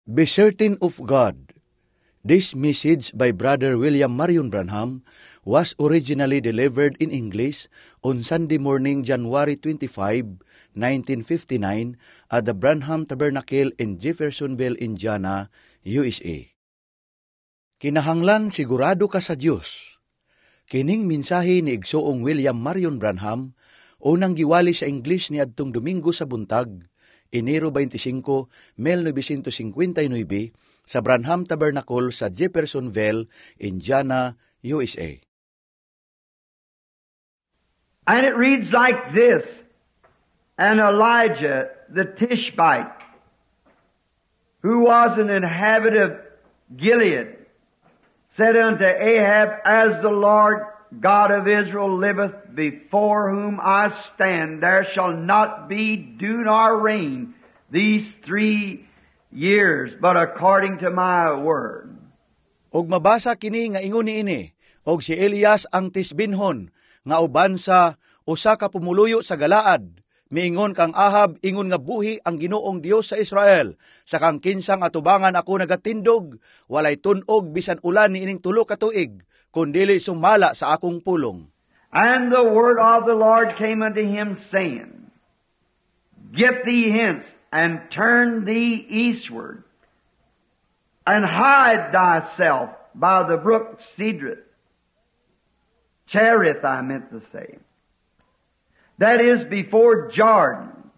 Be certain of God. This message by Brother William Marion Branham was originally delivered in English on Sunday morning, January 25, 1959 at the Branham Tabernacle in Jeffersonville, Indiana, USA. Kinahanglan sigurado ka sa Dios. Kining mensahe ni igsuong William Marion Branham unang giwali sa English ni adtong Domingo sa buntag, Enero 25, 1959 sa Branham Tabernacle sa Jeffersonville, Indiana, USA. And it reads like this: "And Elijah the Tishbite, who was an inhabitant of Gilead, said unto Ahab, 'As the Lord God of Israel liveth, before whom I stand, there shall not be dew nor rain these 3 years, but according to my word.'" Og mabasa kini nga ingon niini, "Og si Elias ang Tisbinhon nga uban sa usa ka pumuluyo sa Galaad, miingon kang Ahab, 'Ingon nga buhi ang Ginoong Dios sa Israel, sa kang kinsang atubangan ako nagatindog, walay tun-og bisan ulan niining 3 ka tuig, kundili sumala sa akong pulong.'" And the word of the Lord came unto him, saying, "Get thee hence, and turn thee eastward, and hide thyself by the brook Cedrith." Cherith, I meant to say. "That is before Jordan.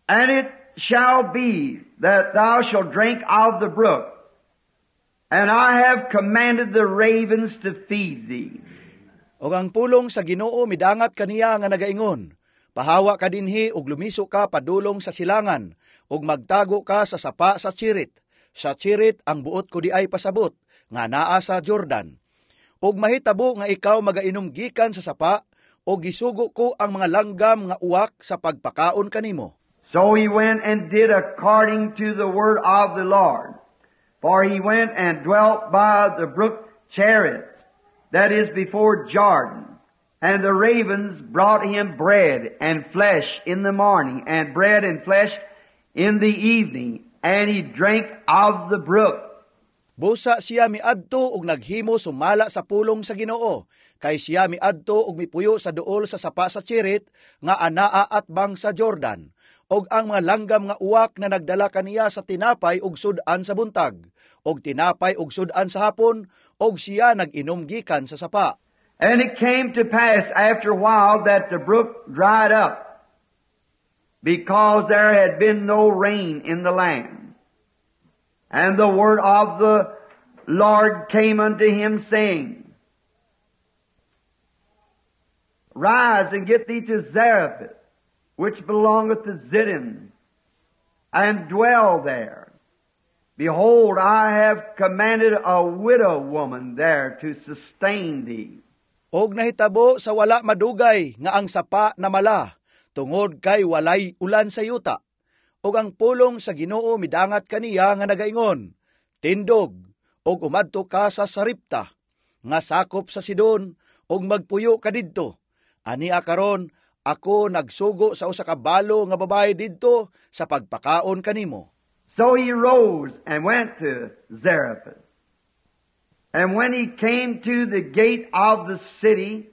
And it shall be that thou shalt drink of the brook, and I have commanded the ravens to feed thee." Og ang pulong sa Ginoo midangat kaniya nga nagaingon, "Pahawa ka dinhi ug lumiso ka padulong sa silangan, ug magtago ka sa sapa sa Chirit." Sa Chirit ang buot ko diay pasabot, nga naa sa Jordan. "Og mahitabo nga ikaw magainom gikan sa sapa, ug gisugo ko ang mga langgam nga uwak sa pagpakaon kanimo." So he went and did according to the word of the Lord. For he went and dwelt by the brook Cherith, that is before Jordan. And the ravens brought him bread and flesh in the morning, and bread and flesh in the evening, and he drank of the brook. Busa siya miadto ug naghimo sumala sa pulong sa Ginoo, kay siya miadto ug mipuyo sa duol sa sapa sa Chirit nga anaa atbang sa Jordan. Og ang mga langgam nga uwak na nagdala kaniya sa tinapay ug sud-an sa buntag, og tinapay ug sud-an sa hapon, og siya nag-inom gikan sa sapa. And it came to pass after a while that the brook dried up, because there had been no rain in the land. And the word of the Lord came unto him, saying, "Rise and get thee to Zarephath, which belongeth to Zidon, and dwell there. Behold, I have commanded a widow woman there to sustain thee." Og nahitabo sa wala madugay nga ang sapa namala, tungod kay walay ulan sa yuta. Og ang pulong sa Ginoo midangat kaniya nga nagaingon, "Tindog, og umadto ka sa Sarepta, nga sakop sa Sidon, og magpuyo ka didto. Ania karon, ako nagsugo sa usa ka balo nga babae didto sa pagpakaon kanimo." So he rose and went to Zarephath. And when he came to the gate of the city,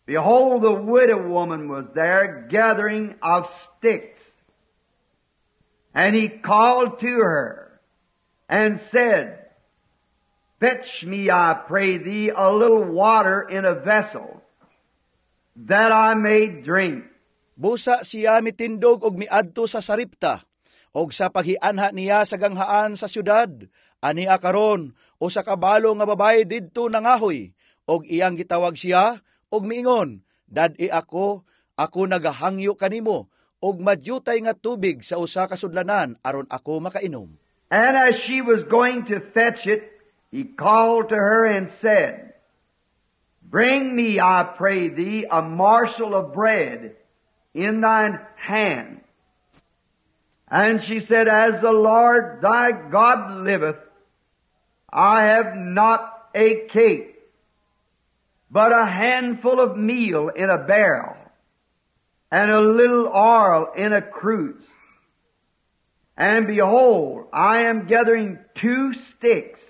behold, the widow woman was there gathering of sticks. And he called to her and said, "Fetch me, I pray thee, a little water in a vessel, that I may drink." Busa siya mitindog og miadto sa Sarepta, og sa paghianha niya sa ganghaan sa syudad, ania karon usa ka balo nga babae didto nangahoy, og iyang gitawag siya og miingon, "Dad-i ako, ako nagahangyo kanimo og madyutay nga tubig sa usa ka sudlanan aron ako makainom." And as she was going to fetch it, he called to her and said, "Bring me, I pray thee, a morsel of bread in thine hand." And she said, "As the Lord thy God liveth, I have not a cake, but a handful of meal in a barrel, and a little oil in a cruse." And behold, I am gathering two sticks,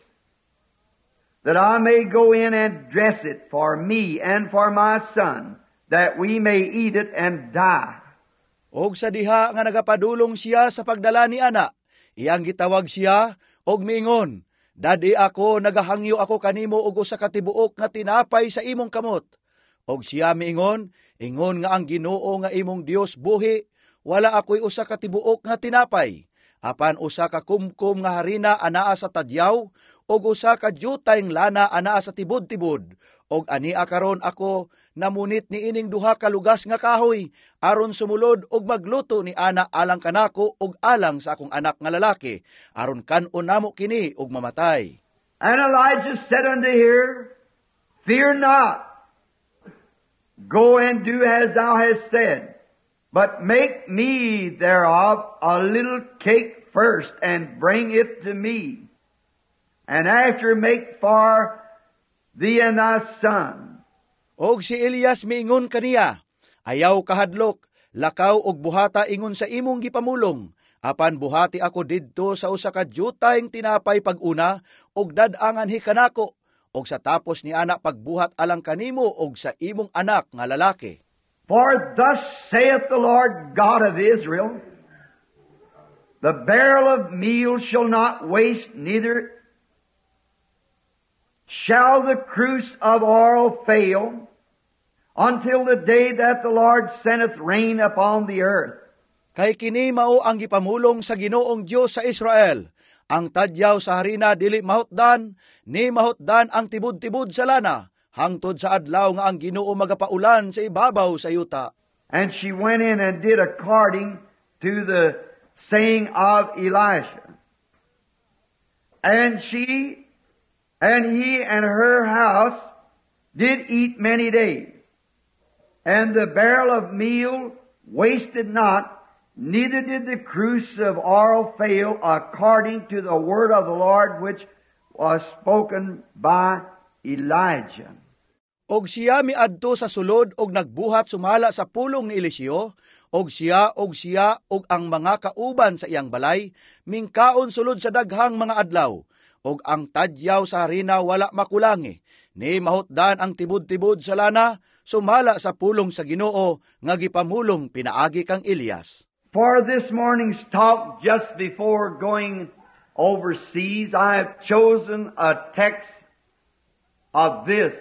that I may go in and dress it for me and for my son, that we may eat it and die." Og sa diha nga nagapadulong siya sa pagdala ni ana, iyang gitawag siya og miingon, "Dad-i ako, nagahangyo ako kanimo og usa ka tibuok nga tinapay sa imong kamot." Og siya miingon, "Ingon nga ang Ginoo nga imong Dios buhi, wala ako'y usa ka tibuok nga tinapay. Apan usa ka kumkum nga harina anaa sa tadyaw, ug usa ka dyutayng lana anaa sa tibod-tibod. Og ania karon ako namunit ni ining duha ka lugas nga kahoy aron sumulod og magluto ni ana alang kanako ug alang sa akong anak nga lalaki, aron kan-on namo kini ug mamatay." And Elijah said unto her, "Fear not. Go and do as thou hast said. But make me thereof a little cake first, and bring it to me. And after make for thee and thy son." Og si Elias miingon kaniya, "Ayaw kahadlok, lakaw og buhata ingon sa imong gipamulong. Apan buhati ako didto sa usa ka dyutayng tinapay pag-una og dad-a nganhi kanako, og sa tapos ni ana pagbuhat alang kanimo og sa imong anak nga lalaki." "For thus saith the Lord God of Israel, the barrel of meal shall not waste, neither shall the cruse of oil fail, until the day that the Lord sendeth rain upon the earth." "Kay kini mao ang gipamulong sa Ginoong Dios sa Israel: Ang tadyaw sa harina dili mahutdan, ni mahutdan ang tibod-tibod sa lana, hangtod sa adlaw nga ang Ginoo magapaulan sa ibabaw sa yuta." And she went in and did according to the saying of Elisha. And she and he and her house did eat many days. And the barrel of meal wasted not, neither did the cruse of oil fail, according to the word of the Lord which was spoken by Elijah. Og siya miadto sa sulod og nagbuhat sumala sa pulong ni Eliseo, og siya og ang mga kauban sa iyang balay mingkaon sulod sa daghang mga adlaw. Og ang tadyaw sa harina wala makulangi, ni mahutdan ang tibod-tibod sa lana, sumala sa pulong sa Ginoo nga gipamulong pinaagi kang Elias. For this morning's talk, just before going overseas, I have chosen a text of this: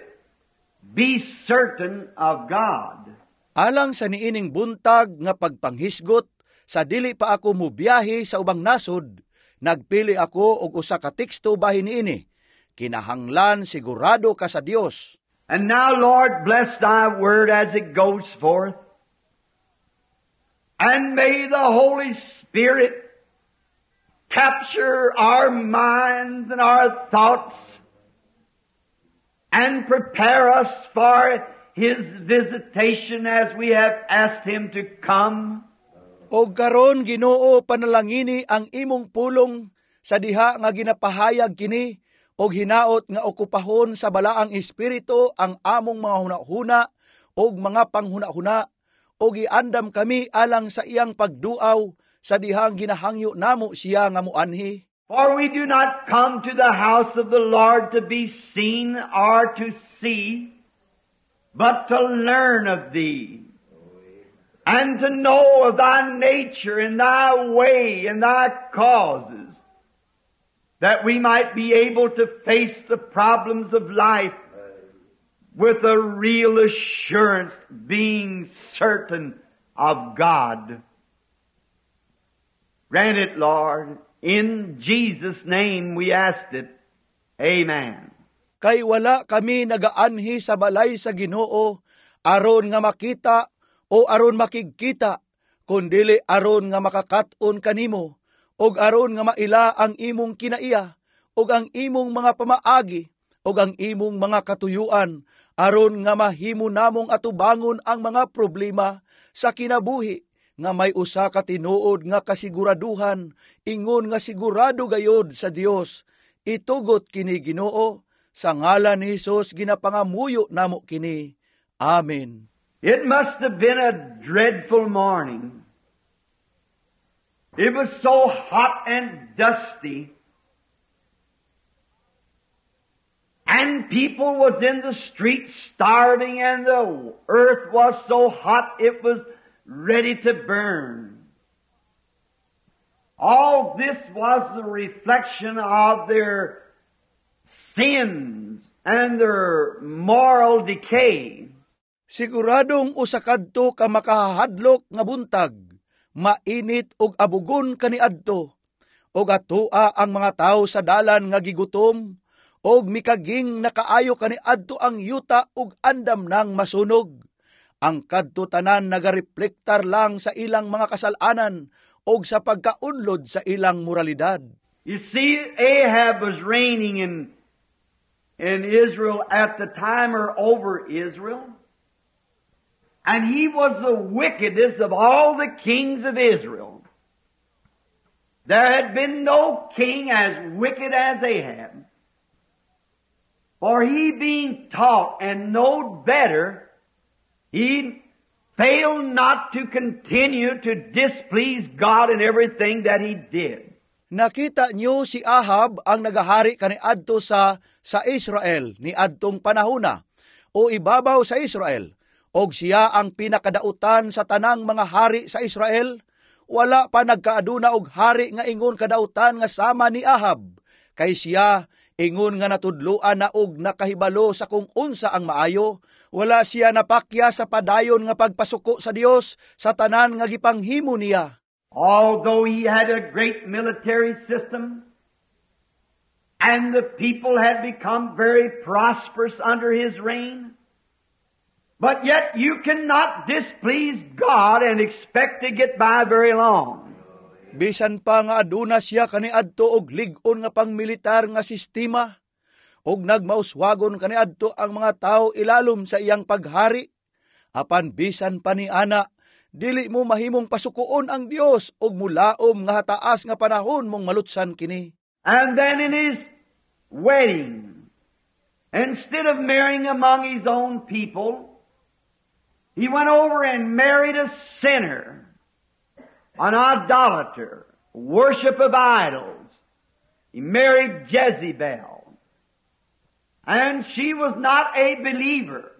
"Be certain of God." Alang sa niining buntag nga pagpanghisgot sa dili pa ako mubiyahe sa ubang nasod, nagpili ako og usa ka teksto bahin niini: "Kinahanglan sigurado ka sa Dios." And now, Lord, bless Thy word as it goes forth. And may the Holy Spirit capture our minds and our thoughts and prepare us for His visitation as we have asked Him to come. Og karon, Ginoo, panalangini ang imong pulong sa diha nga ginapahayag kini og hinaot nga okupahon sa Balaang Espiritu ang among mga hunahuna og mga panghunahuna og iandam kami alang sa iyang pagduaw sa dihang ginahangyo namo siya nga muanhi. For we do not come to the house of the Lord to be seen or to see, but to learn of Thee, and to know of Thy nature and Thy way and Thy causes, that we might be able to face the problems of life with a real assurance, being certain of God. Grant it, Lord. In Jesus' name we ask it. Amen. Kay wala kami nagaanhi sa balay sa Ginoo aron nga makita o aron makigkita, kundili aron nga makakat-on kanimo ug aron nga maila ang imong kinaiya ug ang imong mga pamaagi ug ang imong mga katuyuan, aron nga mahimo namong atubangon ang mga problema sa kinabuhi nga may usa ka tinuod nga kasiguraduhan, ingon nga sigurado gayod sa Dios. Itugot kini, Ginoo. Sa ngalan ni Hesus ginapangamuyo namo kini. Amen. It must have been a dreadful morning. It was so hot and dusty. And people was in the streets starving, and the earth was so hot it was ready to burn. All this was the reflection of their sins and their moral decay. Siguradong usa kadto ka makahadlok nga buntag, mainit ug abugon kaniadto, ug atoa ang mga tawo sa dalan nga gigutom, ug mikaging nakaayo kaniadto ang yuta ug andam nang masunog. Ang kadto tanan nagareflektar lang sa ilang mga kasalanan ug sa pagkaunlod sa ilang moralidad. You see, Ahab was reigning in Israel at the time, or over Israel. And he was the wickedest of all the kings of Israel. There had been no king as wicked as Ahab. For he, being taught and knowed better, he failed not to continue to displease God in everything that he did. Nakita niyo, si Ahab ang nagahari kaniadto sa Israel ni adtong panahona o ibabaw sa Israel, og siya ang pinakadautan sa tanang mga hari sa Israel. Wala pa nagkaaduna og hari nga ingon kadautan nga sama ni Ahab, kay siya, ingon nga natudloan na og nakahibalo sa kung unsa ang maayo, wala siya napakya sa padayon nga pagpasuko sa Dios sa tanan nga gipanghimo niya. Although he had a great military system, and the people had become very prosperous under his reign, but yet you cannot displease God and expect to get by very long. Bisan pa nga aduna siya kaniadto og lig-on nga pangmilitar nga sistema, og nagmauswagon kaniadto ang mga tawo ilalom sa iyang paghari, apan bisan pa ni ana, dili mo mahimong pasukoon ang Dios og mulaom nga hataas nga panahon mong malutsan kini. And then in his wedding, instead of marrying among his own people, he went over and married a sinner, an idolater, worship of idols. He married Jezebel. And she was not a believer.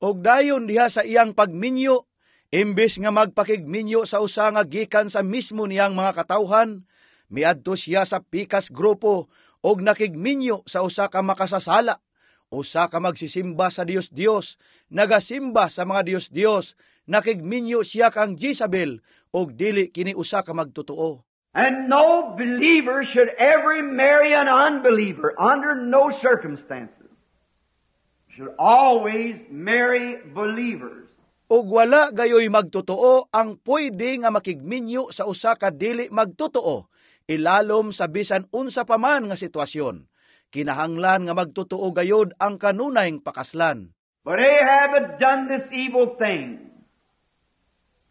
Og dayon diha sa iyang pagminyo, imbes nga magpakigminyo sa usa nga gikan sa mismo niyang mga katawhan, miadto siya sa pikas grupo og nakigminyo sa usa ka makasasala, usa ka magsisimba sa Dios-Dios, nagasimba sa mga Dios-Dios, nakigminyo siya kang Jezebel og dili kini usa ka magtotoo. And no believer should ever marry an unbeliever under no circumstances. Should always marry believers. Ug wala gayoy magtotoo ang pwede nga makigminyo sa usa ka dili magtotoo ilalom sa bisan unsa pa man nga sitwasyon. Kinahanglan nga magtotoo gayod ang kanunayng pakaslan. But Ahab had done this evil thing.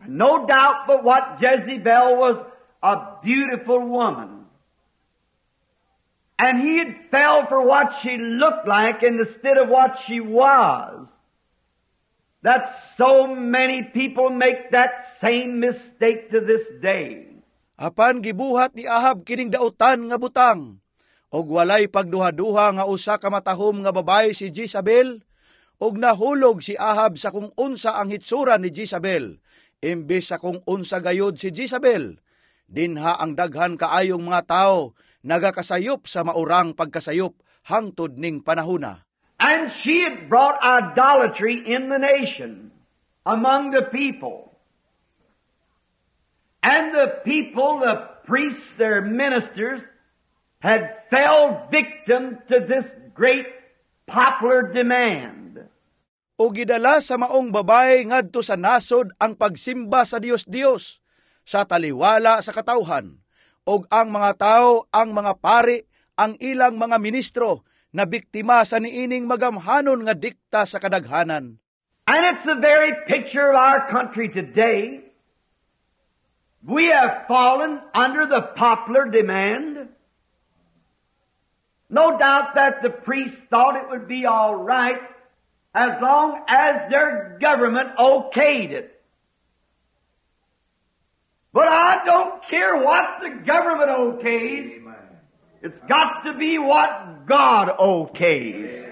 No doubt but what Jezebel was a beautiful woman. And he had fell for what she looked like instead of what she was. That so many people make that same mistake to this day. Apan gibuhat ni Ahab kining dautan nga butang. Og walay pagduha-duha nga usa ka matahom nga babae si Jezebel, og nahulog si Ahab sa kung unsa ang hitsura ni Jezebel, imbes sa kung unsa gayod si Jezebel. Dinha ang daghan kaayong mga tao nagakasayop sa maurang pagkasayop hangtod ning panahona. And she had brought idolatry in the nation, among the people. And the people, the priests, their ministers, had fell victim to this great popular demand. O gidala sa maong babae ngadto sa nasod ang pagsimba sa Dios-Dios, sa taliwala sa katawhan, og ang mga tao, ang mga pari, ang ilang mga ministro, na biktima sa niining magamhanon nga dikta sa kadaghanan. And it's the very picture of our country today. We have fallen under the popular demand. No doubt that the priests thought it would be all right as long as their government okayed it. But I don't care what the government okays. It's got to be what God okays.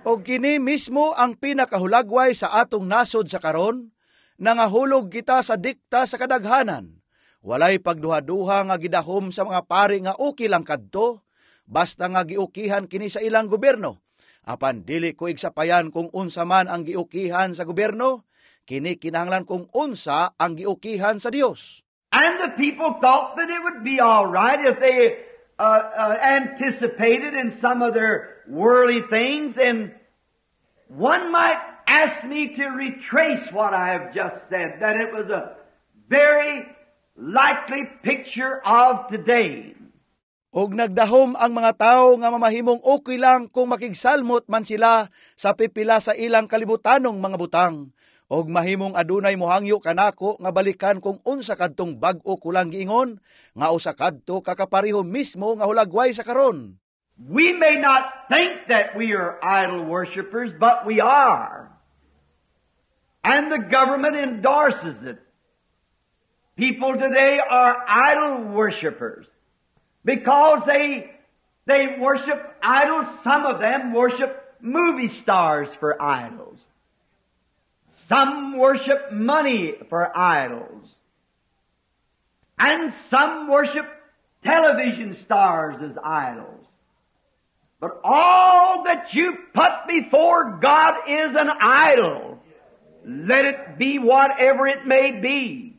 Og kini mismo ang pinakahulagway sa atong nasod sa karon, nangahulog kita sa dikta sa kadaghanan. Walay pagduha-duha nga gidahom sa mga pari nga okay lang kadto, basta nga giukihan kini sa ilang gobyerno. Apan dili ko igsapayan kung unsa man ang giukihan sa gobyerno, kini kinahanglan kung unsa ang giukihan sa Dios. And the people thought that it would be all right if they anticipated in some of their worldly things. And one might ask me to retrace what I have just said, that it was a very likely picture of today. Og nagdahom ang mga tao nga mamahimong okay lang kung makigsalmot man sila sa pipila sa ilang kalibutanong mga butang. Og mahimong adunay mohangyo kanako nga balikan kung unsa kadtong bag-o kulang giingon, nga usa kadto kakapareho mismo nga hulagway sa karon. We may not think that we are idol worshippers, but we are. And the government endorses it. People today are idol worshippers because they worship idols. Some of them worship movie stars for idols. Some worship money for idols. And some worship television stars as idols. But all that you put before God is an idol. Let it be whatever it may be.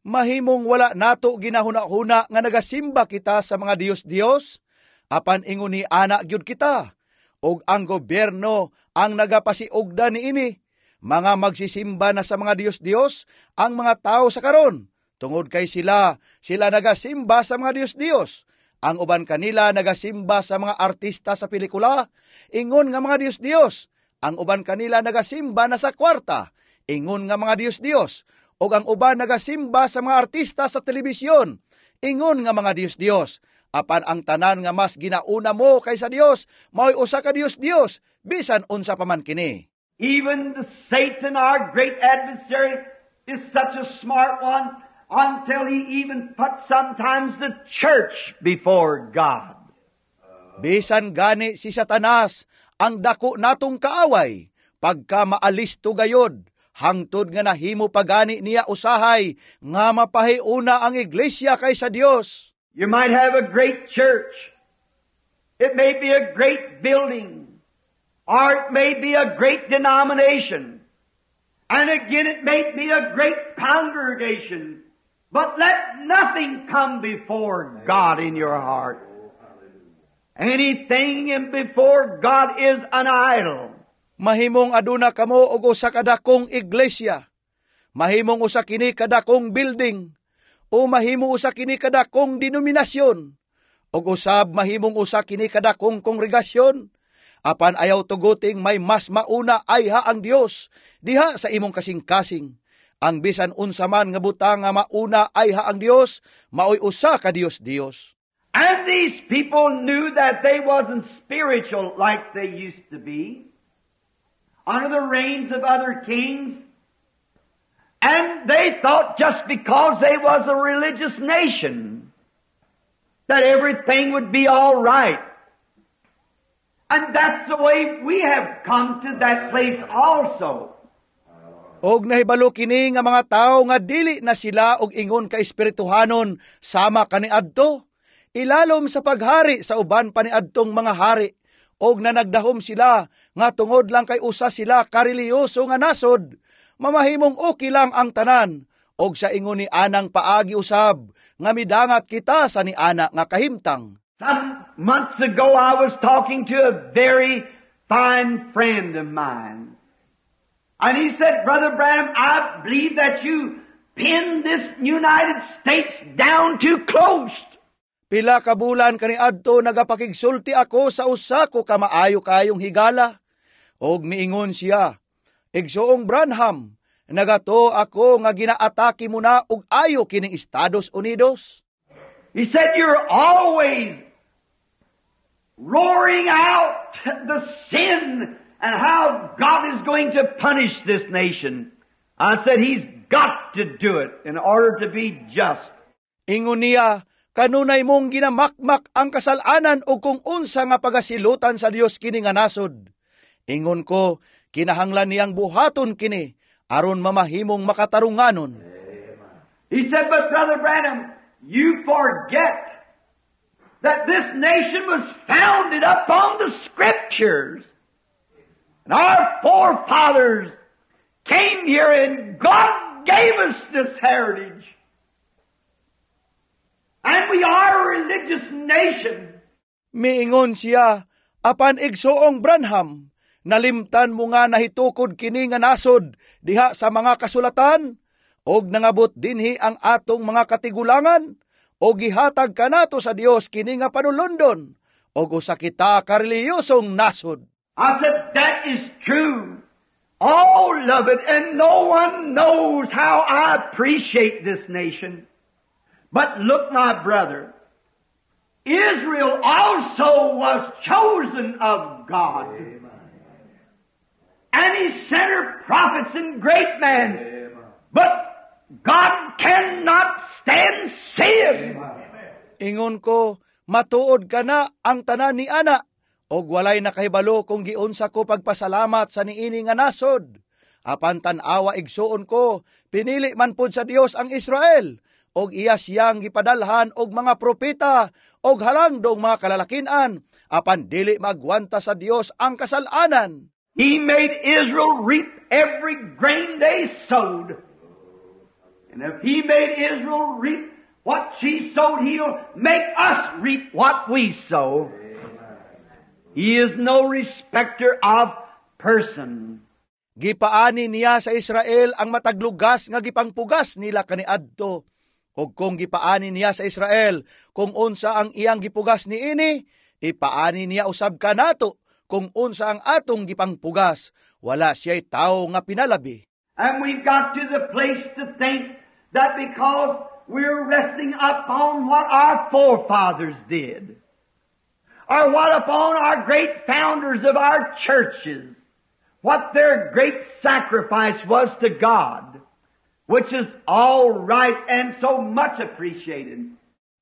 Mahimong wala nato ginahuna-huna nga nagasimba kita sa mga Diyos-Diyos, apan ingon ni ana gyud kita. Og ang gobyerno ang nagapasiugda niini. Mga magsisimba na sa mga Diyos-Diyos ang mga tao sa karon. Tungod kay sila nagasimba sa mga Diyos-Diyos. Ang uban kanila nagasimba sa mga artista sa pelikula, ingon nga mga Diyos-Diyos. Ang uban kanila nagasimba na sa kwarta, ingon nga mga Diyos-Diyos. Og ang uban nagasimba sa mga artista sa telebisyon, ingon nga mga Diyos-Diyos. Apan ang tanan nga mas ginauna mo kaysa Dios, mao'y usa ka Diyos-Diyos, bisan unsa pa man kini. Even the Satan, our great adversary, is such a smart one until he even puts sometimes the church before God. Bisan gani si Satanas ang dako natong kaaway, pagka maalisto gayod, hangtod nga nahimo pa gani niya usahay nga mapahiuna ang iglesia kaysa Dios. You might have a great church. It may be a great building. Or it may be a great denomination. And again, it may be a great congregation. But let nothing come before God in your heart. Anything in before God is an idol. Mahimong aduna kamo og usa ka dakong iglesia. Mahimong usa kini kadakong building o mahimo usa kini kadakong denominasyon. Og usab mahimong usa kini kadakong kongregasyon. Apan ayaw tuguting may mas mauna ayha ang Dios diha sa imong kasing-kasing. Ang bisan unsa man nga butang nga mauna ayha ang Dios, maoy usa ka Dios-Dios. And these people knew that they wasn't spiritual like they used to be under the reigns of other kings. And they thought just because they was a religious nation that everything would be all right. And that's the way we have come to that place also. Og nahibalo kini nga mga tawo nga dili na sila og ingon ka espirituhanon sama kaniadto, ilalom sa paghari sa uban pa niadtong mga hari, og nanagdahom sila nga tungod lang kay usa sila kareliyoso nga nasod, mamahimong okay lang ang tanan, og sa ingon ni anang paagi usab nga midangat kita sa niana nga kahimtang. Some months ago I was talking to a very fine friend of mine. And he said, "Brother Branham, I believe that you pinned this United States down too close." Pila ka bulan kaniadto nagapakigsulti ako sa usa ko ka maayo kayong higala. Og miingon siya, "Igsoong Branham, nagato ako nga ginaatake mo na og ayo kining Estados Unidos." He said, "You're always roaring out the sin and how God is going to punish this nation." I said, "He's got to do it in order to be just. Ingon niya, "Kanunay mong ginamakmak ang kasalanan o kung unsa nga pagasilutan sa Dios kini nga nasod." Ingon ko, "Kinahanglan niyang buhaton kini aron mamahimong makatarunganon." He said, "But Brother Branham, you forget that this nation was founded upon the Scriptures. And our forefathers came here and God gave us this heritage. And we are a religious nation." Miingon siya, "Apan Igsoong Branham, nalimtan mo nga nahitukod kini nga nasod diha sa mga kasulatan, og nangabot dinhi ang atong mga katigulangan, og gihatag kanato sa Dios kini nga panulundon, og usa kita ka reliyosong nasod." I said, "That is true. All of it, and no one knows how I appreciate this nation. But look, my brother, Israel also was chosen of God. And He sent her prophets and great men. But God cannot stand sin." Ingon ko, "Matuod kana ang tanan ni ana, og walay nakahibalo kung giunsa ko pagpasalamat sa niini nga nasod. Apan tan-awa, igsuon ko, pinili man pud sa Dios ang Israel, og iya siyang gipadalhan og mga propeta og halangdong mga kalalakinan, apan dili magwanta sa Dios ang kasalanan." He made Israel reap every grain they sowed. And if He made Israel reap what she sowed, He'll make us reap what we sow. He is no respecter of person. Gipaani niya sa Israel ang matag lugas nga gipangpugas nila kaniadto. Og kung gipaani niya sa Israel kung unsa ang iyang gipugas niini, ipaani niya usab kanato kung unsa ang atong gipangpugas. Wala siya'y tawo nga pinalabi. And we've got to the place to think that because we're resting upon what our forefathers did, or what upon our great founders of our churches, what their great sacrifice was to God, which is all right and so much appreciated.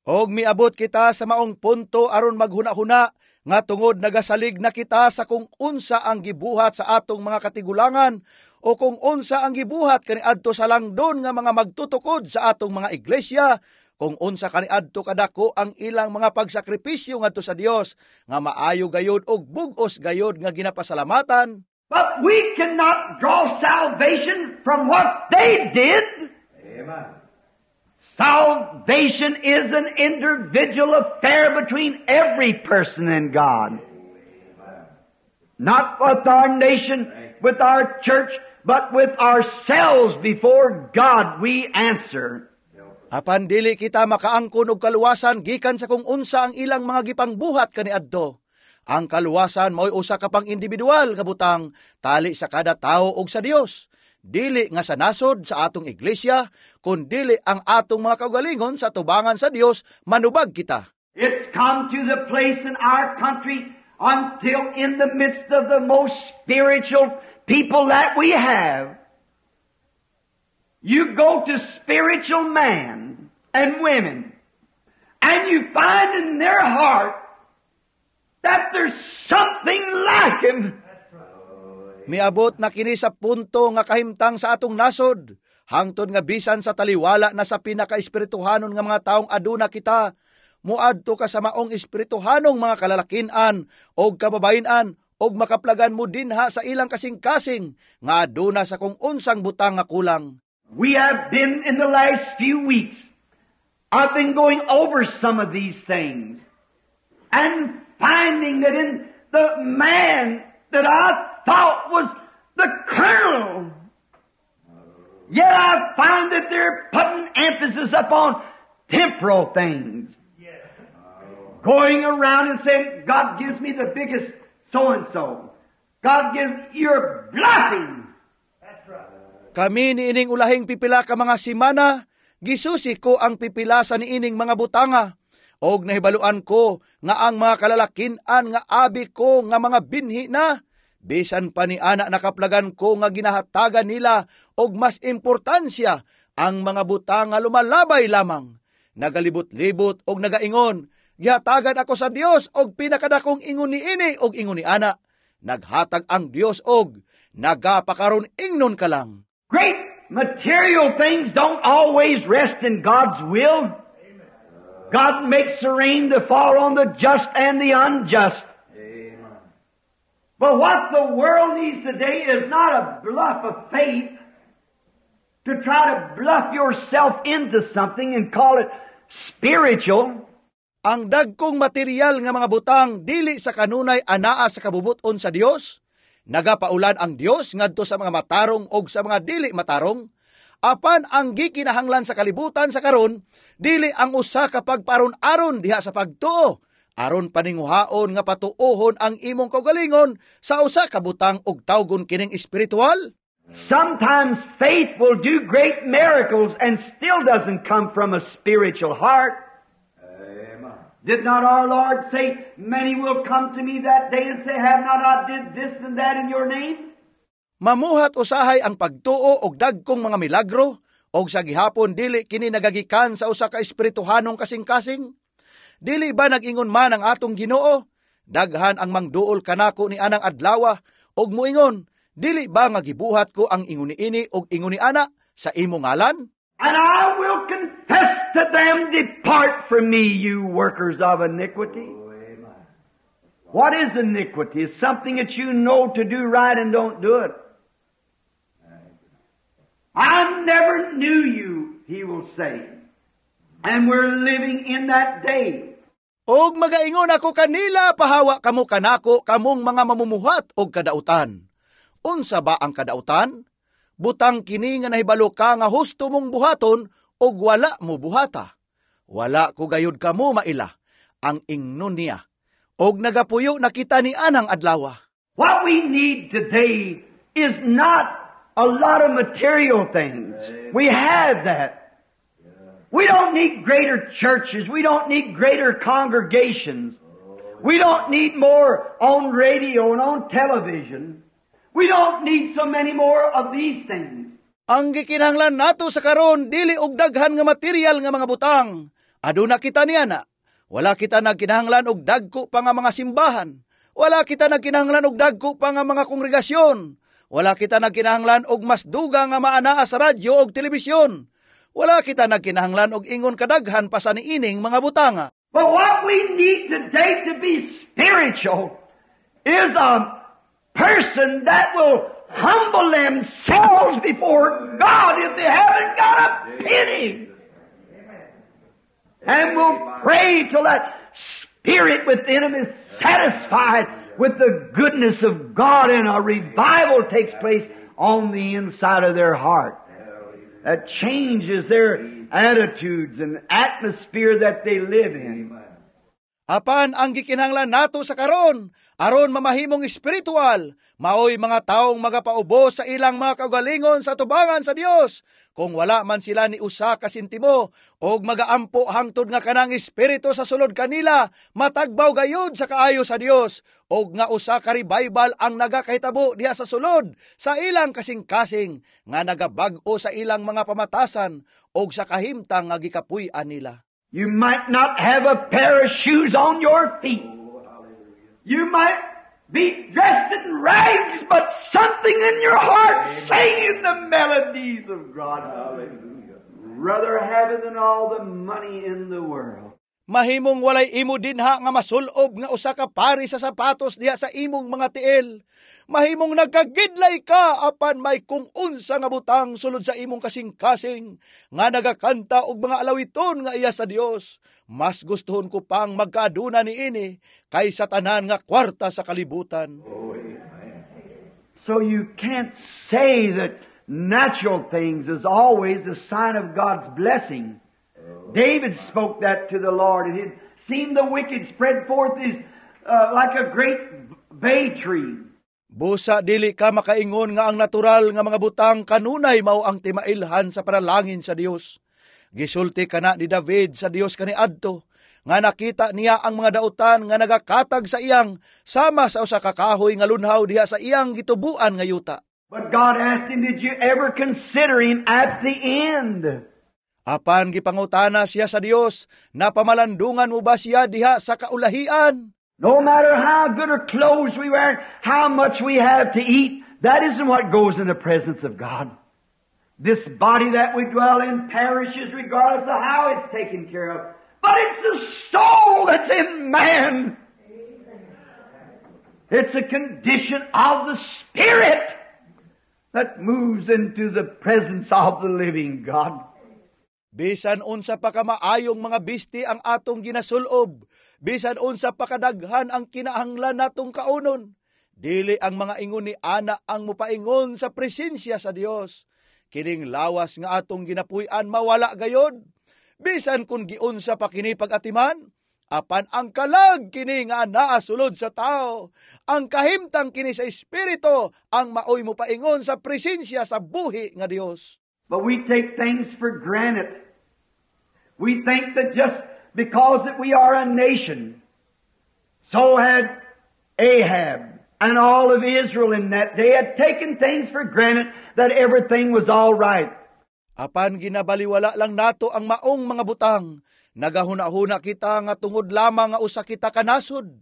Og miabot kita sa maong punto aron maghuna-huna nga tungod nagasalig na kita sa kung unsa ang gibuhat sa atong mga katigulangan o kung unsa ang gibuhat kaniadto sa langdon nga mga magtutukod sa atong mga iglesia, kung unsa kaniadto kadako ang ilang mga pagsakripisyo ngadto sa Dios, nga maayo gayud og bug-os gayud nga ginapasalamatan. But we cannot draw salvation from what they did. Salvation is an individual affair between every person and God. Not with our nation, with our church, but with ourselves before God we answer. Apan dili kita makaangkon og kaluwasan gikan sa kung unsa ang ilang mga gipangbuhat kaniadto. Ang kaluwasan mao'y usa ka pang individual nga butang tali sa kada tawo og sa Dios. Dili nga sa nasod, sa atong iglesia, kun dili ang atong mga kaugalingon sa tubangan sa Dios manubag kita. It's come to the place in our country until in the midst of the most spiritual people that we have, you go to spiritual men and women, and you find in their heart that there's something lacking. Miabot na kini sa punto nga kahimtang sa atong nasod, hangtod nga bisan sa taliwala na sa pinakaespirituhanon nga mga taong aduna kita, muadto ka sa maong espirituhanong mga kalalakinan og kababayen-an og makaplagan mo dinha sa ilang kasing-kasing nga aduna sa kung unsang butang nga kulang. We have been in the last few weeks, I've been going over some of these things and finding that in the man that I thought was the kernel, yet I find that they're putting emphasis upon temporal things. Going around and saying, "God gives me the biggest so-and-so. God gives," you're bluffing. Kami niining ulahing pipila ka mga simana, gisusi ko ang pipila sa niining mga butanga. Og nahibaluan ko nga ang mga kalalakinan nga abi ko nga mga binhi na, bisan pa ni ana nakaplagan ko nga ginahatagan nila Og mas importansya ang mga butang nga lumalabay lamang. Nagalibot-libot og nagaingon, "Gihatagan ako sa Dios og pinakadakong ingon niini og ingon ni ana." Naghatag ang Dios og nagapakaron ingnon ka lang. Great material things don't always rest in God's will. God makes the rain to fall on the just and the unjust. But what the world needs today is not a bluff of faith to try to bluff yourself into something and call it spiritual. Ang dagkong material nga mga butang dili sa kanunay anaa sa kabubuton sa Dios. Nagapaulan ang Dios ngadto sa mga matarong og sa mga dili matarong. Apan ang gikinahanglan sa kalibutan sa karon dili ang usa ka pagparon-aron diha sa pagtuo aron paninguhaon nga patuohon ang imong kaugalingon sa usa ka butang og tawgon kining espiritual. Sometimes faith will do great miracles and still doesn't come from a spiritual heart. Did not our Lord say, "Many will come to me that day and say, 'Have not I did this and that in your name?'" Mamuhat usahay ang pagtuo og dagkong mga milagro og sa gihapon dili kini nagagikan sa usa ka espirituhanong kasing-kasing. Dili ba nag-ingon man ang atong Ginoo, "Daghan ang mangduol kanako ni anang adlawa og muingon, 'Dili ba nga gibuhat ko ang ingon niini og ingon ni ana sa imo ngalan?'" And I will confess to them, "Depart from me, you workers of iniquity." What is iniquity? It's something that you know to do right and don't do it. "I never knew you," he will say. And we're living in that day. Og magaingon ako kanila, "Pahawa kamo kanako, kamong mga mamumuhat og kadautan." Unsa ba ang kadautan? Butang kini nga nahibalo ka nga husto mong buhaton og wala mo buhata. "Wala ko gayud kamo maila," ang ingnon niya. Og nagapuyo na kita ni anang adlawa. What we need today is not a lot of material things. We have that. We don't need greater churches. We don't need greater congregations. We don't need more on radio and on television. We don't need so many more of these things. Ang gikinahanglan nato sa karon dili og daghan nga material nga mga butang. Aduna kita niana. Wala kita nagkinahanglan og dagko pa nga mga simbahan. Wala kita nagkinahanglan og dagko pa nga mga kongregasyon. Wala kita nagkinahanglan og mas dugang nga maanaa sa radyo og telebisyon. Wala kita nagkinahanglan og ingon kadaghan pa sa niining mga butanga. But what we need today to be spiritual is a person that will humble themselves before God if they haven't got a penny. And will pray till that spirit within them is satisfied with the goodness of God and a revival takes place on the inside of their heart. That changes their attitudes and atmosphere that they live in. Apan ang gikinahanglan nato sa karon aron mamahimong espiritual, maoy mga taong magapaubos sa ilang mga kaugalingon sa tubangan sa Dios kung wala man sila ni usa ka sentimo, og magaampo hangtod nga kanang espiritu sa sulod kanila matagbaw gayud sa kaayo sa Dios og nga usa ka revival ang nagakahitabo diha sa sulod sa ilang kasing-kasing nga nagabag-o sa ilang mga pamatasan og sa kahimtang nga gikapuy-an nila. You might not have a pair of shoes on your feet. You might be dressed in rags, but something in your heart singing the melodies of God. Hallelujah. Rather have it than all the money in the world. Mahimong walay imo dinha nga masulob nga usa ka pari sa sapatos diha sa imong mga tiil. Mahimong nagkagidlay ka, apan may kung unsa nga butang sulod sa imong kasing-kasing nga nagakanta og mga alawiton nga iya sa Dios. Mas gustuhon ko pang magkaaduna niini kaysa tanan nga kwarta sa kalibutan. So you can't say that natural things is always a sign of God's blessing. David spoke that to the Lord, and he'd seen the wicked spread forth his like a great bay tree. Busa dili ka makaingon nga ang natural nga mga butang kanunay mao ang timailhan sa panalangin sa Dios. Gisulti kana ni David sa Dios kaniadto nga nakita niya ang mga dautan nga nagakatag sa iyang sama sa usa ka kahoy nga lunhaw diha sa iyang gitubuan nga yuta. But God asked him, "Did you ever consider him at the end?" Apan gipangutana siya sa Dios, "Napamalandungan mo ba siya diha sa kaulahian?" No matter how good or clothes we wear, how much we have to eat, that isn't what goes in the presence of God. This body that we dwell in perishes regardless of how it's taken care of. But it's the soul that's in man. It's a condition of the spirit that moves into the presence of the living God. Bisan unsa pa ka maayong mga bisti ang atong ginasulob, bisan unsa pa kadaghan ang kinahanglan natong kaunon, dili ang mga ingon ni ana ang mupaingon sa presensya sa Dios. Kining lawas nga atong ginapuy-an mawala gayod. Bisan kung giunsa pa kini pag-atiman, apan ang kalag kini nga anaa sulod sa tao, ang kahimtang kini sa espiritu ang maoy mopaingon sa presensya sa buhi nga Dios. But we take things for granted. We think that just because that we are a nation, so had Ahab and all of Israel in that day had taken things for granted that everything was all right. Apan ginabaliwala lang nato ang maong mga butang. Nagahuna-huna kita nga tungod lamang nga usa kita ka nasod.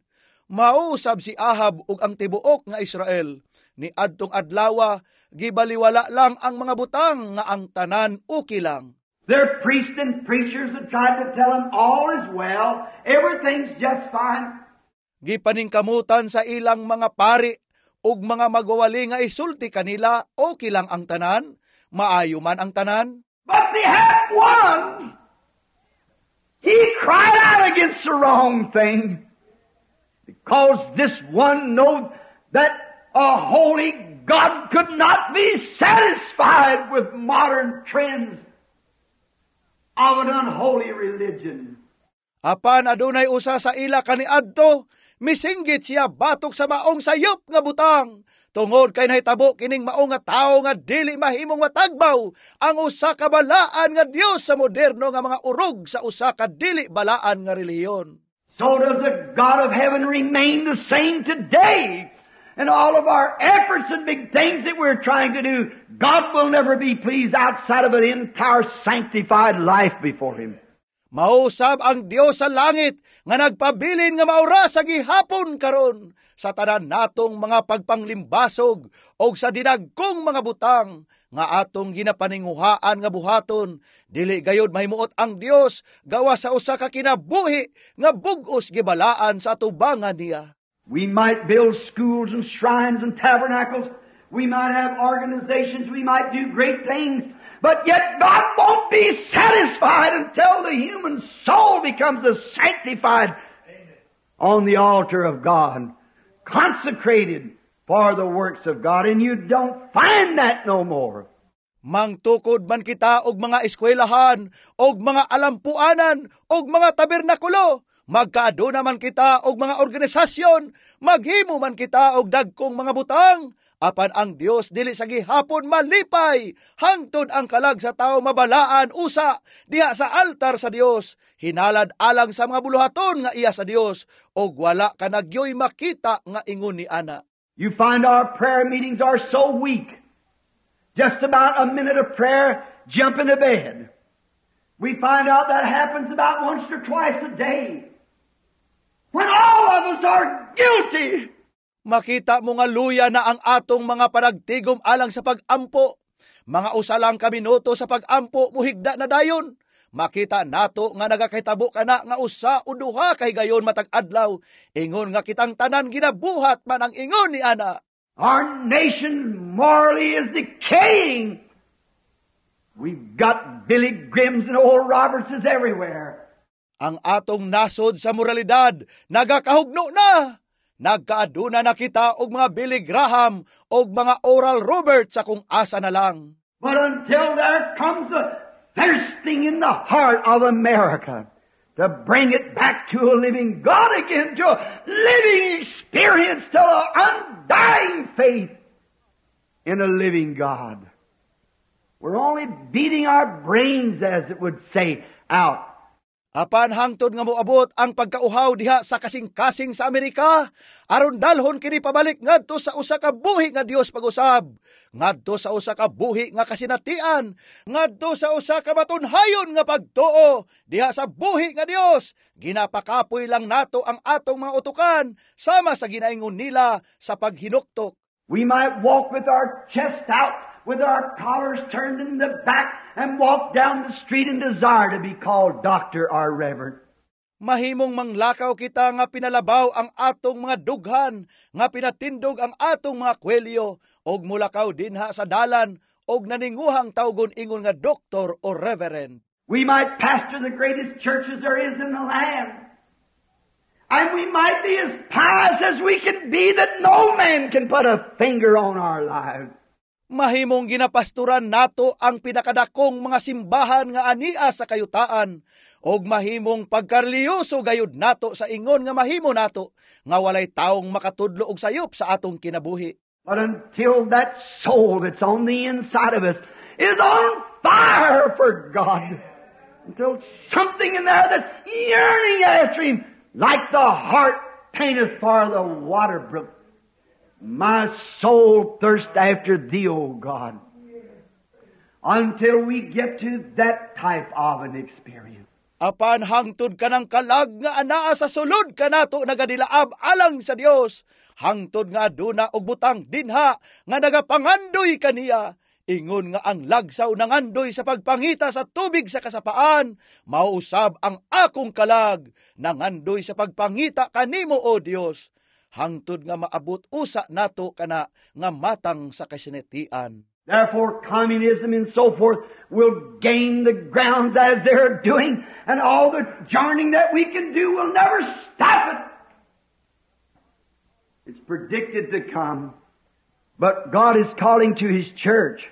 Mausab si Ahab ug ang tibuok nga Israel. Ni adtong adlawa, gibaliwala lang ang mga butang nga ang tanan okay lang. Their priests and preachers had tried to tell them all is well, everything's just fine. Gipaningkamutan sa ilang mga pari ug mga magwawali nga isulti kanila okay lang ang tanan, maayo man ang tanan. But they had one. He cried out against the wrong thing. Because this one knowed that a holy God could not be satisfied with modern trends of an unholy religion. Apan adunay usa sa ila kaniadto, misinggit siya batok sa maong sayop nga butang. Tungod kay nahitabo kining maong nga tawo nga dili mahimong matagbaw ang usa ka balaan nga Dios sa moderno nga mga urog sa usa ka dili balaan nga relihiyon. So does the God of heaven remain the same today. And all of our efforts and big things that we're trying to do, God will never be pleased outside of an entire sanctified life before Him. Mausab ang Dios sa langit nga nagpabilin nga maura sa gihapon karon sa tanan natong mga pagpanglimbasog o sa dinagkong mga butang nga atong ginapaninguhaan nga buhaton, dili gayod mahimuot ang Dios gawa sa usa ka kinabuhi nga bug-os gibalaan sa atubangan niya. We might build schools and shrines and tabernacles. We might have organizations. We might do great things. But yet God won't be satisfied until the human soul becomes a sanctified on the altar of God, consecrated for the works of God. And you don't find that no more. Mangtukod man kita og mga eskwelahan, og mga alampuanan, og mga tabernakulo. Magkaaduna man kita og mga organisasyon, maghimo man kita og dagkong mga butang. Apan ang Dios dili sa gihapon malipay, hangtod ang kalag sa tao mabalaan usa diha sa altar sa Dios, hinalad alang sa mga buluhaton nga iya sa Dios, og wala ka nagyoy makita nga ingon ni ana. You find our prayer meetings are so weak. Just about a minute of prayer, jump into bed. We find out that happens about once or twice a day. When all of us are guilty. Makita mo nga luya na ang atong mga panagtigom alang sa pag-ampo. Mga usa lang ka minuto sa pag-ampo, muhigda na dayon. Makita nato nga nagakahitabo kana nga usa o duha kay gayon matag adlaw. Ingon nga kitang tanan ginabuhat man ang ingon ni ana. Our nation morally is decaying. We've got Billy Grahams and Oral Robertses everywhere. Ang atong nasod sa moralidad nagakahugno na. Nagkaaduna na kita og mga Billy Graham og mga Oral Roberts sa kung asa na lang. But until there comes a thirsting in the heart of America to bring it back to a living God again, to a living experience, to an undying faith in a living God. We're only beating our brains, as it would say, out. Apan hangtod nga moabot ang pagkauhaw diha sa kasing-kasing sa Amerika, aron dalhon kini pabalik ngadto sa usa ka buhi nga Dios pag-usab, ngadto sa usa ka buhi nga kasinatian, ngadto sa usa ka matunhayon nga pagtuo diha sa buhi nga Dios. Ginapakapoy lang nato ang atong mga utukan sama sa ginaingon nila sa paghinuktok. We might walk with our chest out, with our collars turned in the back, and walk down the street and desire to be called doctor or reverend. Mahimong manglakaw kita nga pinalabaw ang atong mga dughan, nga pinatindog ang atong mga kwelyo, og mulakaw dinha sa dalan, og naninguhang tawgon ingon nga doktor o reverend. We might pastor the greatest churches there is in the land. And we might be as pious as we can be that no man can put a finger on our lives. Mahimong ginapasturan nato ang pinakadakong mga simbahan nga ania sa kayutaan, og mahimong pagkarelihiyoso gayud nato sa ingon nga mahimo nato nga walay taong makatudlo og sayop sa atong kinabuhi. But until that soul that's on the inside of us is on fire for God, until something in there that's yearning after Him, like the hart panteth for the water brook, my soul thirsts after Thee, O God. Until we get to that type of an experience. Apan hangtod kanang kalag nga anaa sa sulod kanato nagadilaab alang sa Dios, hangtod nga aduna og butang dinha nga nagapangandoy kaniya, ingon nga ang lagsaw nangandoy sa pagpangita sa tubig sa kasapaan, mao usab ang akong kalag nangandoy sa pagpangita kanimo, O Dios, hangtod nga maabot usa nato kana nga matang sa kasinatian. Therefore, communism and so forth will gain the grounds as they're doing, and all the joining that we can do will never stop it. It's predicted to come. But God is calling to His church.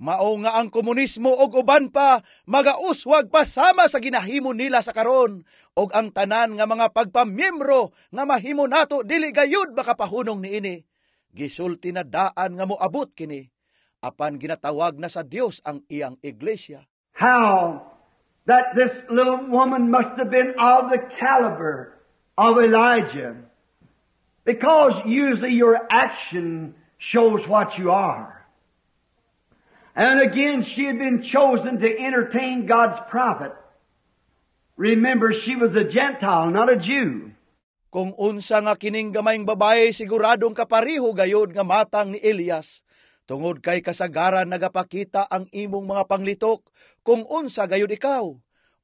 Mao nga ang komunismo og uban pa magauswag pa sama sa ginahimo nila sa karon, og ang tanan nga mga pagpamiyembro nga mahimo nato dili gayud makapahunong niini. Gisulti na daan nga moabot kini. Apan ginatawag na sa Dios ang iyang iglesia. How that this little woman must have been of the caliber of Elijah. Because usually your action shows what you are. And again, she had been chosen to entertain God's prophet. Remember, she was a Gentile, not a Jew. Kung unsa nga kining gamayng babae, siguradong kapariho gayod nga matang ni Elias. Tungod kay kasagaran nagapakita ang imong mga panglitok kung unsa gayud ikaw.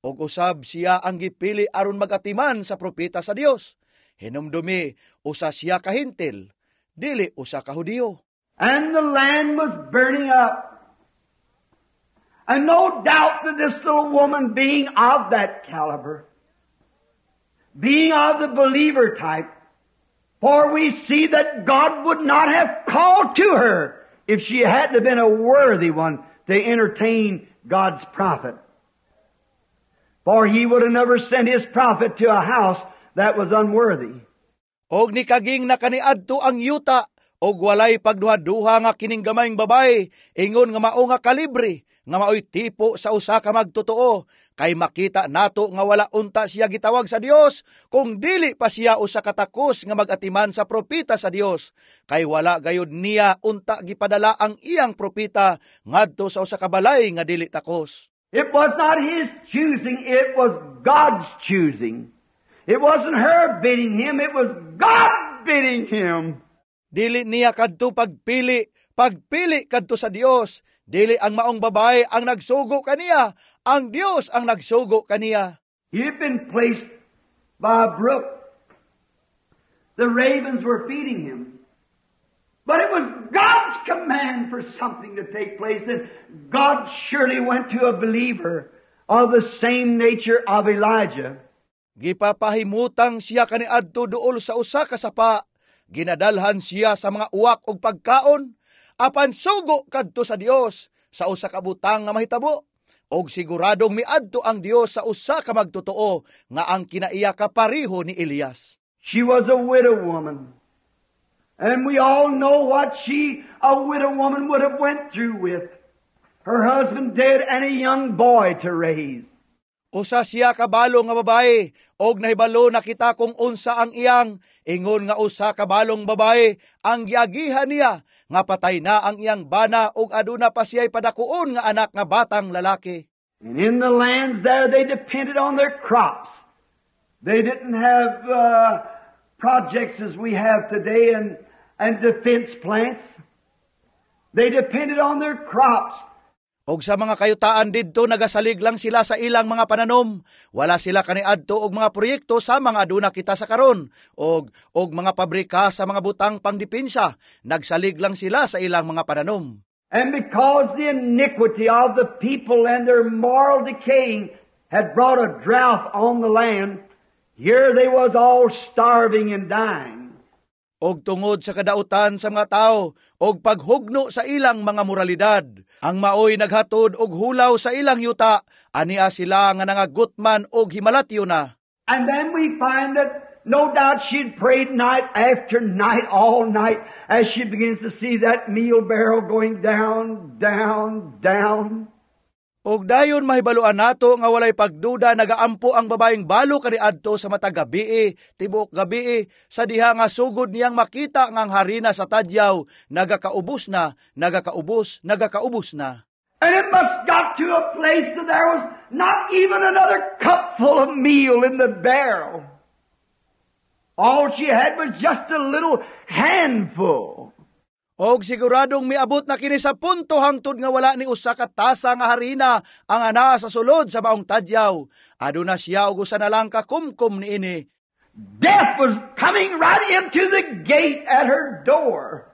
Og usab siya ang gipili aron magatiman sa propeta sa Dios. Hinumdumi, usa siya ka Hentil, dili usa ka Hudiyo. And the land was burning up. And no doubt that this little woman, being of that caliber, being of the believer type, for we see that God would not have called to her if she hadn't have been a worthy one to entertain God's prophet. For He would have never sent His prophet to a house that was unworthy. Og nikaging na kaniadto ang yuta, og walay pagduha-duha nga kining gamayng babae, ingon nga mao nga kalibre, nga maoy tipo sa usa ka magtotoo, kay makita nato nga wala unta siya gitawag sa Dios kung dili pa siya usa ka takos nga magatiman sa propeta sa Dios, kay wala gayud niya unta gipadala ang iyang propeta ngadto sa usa ka balay nga dili takos. It was not his choosing, it was God's choosing. It wasn't her bidding him, it was God bidding him. Dili niya kadto pagpili, pagpili kadto sa Dios. Dili ang maong babae ang nagsugo kaniya, ang Dios ang nagsugo kaniya. He had been placed by a brook. The ravens were feeding him. But it was God's command for something to take place, and God surely went to a believer of the same nature of Elijah. Gipapahimutang siya kaniadto duol sa usa ka sapa. Ginadalhan siya sa mga uwak og pagkaon, apan sugo kadto sa Dios sa usa ka butang nga mahitabo. Og siguradong miadto ang Dios sa usa ka magtotoo nga ang kinaiya kapariho ni Elias. She was a widow woman. And we all know what she, a widow woman, would have went through with. Her husband dead and a young boy to raise. Usa siya kabalo nga babae, og nahibalo na kita kung unsa ang iyang ingon nga usa ka balong babae ang giagihan niya nga patay na ang iyang bana ug aduna pa siya'y padakuon nga anak nga batang lalaki. And in the lands there, they depended on their crops. They didn't have projects as we have today and defense plants. They depended on their crops. Og sa mga kayutaan didto, nagasalig lang sila sa ilang mga pananom. Wala sila kaniadto og mga proyekto sa mga aduna kita sa karon og mga pabrika sa mga butang pangdepensa. Nagsalig lang sila sa ilang mga pananom. And because the iniquity of the people and their moral decaying had brought a drought on the land, here they was all starving and dying. Og tungod sa kadautan sa mga tao og paghugno sa ilang mga moralidad, ang maoy naghatod og hulaw sa ilang yuta, ania sila nga nangagutman og himalatyo na. And then we find that no doubt she'd prayed night after night, all night, as she begins to see that meal barrel going down, down, down. Og dayon mahibaluan nato nga walay pagduda nagaampo ang babaeng balo kaniadto sa matag gabii, tibuok gabii, sa diha nga sugod niyang makita nga ang harina sa tadyaw nagakaubos na, nagakaubos, nagakaubos na. And it must got to a place that there was not even another cupful of meal in the barrel. All she had was just a little handful. Og siguradong miabot na kini sa punto hangtod nga wala ni usa ka tasa nga harina ang anaa sa sulod sa maong tadyaw. Aduna siya og usa na lang ka kumkum niini. Death was coming right into the gate at her door.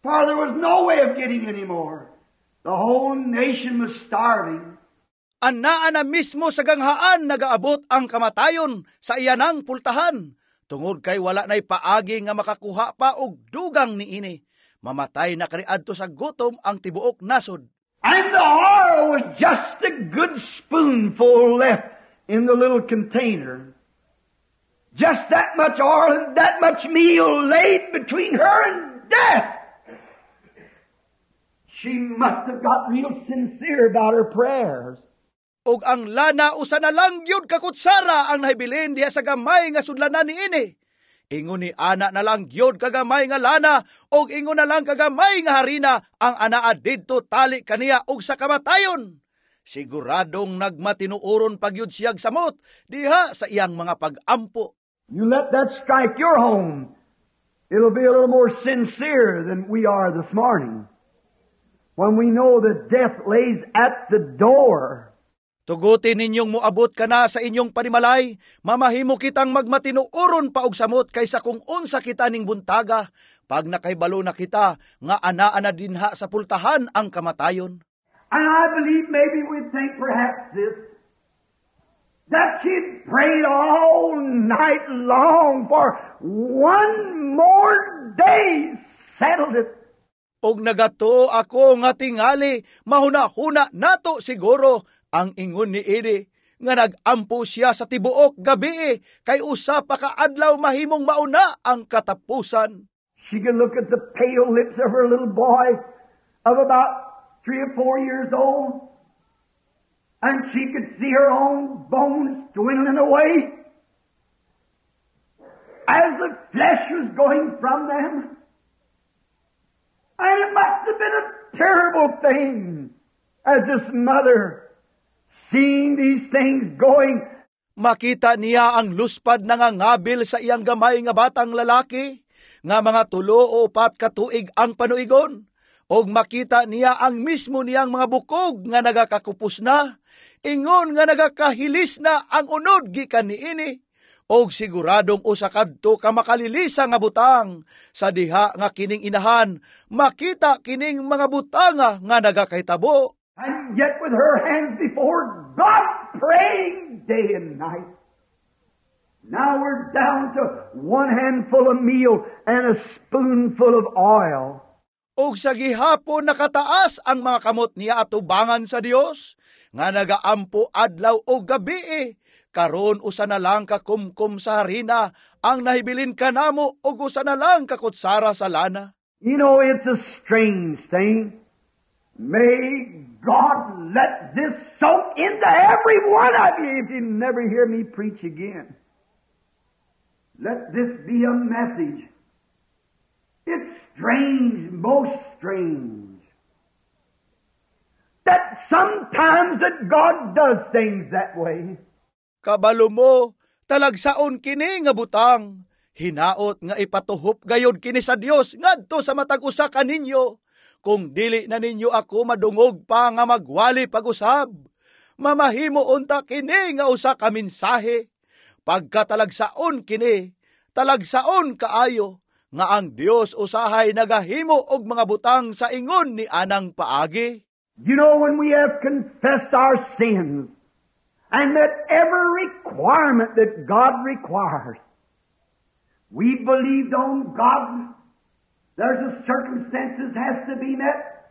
For there was no way of getting any more. The whole nation was starving. Anaa na mismo sa ganghaan nagaabot ang kamatayon sa iyanang pultahan. Tungod kay wala na'y paagi nga makakuha pa og dugang niini. Mamatay na kaniadto sa gutom ang tibuok nasod. And the oil was just a good spoonful left in the little container. Just that much oil and that much meal laid between her and death. She must have got real sincere about her prayers. Og ang lana, usa na lang gyud ka kutsara ang nahibilin diha sa gamay nga sudlanan niini. Ingon ni ana na lang gyud kagamay nga lana og ingon na lang kagamay nga harina ang anaa didto tali kaniya og sa kamatayon. Siguradong nagmatinuoron pagyud siyag samot diha sa iyang mga pag-ampo. You let that strike your home. It'll be a little more sincere than we are this morning, when we know that death lays at the door. Tuguti ninyong moabot kana sa inyong panimalay, mamahimo kitang magmatinuoron pa og samot kaysa kung unsa kita ning buntaga, pag nakahibalo na kita nga anaa na dinha sa pultahan ang kamatayon. And I believe maybe we'd think perhaps this, that she'd prayed all night long for one more day, settled it. Og nagatuo ako nga tingali, mahuna-huna nato siguro ang ingon ni ini nga nag-ampo siya sa tibuok gabi kay usa pa ka adlaw mahimong mauna ang katapusan. She could look at the pale lips of her little boy of about 3 or 4 years old, and she could see her own bones dwindling away as the flesh was going from them. And it must have been a terrible thing as this mother seeing these things going. Makita niya ang luspad nangangabil sa iyang gamay nga batang lalaki, nga mga 3 o 4 ka tuig ang panuigon. Og makita niya ang mismo niyang mga bukog nga nagakakupos na, ingon nga nagakahilis na ang unod gikan niini. Og siguradong usa kadto ka makalilisa nga butang sa diha nga kining inahan makita kining mga butanga nga nagakahitabo. And yet with her hands before God, praying day and night. Now we're down to one handful of meal and a spoonful of oil. Og sa gihapon nakataas ang mga kamot niya atubangan sa Dios nga nagaampo adlaw o gabi. Karon usa na lang ka kumkum sa harina ang nahibilin kanamo ug usa na lang ka kutsara sa lana. You know, it's a strange thing. May God let this soak into every one of you if you never hear me preach again. Let this be a message. It's strange, most strange, that sometimes that God does things that way. Kabalo mo, talagsaon kini nga butang. Hinaot nga ipatuhop gayod kini sa Dios ngadto sa matag usa kaninyo. Kung dili na ninyo ako madungog pa nga magwali pag-usab, mamahimo unta kini nga usa ka mensahe. Pagkatalagsaon kini, talagsaon kaayo nga ang Dios usahay nagahimo og mga butang sa ingon ni anang paagi. When we have confessed our sins and met every requirement that God requires, we believed on God. There's a circumstances has to be met,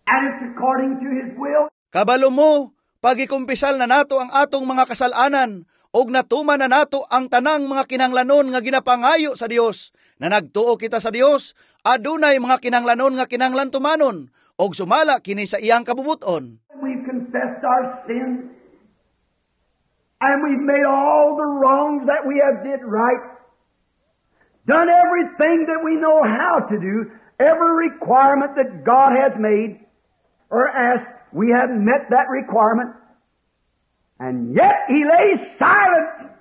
and it's according to His will. Kabalo mo, pagikumpisal na nato ang atong mga kasalanan, og natuman na nato ang tanang mga kinanglanon nga ginapangayo sa Dios. Na nagtuo kita sa Dios, adunay mga kinanglanon nga kinanglan tumanon, og sumala kini sa iyang kabubuton. We've confessed our sins, and we've made all the wrongs that we have did right. Done everything that we know how to do, every requirement that God has made or asked, we have met that requirement. And yet He lays silent.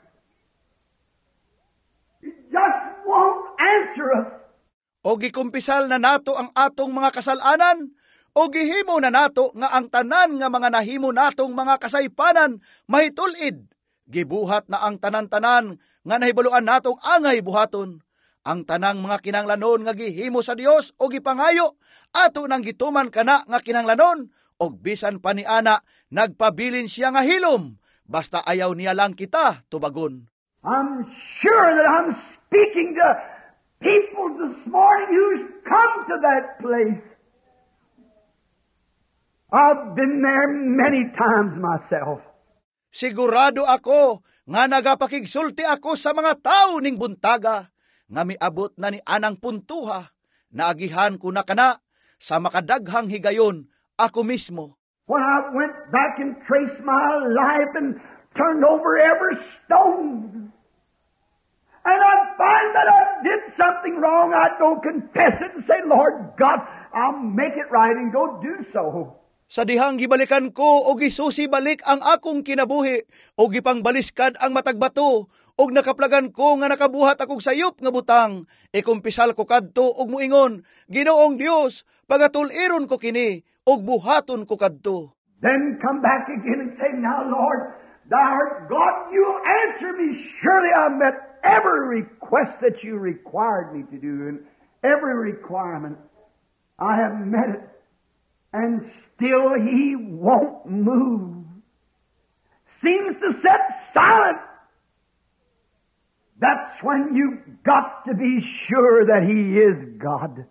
He just won't answer us. O gikumpisal na nato ang atong mga kasalanan, o gihimo na nato nga ang tanan nga mga nahimo natong mga kasaypanan mahitul-id. Gibuhat na ang tanan-tanan nga nahibaluan natong angay buhaton. Ang tanang mga kinanglanon nga gihimo sa Dios o gipangayo, ato nang gituman kana nga kinanglanon, og bisan pa ni ana, nagpabilin siya nga hilom, basta ayaw niya lang kita tubagon. I'm sure that I'm speaking to people this morning who's come to that place. I've been there many times myself. Sigurado ako nga nagapakigsulti ako sa mga tao ning buntaga nga miabot na ni anang puntuha, naagihan ko na kana sa makadaghang higayon ako mismo. When I went back and traced my life and turned over every stone, and I'd find that I did something wrong, I'd go confess it and say, "Lord God, I'll make it right," and go do so. Sa dihang gibalikan ko o gisusi balik ang akong kinabuhi o gipangbaliskad ang matag bato og nakaplagan ko nga nakabuhat akong sayop nga butang, ikumpisal ko kadto og muingon, "Ginoong Dios, pagatuliron ko kini og buhaton ko kadto." Then come back again and say, "Now Lord, Thou art God, you'll answer me. Surely I met every request that you required me to do, and every requirement. I have met it." And still He won't move. Seems to sit silent. That's when you got to be sure that He is God.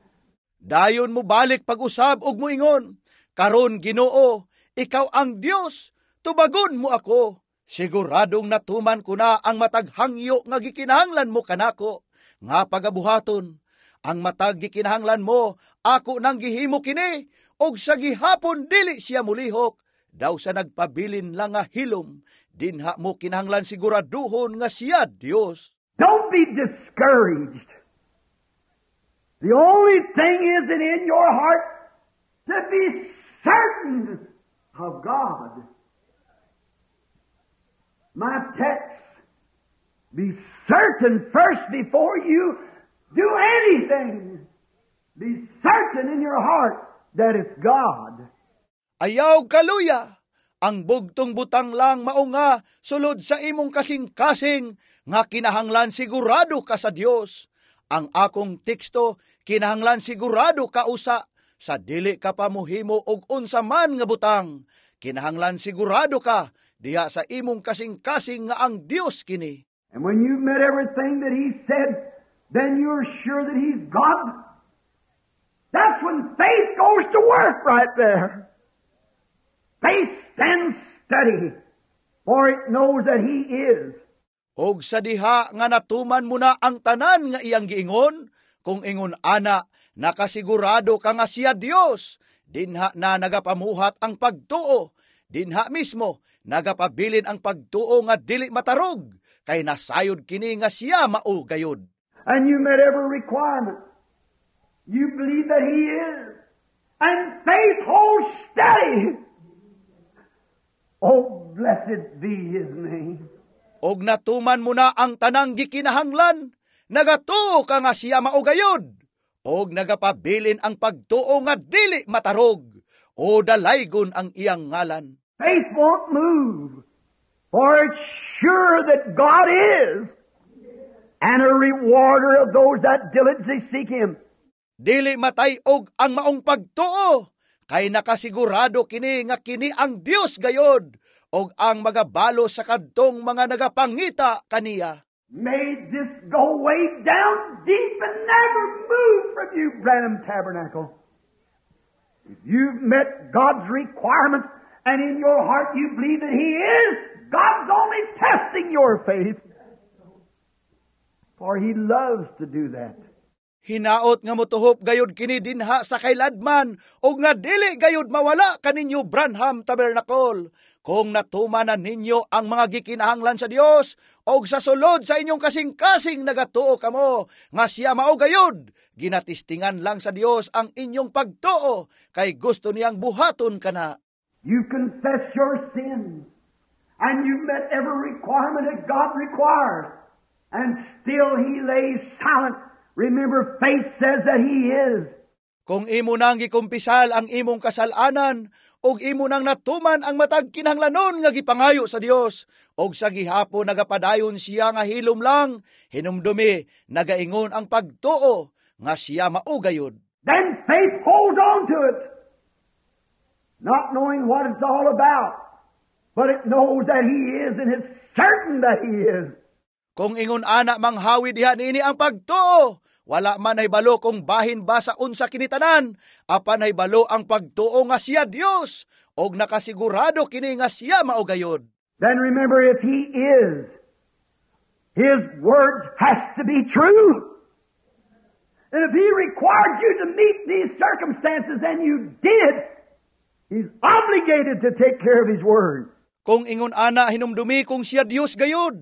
Dayon mo balik pag-usab og muingon, "Karon Ginoo, ikaw ang Dios, tubagon mo ako. Siguradong natuman ko na ang matag hangyo nga gikinahanglan mo kanako nga pagabuhaton. Ang matag gikinahanglan mo, ako nang gihimo kini, og sa gihapon dili siya mulihok." Daw sa nagpabilin lang nga hilom, dinha mo kinahanglan siguraduhon nga siya Dios. Don't be discouraged. The only thing is that in your heart to be certain of God. My text, be certain first before you do anything. Be certain in your heart that it's God. Ayaw kaluya! Ang bugtong butang lang mao nga sulod sa imong kasing-kasing nga kinahanglan sigurado ka sa Dios. Ang akong teksto, kinahanglan sigurado ka usa sa dili ka pa mohimo og unsa man nga butang. Kinahanglan sigurado ka diha sa imong kasing-kasing nga ang Dios kini. And when you've met everything that He said, then you're sure that He's God. That's when faith goes to work right there. Faith stands steady, for it knows that He is. Og sa diha nga natuman mo na ang tanan nga iyang giingon, kung ingon ana, nakasigurado ka nga siya Dios, Dinha na nagapamuhat ang pagtuo. Dinha mismo nagapabilin ang pagtuo nga dili matarog, kay nasayod kini nga siya mao gayod. And you met every requirement. You believe that He is. And faith holds steady. Oh, blessed be His name. Og natuman mo na ang tanang gikinahanglan, nagatuo ka nga siya mao gayod. Og nagapabilin ang pagtuo nga dili matarog, o dalaygon ang iyang ngalan. Faith won't move, for it's sure that God is, and a rewarder of those that diligently seek Him. Dili matay-og ang maong pagtuo, kay nakasigurado kini nga kini ang Dios gayod, og ang magabalo sa kadtong mga nagapangita kaniya. May this go way down deep and never move from you, Branham Tabernacle. If you've met God's requirements and in your heart you believe that He is, God's only testing your faith. For He loves to do that. Hinaot nga motuhop gayod kini dinha sa kailadman og nga dili gayod mawala kaninyo, Branham Tabernacle. Kung natuman na ninyo ang mga gikinahanglan sa Dios og sa sulod sa inyong kasing-kasing nagatuo kamo nga siya mao gayod, ginatistingan lang sa Dios ang inyong pagtuo kay gusto niyang buhaton kana. You confess your sins and you've met every requirement that God requires, and still He lays silent. Remember, faith says that He is. Kung imo nang gikumpisal ang imong kasalanan ug imo nang natuman ang matag kinahanglanon nga gipangayo sa Dios, ug sa gihapon nagapadayon siya nga hilom lang, hinumdumi, nagaingon ang pagtuo nga siya mao gayod. Then faith holds on to it, not knowing what it's all about, but it knows that He is, and it's certain that He is. Kung ingon ana, manghawi diha niini ang pagtuo. Wala man nahibalo kung bahin ba sa unsa kini tanan, apan nahibalo ang pagtuo nga siya Dios, og nakasigurado kini nga siya mao gayod. Then remember, if He is, His words has to be true. And if He required you to meet these circumstances and you did, He's obligated to take care of His word. Kung ingon ana, hinumdumi, kung siya Dios gayod,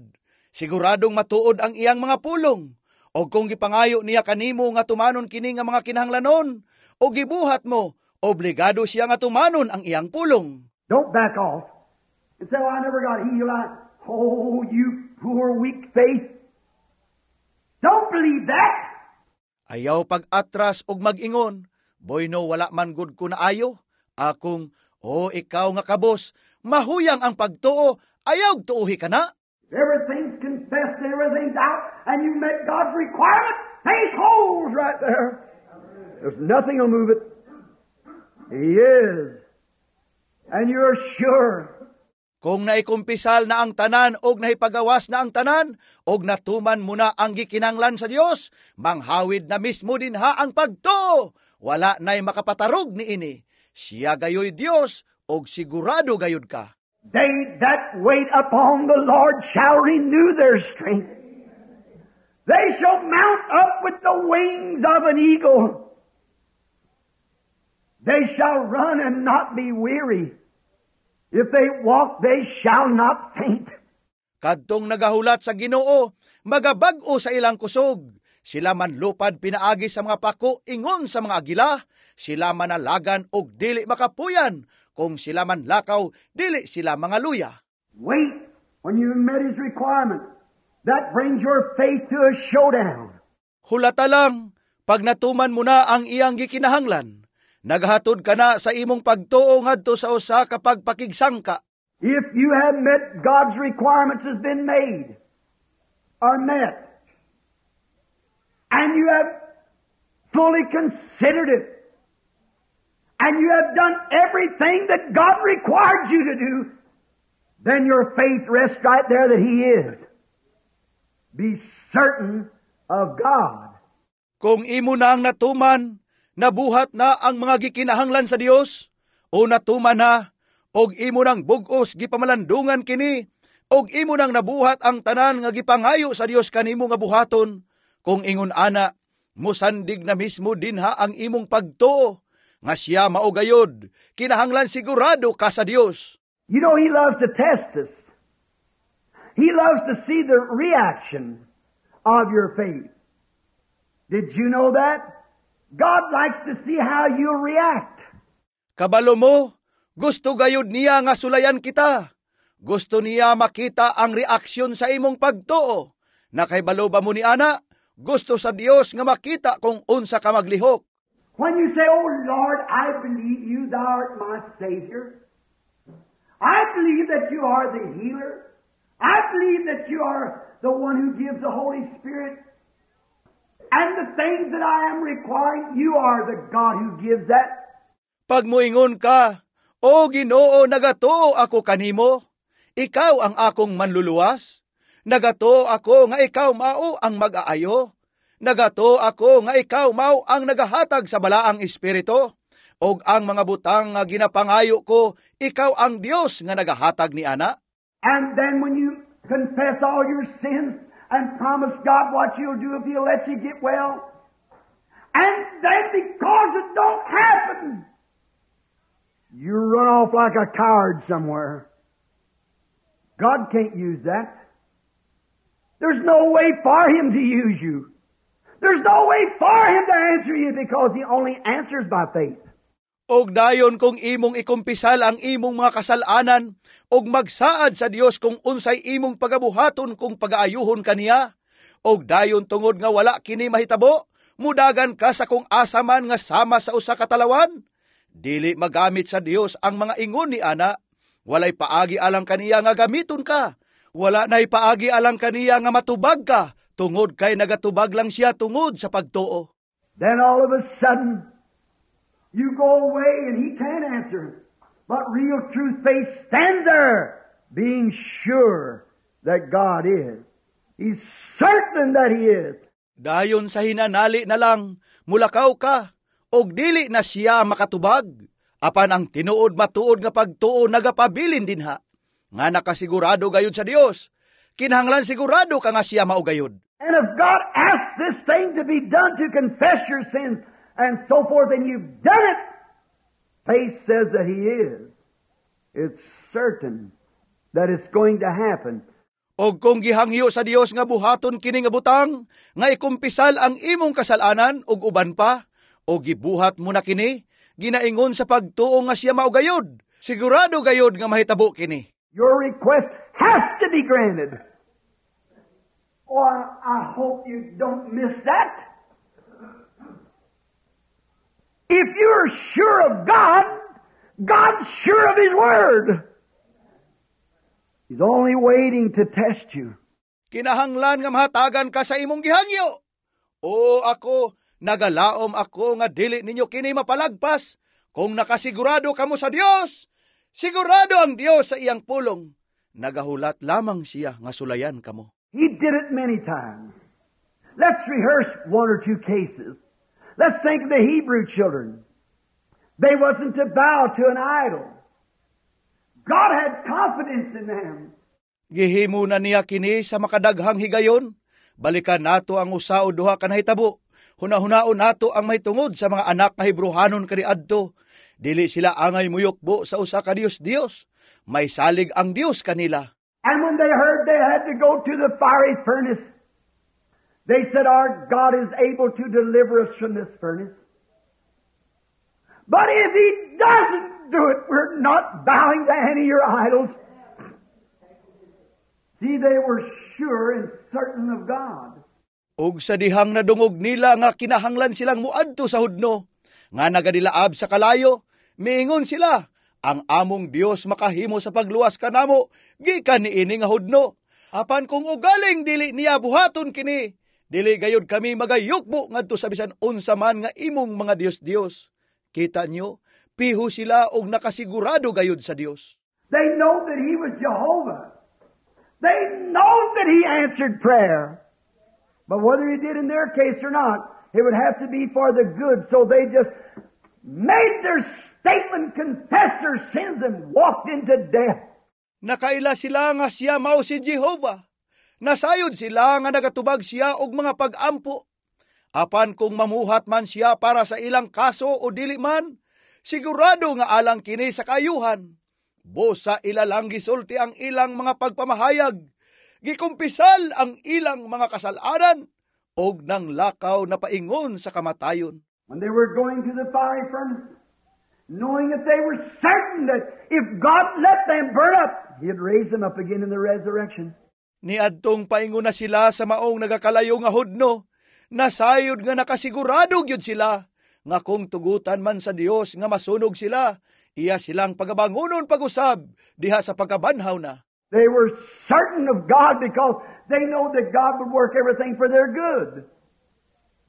siguradong matuod ang iyang mga pulong. O kung gipangayo niya kanimo nga tumanon kini nga mga kinahanglanon, o gibuhat mo, obligado siya nga tumanon ang iyang pulong. Don't back off and say, "Oh, I never got healed. Oh, you poor weak faith. Don't believe that. Ayaw pag-atras og mag-ingon, "Boyno, wala man gud ko naayo." Akong, oh, ikaw nga kabos, mahuyang ang pagtuo, ayaw tuuhi kana. Everything's confessed and everything's out, and you met God's requirement. Faith holds right there. There's nothing will move it. He is. And you're sure. Kung naikumpisal na ang tanan og nahipagawas na ang tanan, og natuman mo na ang gikinanglan sa Dios, manghawid na mismo dinha ang pagtuo. Wala na'y makapatarog niini. Siya gayoy Dios og sigurado gayud ka. They that wait upon the Lord shall renew their strength. They shall mount up with the wings of an eagle. They shall run and not be weary. If they walk, they shall not faint. Kadtong nagahulat sa Ginoo, magabag-o sa ilang kusog. Sila manlupad pinaagi sa mga pako ingon sa mga agila, sila manalagan og dili makapuyan. Kung sila manlakaw, dili sila mangaluya. Wait when you met His requirement. That brings your faith to a showdown. Hulata lang, pag natuman mo na ang iyang gikinahanglan, naghatod ka na sa imong pagtuo ngadto sa usa ka pagpakigsangka. If you have met God's requirements has been made or met, and you have fully considered it, and you have done everything that God required you to do, then your faith rests right there that He is. Be certain of God. Kung imo na ang natuman, nabuhat na ang mga gikinahanglan sa Dios, o natuman na, og imo nang bug-os gipamalandungan kini, og imo nang nabuhat ang tanan nga gipangayo sa Dios kanimo nga buhaton, kung ingon ana, musandig na mismo dinha ang imong pagtuo. nga siya mao gayod. Kinahanglan sigurado ka sa Dios. You know, He loves to test us. He loves to see the reaction of your faith. Did you know that? God likes to see how you react. Kabalo mo, gusto gayud niya nga sulayan kita. Gusto niya makita ang reaksyon sa imong pagtuo. Nakahibalo ba mo ni ana? Gusto sa Dios nga makita kung unsa ka maglihok. When you say, "Oh Lord, I believe you, thou art my Savior. I believe that you are the healer. I believe that you are the one who gives the Holy Spirit. And the things that I am requiring, you are the God who gives that." Pag muingon ka, "O Ginoo, nagatuo ako kanimo. Ikaw ang akong manluluwas. Nagatuo ako nga ikaw mao ang mag-aayo. Nagatuo ako nga ikaw mao ang nagahatag sa Balaang Espiritu. Og ang mga butang nga ginapangayo ko, ikaw ang Dios nga nagahatag ni ana." And then when you confess all your sins and promise God what you'll do if He'll let you get well, and then because it don't happen, you run off like a coward somewhere. God can't use that. There's no way for Him to use you. There's no way for Him to answer you because He only answers by faith. Og dayon kung imong ikumpisal ang imong mga kasalanan og magsaad sa Dios kung unsay imong pagabuhaton kung pagaayuhon kaniya, og dayon tungod nga wala kini mahitabo, mudagan ka sa kung asa man nga sama sa usa ka talawan. Dili magamit sa Dios ang mga ingon ni ana. Walay paagi alang kaniya nga gamiton ka. Wala nay paagi alang kaniya nga matubag ka tungod kay nagatubag lang siya tungod sa pagtuo. Then all of a sudden, you go away and He can't answer. But real true faith stands there, being sure that God is. He's certain that He is. Dayon sa hinanali na lang, mulakaw ka, og dili na siya makatubag. Apan ang tinuod matuod nga pagtuo nagapabilin dinha. Nga nakasigurado gayud sa Dios. Kinahanglan sigurado ka nga siya mao gayud. And if God asks this thing to be done, to confess your sins and so forth, and you've done it, faith says that He is. It's certain that it's going to happen. Og kung gihangyo sa Dios nga buhaton kini nga butang, nga ikumpisal ang imong kasalanan ug uban pa, o gibuhat mo na kini, ginaingon sa pagtuo nga siya mao gayud. Sigurado gayud nga mahitabo kini. Your request has to be granted. Oh, I hope you don't miss that. If you're sure of God, God's sure of His Word. He's only waiting to test you. Kinahanglan nga mahatagan ka sa imong gihangyo. O ako, nagalaom ako nga dili ninyo kini mapalagpas. Kung nakasigurado kamo sa Dios, sigurado ang Dios sa iyang pulong. Nagahulat lamang siya nga sulayan kamo. He did it many times. Let's rehearse one or two cases. Let's think of the Hebrew children. They wasn't to bow to an idol. God had confidence in them. Gihimo na niya kini sa makadaghang higayon. Balikan nato ang usa o duha ka nahitabo. Hunahunaon nato ang mahitungod sa mga anak nga Hebrohanon kaniadto. Dili sila angay muyukbo sa usa ka Dios-Dios. May salig ang Dios kanila. And when they heard they had to go to the fiery furnace, they said, "Our God is able to deliver us from this furnace. But if He doesn't do it, we're not bowing to any of your idols." See, they were sure and certain of God. Ug sa dihang nadungog nila nga kinahanglan silang muadto sa hudno, nga nagadilaab sa kalayo, miingon sila, "Ang among Dios makahimo sa pagluwas kanamo gikan niini nga hudno. Apan kung ugaling dili niya buhaton kini, dili gayud kami magayukbo ngadto sa bisan unsa man nga imong mga dios-dios." Kita nyo, piho sila og nakasigurado gayud sa Dios. They know that He was Jehovah. They know that He answered prayer. But whether He did in their case or not, it would have to be for the good. So they just made their statement, confessed their sins, and walked into death. Nakaila sila nga siya mao si Jehovah. Nasayod sila nga nagatubag siya og mga pag-ampo. Apan kung mamuhat man siya para sa ilang kaso o dili man, Sigurado nga alang kini sa kaayuhan. Busa ila lang gisulti ang ilang mga pagpamahayag. Gikumpisal ang ilang mga kasalanan og nang lakaw na paingon sa kamatayon. When they were going to the fiery furnace, knowing that they were certain that if God let them burn up, He'd raise them up again in the resurrection. Niadtong paingon na sila sa maong nagakalayo nga hudno, nasayod nga nakasigurado gyud sila nga kung tugutan man sa Dios nga masunog sila, iya silang pagabangunon pag-usab diha sa pagkabanhaw na. They were certain of God because they know that God would work everything for their good.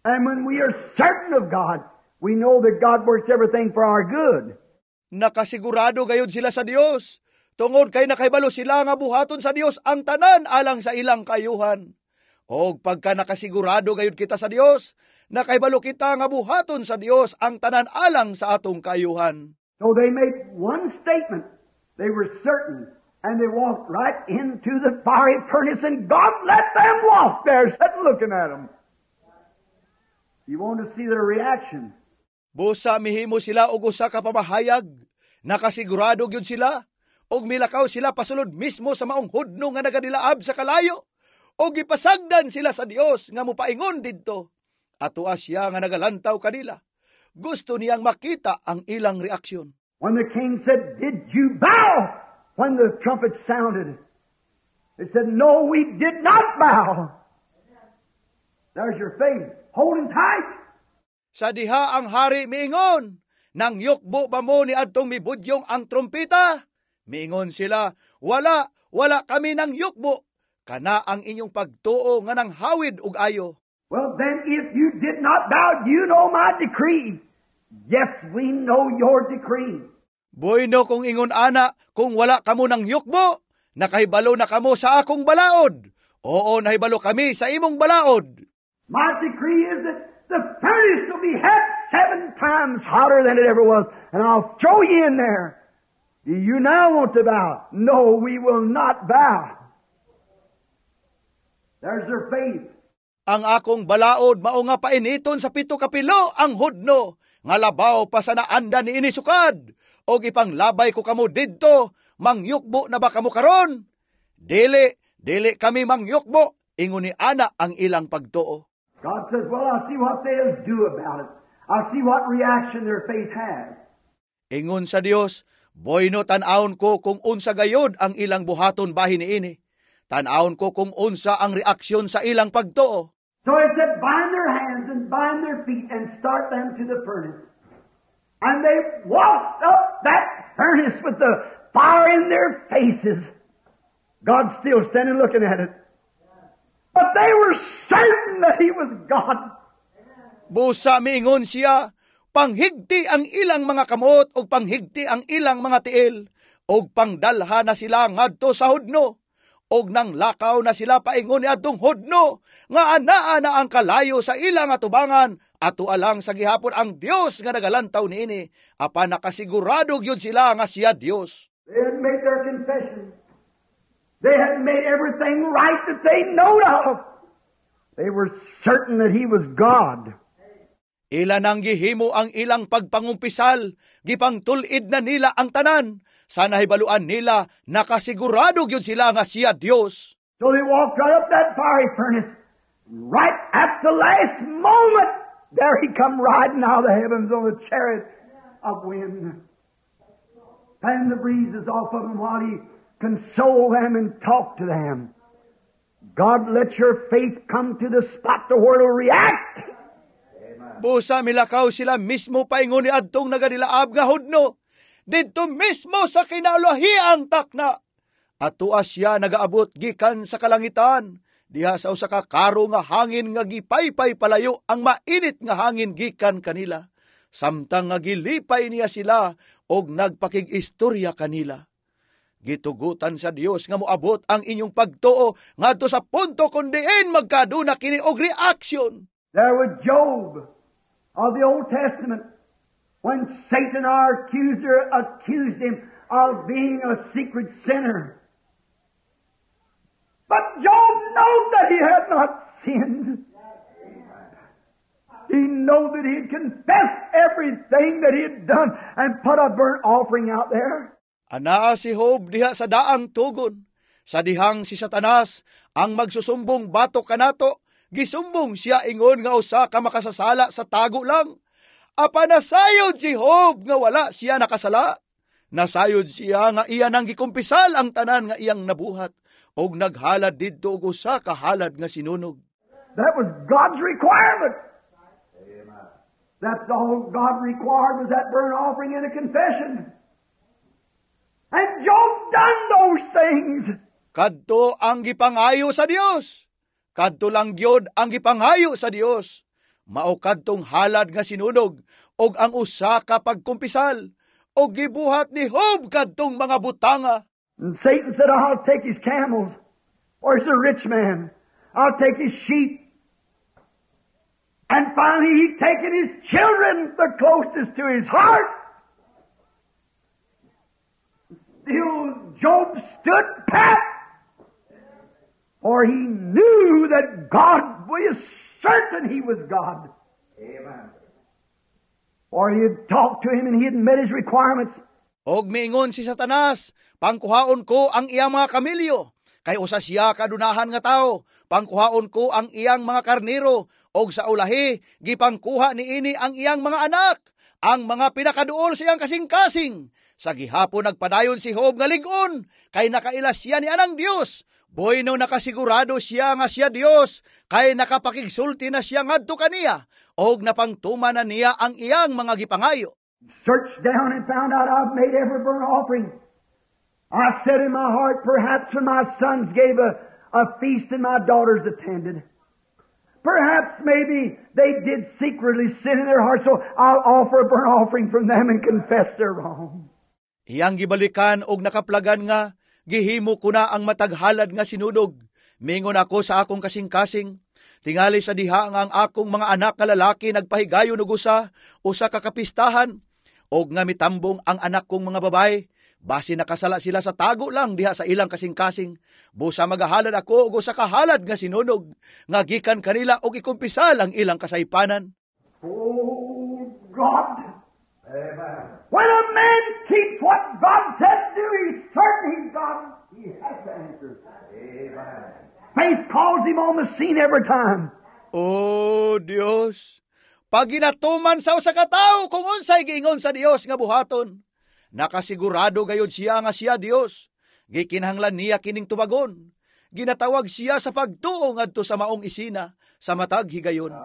And when we are certain of God, we know that God works everything for our good. Nakasigurado gayud sila sa Dios tungod kay nakahibalo sila nga buhaton sa Dios ang tanan alang sa ilang kaayuhan. Og pagka nakasigurado gayud kita sa Dios, nakahibalo kita nga buhaton sa Dios ang tanan alang sa atong kaayuhan. So they made one statement. They were certain. And they walked right into the fiery furnace, and God let them walk there, sitting looking at them. You want to see their reaction. Busa mihimo sila og usa ka pamahayag. Nakasigurado gyud sila og milakaw sila pasulod mismo sa maong hudno nga nagadilaab sa kalayo. Og gipasagdan sila sa Dios nga mopaingon didto. Atoa siya nga nagalantaw kanila. Gusto niyang makita ang ilang reaksyon. When the king said, "Did you bow when the trumpet sounded?" They said, "No, we did not bow." There's your faith. Holding tight. Sa diha ang hari miingon, "Nang yukbo ba mo ni adtong mibudyong ang trompeta?" Miingon sila, "Wala, wala kami nang yukbo." Kana ang inyong pagtuo nga nang hawid og ayo. Well, then, if you did not bow, you know my decree. Yes, we know your decree. Bueno, kung ingon ana, kung wala kamo nang yukbo, nakahibalo na kamo sa akong balaod. Oo, nahibalo kami sa imong balaod. My decree is that the furnace will be het seven times hotter than it ever was, and I'll throw you in there. Do you now want to bow? No, we will not bow. There's their faith. Ang akong balaod mao nga painiton sa 7 kapilo ang hudno, nga labaw pa sa naanda ni ini sukad. Og ipanglabay ko kamo didto, mangyukbo na ba kamo karon? Dili, dili kami mangyukbo, ingon ni ana ang ilang pagtuo. God says, "Well, I'll see what they'll do about it. I'll see what reaction their faith has." Ingon sa Dios, "Bueno, tan-awon ko kung unsa gayod ang ilang buhaton bahin niini. Tan-awon ko kung unsa ang reaksyon sa ilang pagtuo." So he said, "Bind their hands and bind their feet and start them to the furnace." And they walked up that furnace with the fire in their faces. God still standing looking at it. But they were certain that He was God. Busa miingon siya, "Panghigti ang ilang mga kamot ug panghigti ang ilang mga tiil, ug pangdalha na sila ngadto sa hudno." Og nang lakaw na sila paingon ni adtong hudno, nga anaa na ang kalayo sa ilang atubangan, ato alang sa gihapon ang Dios nga nagalantaw niini, apan nakasigurado gyud sila nga siya Dios. They had made their confession. They had made everything right that they knowed of. They were certain that He was God. Ila nang gihimo ang ilang pagpangumpisal, gipangtul-id na nila ang tanan. Sa nahibaluan nila, nakasigurado gyud sila nga siya Dios. So they walked right up that fiery furnace. Right at the last moment, there He come riding out of the heavens on a chariot of wind. Fan the breezes off of them while He consoled them and talked to them. God let your faith come to the spot to where it'll react. Busa milakaw sila mismo paingon ni adtong nagadilaab nga hudno. Didto mismo sa kinaulahiang takna. Atoa siya nagaabot gikan sa kalangitan. Diha sa usa ka karo nga hangin nga gipaypay palayo ang mainit nga hangin gikan kanila. Samtang nga gilipay niya sila og nagpakig-istorya kanila. Gitugutan sa Dios nga moabot ang inyong pagtuo ngadto sa punto kun diin magkaduna kini og reaksyon. There was Job of the Old Testament when Satan, our accuser, accused him of being a secret sinner. But Job knew that he had not sinned. He knew that he had confessed everything that he had done and put a burnt offering out there. Anaa si Job diha sa daang tugon. Sa dihang si Satanas ang magsusumbong batok kanato, gisumbong siya ingon nga usa ka makasasala sa tago lang. Apan nasayod si Job nga wala siya nakasala. Nasayod siya nga iya nang gikumpisal ang tanan nga iyang nabuhat og naghalad didto og usa ka halad nga sinunog. That was God's requirement. That's all God required, was that burnt offering and a confession. And Job done those things. Kadto ang gipangayo sa Dios. Kadto lang gyud ang gipangayo sa Dios. Mao kadtong halad nga sinunog og ang usa ka pagkumpisal, og gibuhat ni Job kadtong mga butanga. And Satan said, "I'll take his camels. Or he's a rich man. I'll take his sheep." And finally he taken his children, the closest to his heart. Still Job stood pat. For he knew that God was certain he was God. Amen. For he had talked to him and he had met his requirements. Og miingon si Satanas, "Pangkuhaon ko ang iyang mga kamilyo. Kay usa siya kadunahan nga tao. Pangkuhaon ko ang iyang mga karnero." Og sa ulahi, gipangkuha niini ang iyang mga anak, ang mga pinakaduol sa iyang kasing-kasing. Sa gihapon nagpadayon si Job nga lig-on, kay nakaila siya ni anang Dios. Bueno, nakasigurado siya nga siya Dios, kay nakapakigsulti na siya ngadto kaniya, og napangtuman na niya ang iyang mga gipangayo. Searched down and found out I've made every burnt offering. I said in my heart, "Perhaps when my sons gave a feast and my daughters attended, perhaps maybe they did secretly sin in their heart, so I'll offer a burnt offering from them and confess their wrong." Iyang gibalikan og nakaplagan nga, "Gihimo ko na ang matag halad nga sinunog. Mingon ako sa akong kasing-kasing, tingali sa diha nga ang akong mga anak nga lalaki nagpahigayon og usa ka kapistahan, og nga mitambong ang anak kong mga babae, basi nakasala sila sa tago lang diha sa ilang kasing-kasing. Busa magahalad ako og usa ka halad nga sinunog nga gikan kanila og ikumpisal ang ilang kasaypanan." Oh, God. Amen. When a man keeps what God said do, he's certain he's God. He has to answer. Amen. Faith calls him on the scene every time. Oh, Dios! Pag ginatuman sa usa ka tawo kung unsay giingon sa Dios nga buhaton, nakasigurado gayud siya nga siya Dios. Gikinahanglan niya kining tubagon. Ginatawag siya sa pagtuo ngadto sa maong isina sa matag higayon.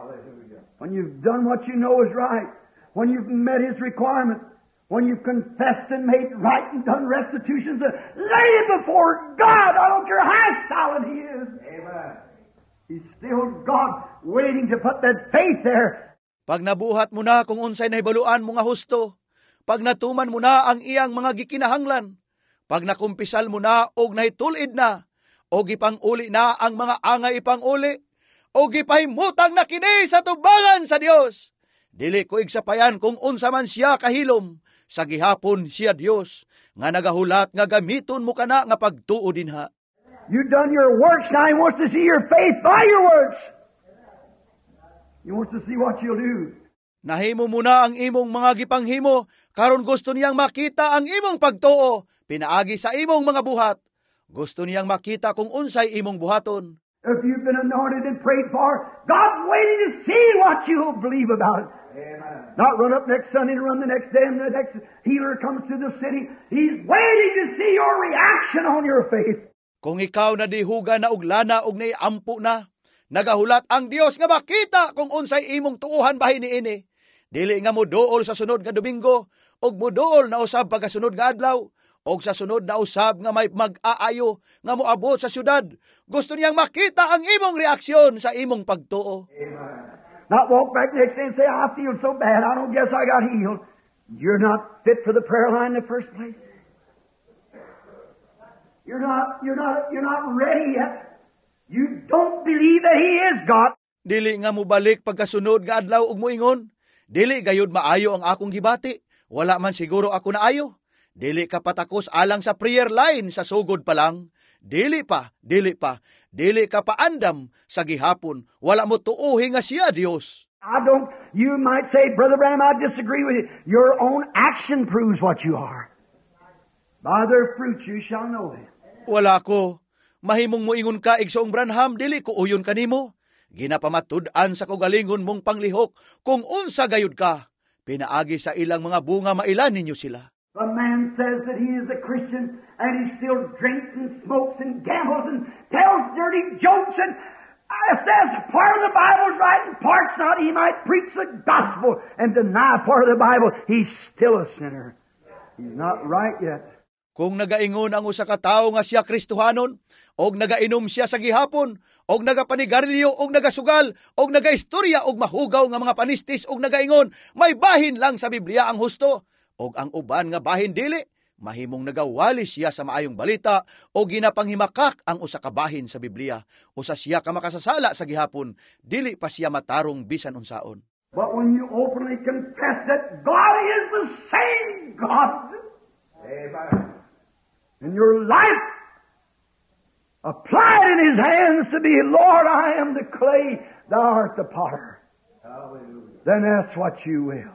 When you've done what you know is right, when you've met His requirements, when you've confessed and made right and done restitutions, lay it before God. I don't care how silent He is. Amen. He's still God, waiting to put that faith there. Pag nabuhat mo na kung unsay nahibaluan mo nga husto, pag natuman mo na ang iyang mga gikinahanglan, pag nakumpisal mo na og nahitul-id na, og ipang-uli na ang mga angay ipang-uli, og gipahimutang na kini sa tubangan sa Dios. Dili ko igsapayan kung unsa man siya kahilom, sa gihapon siya Dios, nga nagahulat nga gamiton mo kana nga pagtuo dinha. You've done your works, now He wants to see your faith by your works. He wants to see what you'll do. Nahimo mo na ang imong mga gipanghimo, karon gusto niyang makita ang imong pagtuo, pinaagi sa imong mga buhat. Gusto niyang makita kung unsay imong buhaton. If you've been anointed and prayed for, God's waiting to see what you'll believe about it. Amen. Not run up next Sunday and run the next day and the next healer comes to the city. He's waiting to see your reaction on your faith. Kung ikaw nadihuga na og lana og naiampo na, nagahulat ang Dios nga makita kung unsay imong tuohan bahin niini. Dili nga moduol sa sunod nga Domingo og moduol na usab pagkasunod nga adlaw og sa sunod na usab nga may mag-aayo nga moabot sa syudad. Gusto niyang makita ang imong reaksyon sa imong pagtuo. Amen. Not walk back next day and say, "I feel so bad, I don't guess I got healed." You're not fit for the prayer line in the first place. You're not ready yet. You don't believe that He is God. Dili nga mobalik pagkasunod nga adlaw ug moingon, "Dili gayud maayo ang akong gibati. Wala man siguro ako naayo." Dili ka patakos alang sa prayer line sa sugod pa lang. Dili pa, dili pa, dili ka paandam sa gihapon. Wala mo tuuhi nga siya Dios. I don't, you might say, "Brother Branham, I disagree with you." Your own action proves what you are. By their fruits you shall know them. Wala ko. Mahimong moingon ka, "Igsoong Branham, dili ko uyon kanimo." Ginapamatud-an sa kaugalingon mong panglihok kung unsa gayud ka. Pinaagi sa ilang mga bunga mailan ninyo sila. The man says that he is a Christian and he still drinks and smokes and gambles and tells dirty jokes and says part of the Bible's right and part's not. He might preach the gospel and deny part of the Bible. He's still a sinner. He's not right yet. Kung nagaingon ang usa ka tawo nga siya Kristohanon, og nagainom siya sa gihapon, og nagapanigarilyo, og nagasugal, og nagaistorya og mahugaw nga mga panistis, og nagaingon, may bahin lang sa Biblia ang husto, og ang uban nga bahin dili, mahimong nagawali siya sa maayong balita o ginapanghimakak ang usa ka bahin sa Biblia. Usa siya ka makasasala sa gihapon, dili pa siya matarong bisan unsaon. But when you openly confess that God is the same God, Amen. And your life applied in His hands to be, "Lord, I am the clay, Thou art the potter." Hallelujah. Then that's what you will.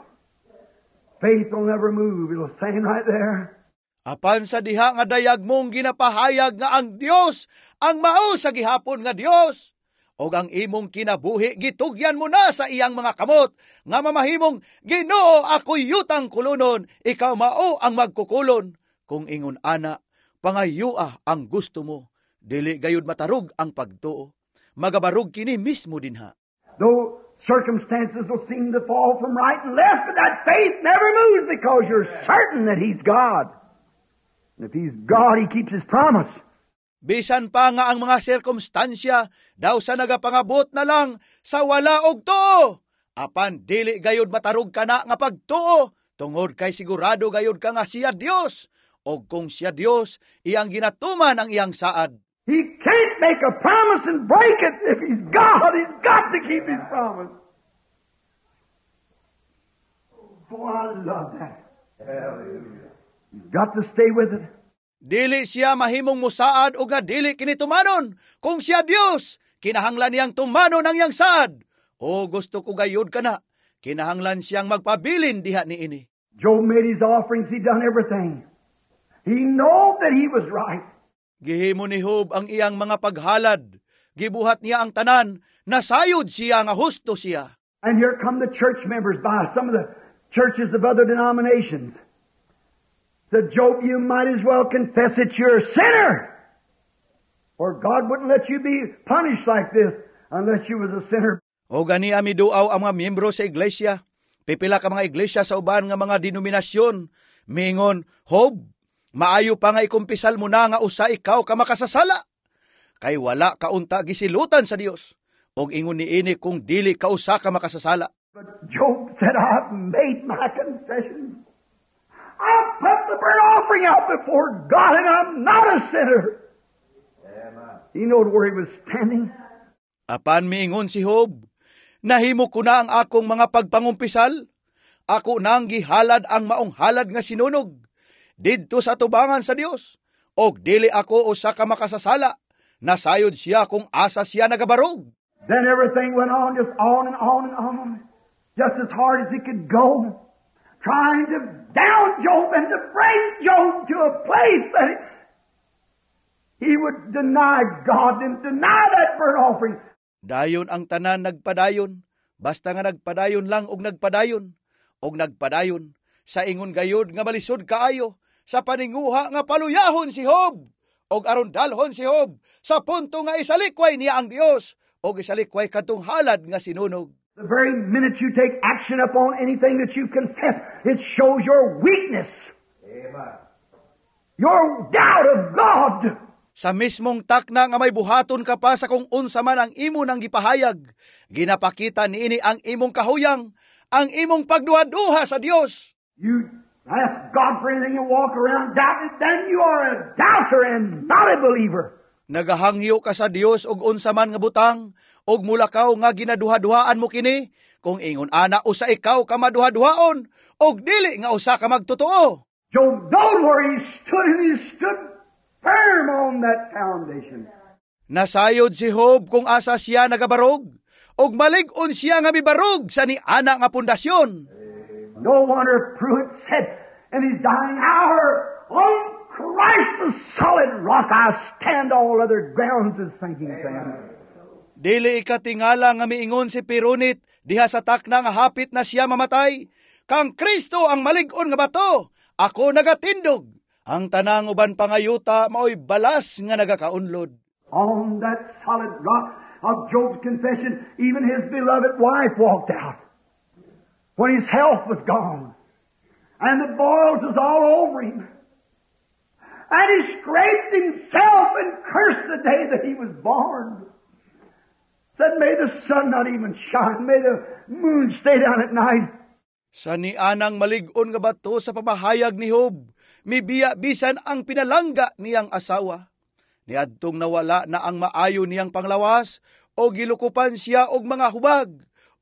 Faith will never move. It'll stand right there. Apan sa diha nga dayag mong ginapahayag nga ang Dios ang mao sa gihapon nga Dios, og ang imong kinabuhi gitugyan mo na sa iyang mga kamot nga mamahimong, "Ginoo, ako'y yutang kulunon, ikaw mao ang magkukulon." Kung ingon ana, pangayua ang gusto mo, dili gayud matarog ang pagtuo. Magabarog kini mismo dinha. Though circumstances will seem to fall from right and left, but that faith never moves because you're certain that He's God. And if He's God, He keeps His promise. Bisan pa nga ang mga sirkumstansya daw sa nagapangabot na lang sa wala og tuo. Apan dili gayud matarog kana nga pagtuo tungod kay sigurado gayud ka nga siya Dios. Og kung siya Dios, iyang ginatuman ang iyang saad. He can't make a promise and break it. If He's God, He's got to keep His promise. Boy, I love that. Hallelujah. You've got to stay with it. Dili siya mahimong musaad o nga dili kini tumanon. Kung siya Dios, kinahanglan niyang tumanon ang iyang saad. O gusto ko gayud kana, kinahanglan siyang magpabilin diha niini. Job made his offerings. He done everything. He knew that he was right. Gihimo ni Job ang iyang mga paghalad. Gibuhat niya ang tanan, nasayod siya nga husto siya. And here come the church members by some of the churches of other denominations. Said, "Job, you might as well confess that you're a sinner. Or God wouldn't let you be punished like this unless you was a sinner." O gani miduaw ang mga miyembro sa iglesia. Pipila ka mga iglesia sa uban nga mga denominasyon. Mingon, "Job, maayo pa nga ikumpisal mo na nga usa ikaw ka makasasala. Kay wala ka unta gisilutan sa Dios. Og ingon niini kung dili ka usa ka makasasala." But Job said, "I've made my confession. I put the burnt offering out before God and I'm not a sinner." Amen. He knowed where he was standing. Apan miingon si Job, "Nahimo ko na ang akong mga pagpangumpisal. Ako nang gihalad ang maong halad nga sinunog didto sa tubangan sa Dios. Og dili ako usa ka makasasala." Nasayod siya kung asa siya nagabarog. Then everything went on, just on and on and on, just as hard as it could go, trying to down Job and to bring Job to a place that he would deny God and deny that burnt offering. Dayon ang tanan nagpadayon, basta nga nagpadayon lang og nagpadayon, og nagpadayon, sa ingon gayud nga malisod kaayo, sa paninguha nga paluyahon si Job, og aron dalhon si Job sa punto nga isalikway niya ang Dios, og isalikway kadtong halad nga sinunog. The very minute you take action upon anything that you confess, it shows your weakness, Amen. Your doubt of God. Sa mismong takna nga may buhaton ka pa sa kung unsa man ang imo nang gipahayag, ginapakita niini ang imong kahuyang, ang imong pagduha-duha sa Dios. You ask God for anything and walk around doubting, then you are a doubter and not a believer. Nagahangyo ka sa Dios og unsa man nga butang, og mulakaw nga ginaduha-duhaan mo kini, kung ingon ana usa ikaw ka maduha-duhaon, og dili nga usa ka magtotoo. Job knowed where he stood, and he stood firm on that foundation. Nasayod si Job kung asa siya nagabarog, Ug malig-on siya nga mibarog sa niana nga pundasyon. No wonder Pruitt said in his dying hour, "On Christ the solid rock I stand, all other grounds is sinking sand." Dili ikatingala nga miingon si Perunit diha sa takna nga hapit na siya mamatay, "Kang Kristo ang malig-on nga bato, ako nagatindog. Ang tanang uban pangayuta maoy balas nga nagakaunlod." On that solid rock of Job's confession, even his beloved wife walked out when his health was gone and the boils was all over him. And he scraped himself and cursed the day that he was born. Said, "May the sun not even shine. May the moon stay down at night." Sa nianang malig-on nga bato sa pamahayag ni Job, mibiya bisan ang pinalangga niyang asawa. Niadtong nawala na ang maayo niyang panglawas, o gilukupan siya og mga hubag,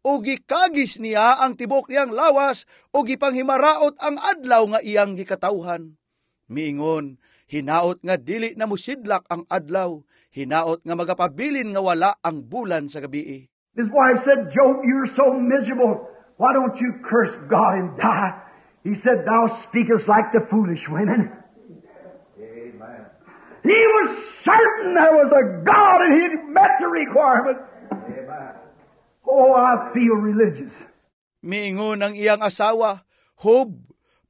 o gikagis niya ang tibok niyang lawas, o gipanghimaraot ang adlaw nga iyang gikatawhan. Miingon, "Hinaot nga dili na musidlak ang adlaw, hinaot nga magapabilin nga wala ang bulan sa gabii." His wife said, "Job, you're so miserable. Why don't you curse God and die?" He said, "Thou speakest like the foolish women." Amen. He was certain there was a God and he'd met the requirements. Amen. Oh, I feel religious. Miingon ang iyang asawa, "Job,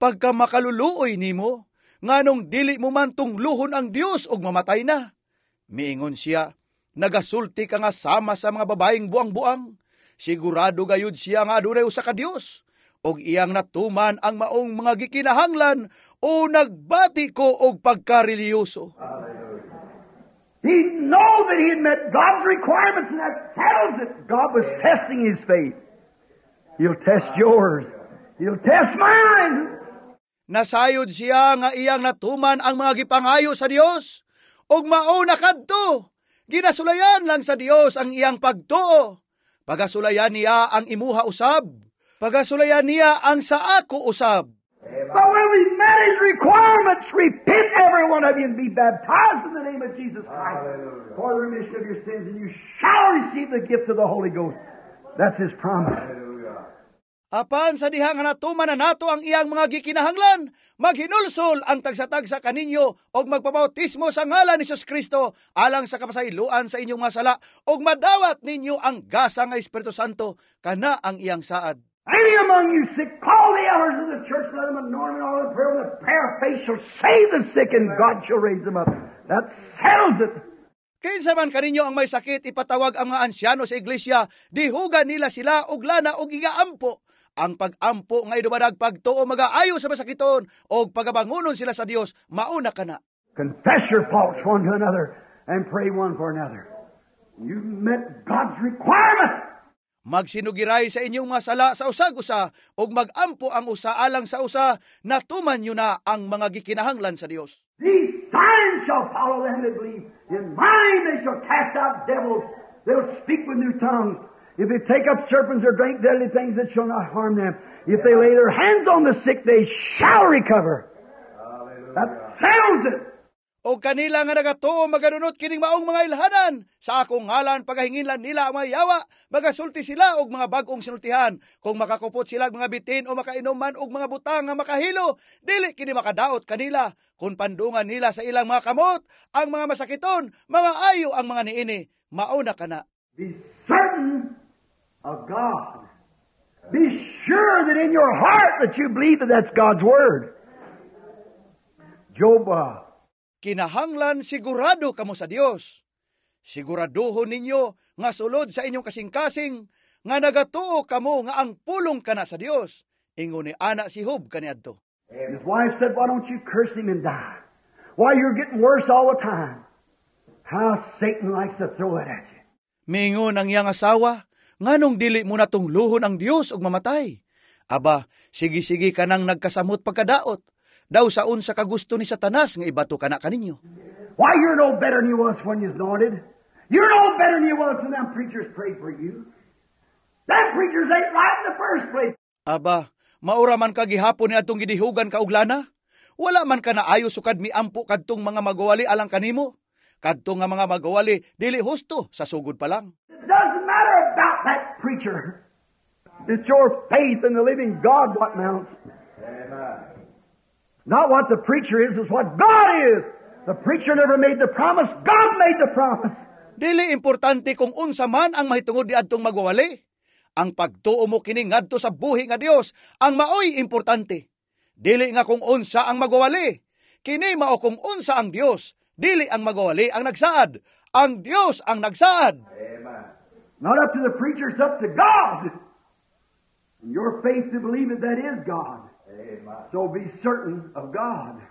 pagka makaluluoy nimo, nganong dili mo man tungluhon ang Dios og mamatay na?" Miingon siya, "Nagasulti ka nga sama sa mga babaeng buang-buang." Sigurado gayud siya nga adunay usa ka Dios og iyang natuman ang maong mga gikinahanglan o nagbati ko og pagkareliyoso. He know that he had met God's requirements, and that settles it. God was testing his faith. He'll test yours. He'll test mine. Nasayod siya nga iyang natuman ang mga gipangayo sa Dios ug mao na kadto. Ginasulayan lang sa Dios ang iyang pagtuo. Pagasulayan niya ang imuha usab. Pagasulayan niya ang sa ako usab. But when we met his requirements, repent, every one of you, and be baptized in the name of Jesus Christ for the remission of your sins, and you shall receive the gift of the Holy Ghost. That's his promise. Hallelujah. Apan sa diha nga natuman na nato ang iyang mga gikinahanglan, maghinulsol ang tagsa-tagsa kaninyo og magpabautismo sa ngalan ni Jesus Kristo alang sa kapasayloan sa inyong mga sala og madawat ninyo ang gasa nga Espiritu Santo, kana ang iyang saad. Any among you sick, call the elders of the church, let them anoint them in oil of prayer, and the prayer of faith shall save the sick, and God shall raise them up. That settles it. Kinsa man kaninyo ang may sakit, ipatawag ang mga ansyano sa iglesia, dihugan nila sila og lana og igaampo. Ang pag-ampo nga idubadag pagtuo magaayo sa masakiton og pagabangunon sila sa Dios, mauna kana. Confess your faults one to another and pray one for another. You met God's requirement. Magsinugiray sa inyong mga sala sa usag-usa ug magampo ang usa alang sa usa, natuman nyo na ang mga gikinahanglan sa Dios. These signs shall follow them that believe. In my name they shall cast out devils. They'll speak with new tongues. If they take up serpents or drink deadly things, it shall not harm them. If they lay their hands on the sick, they shall recover. That settles it. O kanila nga nagatuo maganunot kining maong mga ilhanan. Sa akong ngalan pagahinginlan nila ang mga yawa, magasulti sila og mga bag-ong sinultihan. Kung makakupot sila og mga bitin o makainom man og mga butang nga makahilo, dili kini makadaot kanila. Kung pandungan nila sa ilang mga kamot ang mga masakiton, mga ayo ang mga niini. Mauna kana. Be certain of God. Be sure that in your heart that you believe that that's God's Word. Job, Kinahanglan sigurado kamo sa Dios. Siguraduhon ninyo nga sulod sa inyong kasing-kasing nga nagatuo kamo nga ang pulong kana sa Dios. Ingon ni ana si Job kaniadto. His wife said, "Why don't you curse him and die? Why, you're getting worse all the time." How Satan likes to throw it at you. Mingon ang iyang asawa, "Nganong dili mo natungluhon ang Dios ug mamatay? Aba, sige-sige ka nang nagkasamot pagkadaot. Daw sa unsa ka gusto ni Satanas nga ibato kana kaninyo." "Why, you're no better than you was when you was anointed. You're no better than you was when them preachers prayed for you. Them preachers ain't right in the first place." "Aba, maura man ka gihapon ni atong gidihugan ka og lana. Wala man ka naayo sukad miampo kadtong mga magwali alang kanimo. Kadtong nga mga magwali dili husto sa sugod pa lang." It doesn't matter about not that preacher. It's your faith in the living God what mounts. Amen. Not what the preacher is, it's what God is. The preacher never made the promise. God made the promise. Dili importante kung unsa man ang mahitungod niadtong magwawali. Ang pagtuo mo kini ngadto sa buhi nga Dios ang maoy importante. Dili nga kung unsa ang magwawali. Kini mao kung unsa ang Dios. Dili ang magwawali ang nagsaad. Ang Dios ang nagsaad. Amen. Not up to the preacher, it's up to God. And your faith to believe it, that is God. Amen. So be certain of God.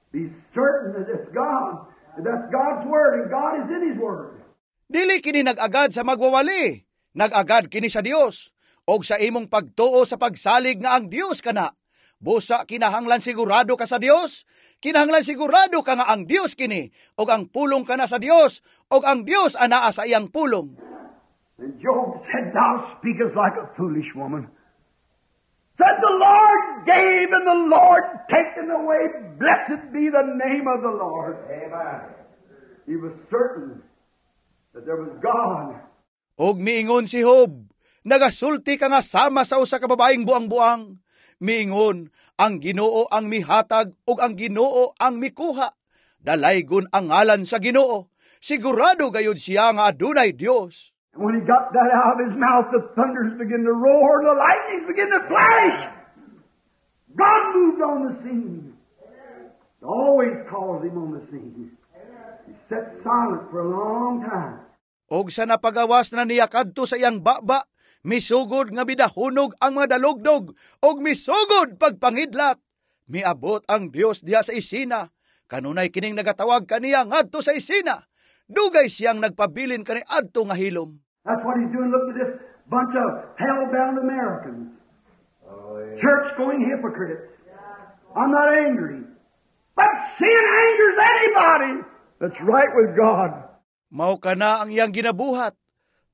Be certain that it's God. That that's God's Word and God is in His Word. Dili kini nag-agad sa magwawali. Nag-agad kini sa Dios. Og sa imong pagtuo sa pagsalig nga ang Dios kana. Busa kinahanglan sigurado ka sa Dios. Kinahanglan sigurado ka nga ang Dios kini og ang pulong kana sa Dios og ang Dios anaa sa iyang pulong. And Job said, "Thou speakest like a foolish woman." Said, "The Lord gave and the Lord taken away. Blessed be the name of the Lord." Amen. He was certain that there was God. Og miingon si Job, "Nagasulti ka nga sama sa usa ka babaeng buang-buang." Miingon, "Ang Ginoo ang mihatag ug ang Ginoo ang mikuha. Dalaygon ang ngalan sa Ginoo." Sigurado gayud siya nga adunay Dios. And when he got that out of his mouth, the thunders began to roar and the lightnings began to flash. God moved on the scene. He always calls him on the scene. He sat silent for a long time. Og sa napagawas na niya kadto sa iyang baba, misugod nga midahunog ang mga dalugdog og misugod pagpangidlat. Miabot ang Dios diha sa isina. Kanunay kining nagatawag kaniya ngadto sa isina. Dugay siyang nagpabilin kani adto nga hilom. That's what he's doing. Look at this bunch of hell-bound Americans. Oh, yeah. Church-going hypocrites. I'm not angry. But sin angers anybody that's right with God. Mao kana ang iyang ginabuhat.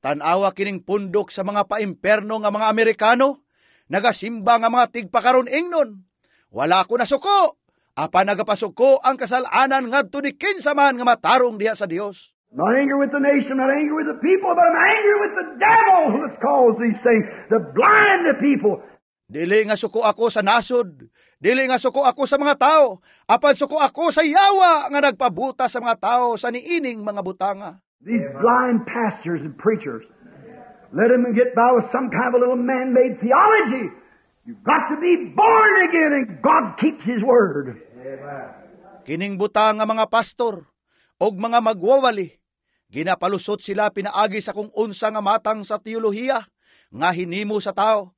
Tan-awa kining pundok sa mga paimperno nga mga Amerikano. Nagasimba nga mga tigpakaron ingnon. Wala ko nasuko. Apan nagapasuko ang kasalanan ngadto ni kinsa man nga matarong diha sa Dios. Not angry with the nation, not angry with the people, but I'm angry with the devil that's caused these things to blind the people. Dili nga suko ako sa nasod, dili nga suko ako sa mga tao, apan suko ako sa yawa nga nagpabuta sa mga tao sa niining mga butanga. These blind pastors and preachers, let them get by with some kind of a little man-made theology. You've got to be born again, and God keeps His word. Amen. Kining butang nga mga pastor og mga magwawali, ginapalusot sila pinaagi sa kung unsa nga matang sa teolohiya nga hinimo sa tao.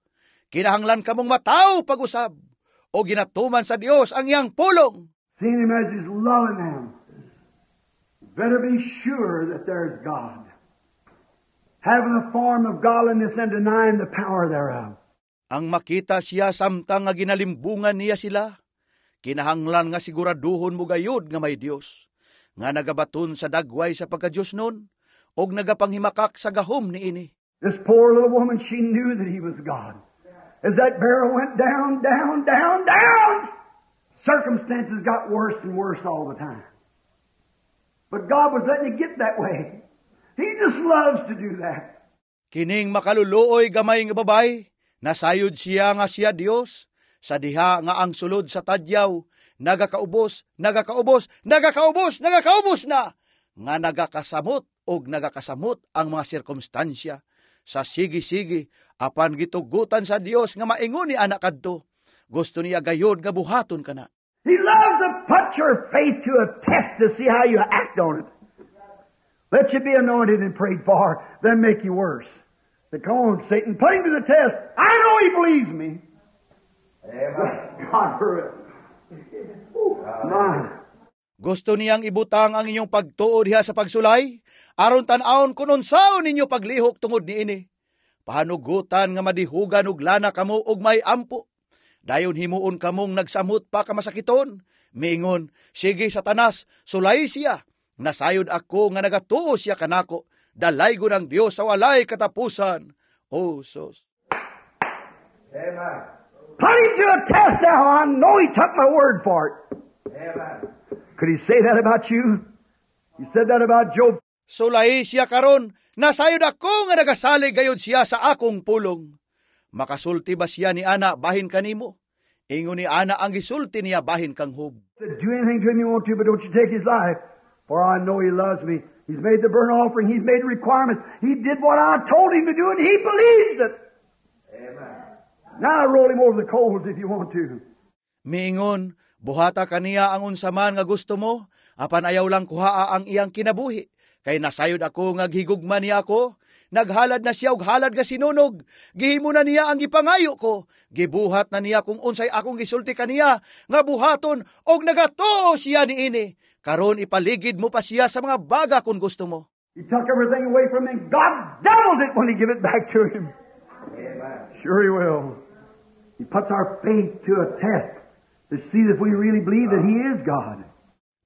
Kinahanglan kamong matawo pag-usab o ginatuman sa Dios ang iyang pulong. Seeing Him as He's loving them. Better be sure that there's God. Having a form of godliness and denying the power thereof. Ang makita siya samtang nga ginalimbungan niya sila, kinahanglan nga siguraduhon mo gayud nga may Dios, nga nagabaton sa dagway sa pagka-Diyos nun, og nagapanghimakak sa gahom niini. This poor little woman, she knew that He was God. As that barrel went down, down, down, down, circumstances got worse and worse all the time. But God was letting it get that way. He just loves to do that. Kining makaluluoy gamay nga babay, nasayod siya nga siya Dios, sa diha nga ang sulod sa tadyaw, nagakaubos, nagakaubos, nagakaubos, nagakaubos na, nga nagakasamot og nagakasamot ang mga sirkumstansya. Sa sige-sige, apan gitugutan sa Dios nga maingon ni anak kadto. Gusto niya gayod nga buhaton kana. He loves to put your faith to a test to see how you act on it. Let you be anointed and prayed for, then make you worse. Say, "Come on, Satan, put him to the test. I know he believes me." Amen. God for it. My. Gusto niyang ibutang ang inyong pagtuo diha sa pagsulay, aron tan-awon kun unsaon ninyo paglihok tungod niini. Pahanugutan nga madihugan og lana kamo og may ampo. Dayon himuon kamong nagsamot pa ka masakiton. Miingon, "Sige Satanas, sulay siya. Nasayod ako nga nagatuo siya kanako. Dalaygon ang Dios sa walay katapusan." Oh, sus. Amen. Put him to a test now. I know he took my word for it. Amen. Could he say that about you? He said that about Job. Sulay siya karon, Nasayod ako nga nagasalig gayud siya sa akong pulong. Makasulti ba siya ni ana bahin kanimo? Ingon ni ana ang gisulti niya bahin kang Job. Said, "Do anything to him you want to, but don't you take his life. For I know he loves me. He's made the burnt offering. He's made the requirements. He did what I told him to do, and he believes it. Amen. Now roll him over the coals if you want to." Miingon, "Buhata kaniya ang unsa man nga gusto mo, apan ayaw lang kuhaa ang iyang kinabuhi. Kay nasayod ako nga gihigugma niya ako, naghalad na siya og halad nga sinunog, gihimo na niya ang gipangayo ko, gibuhat na niya kung unsay akong gisulti kaniya nga buhaton og nagatuo siya niini. Karon ipaligid mo pa siya sa mga baga kung gusto mo." He took everything away from him. God doubled it when he give it back to him. Amen. Sure he will. He puts our faith to a test to see if we really believe that he is God.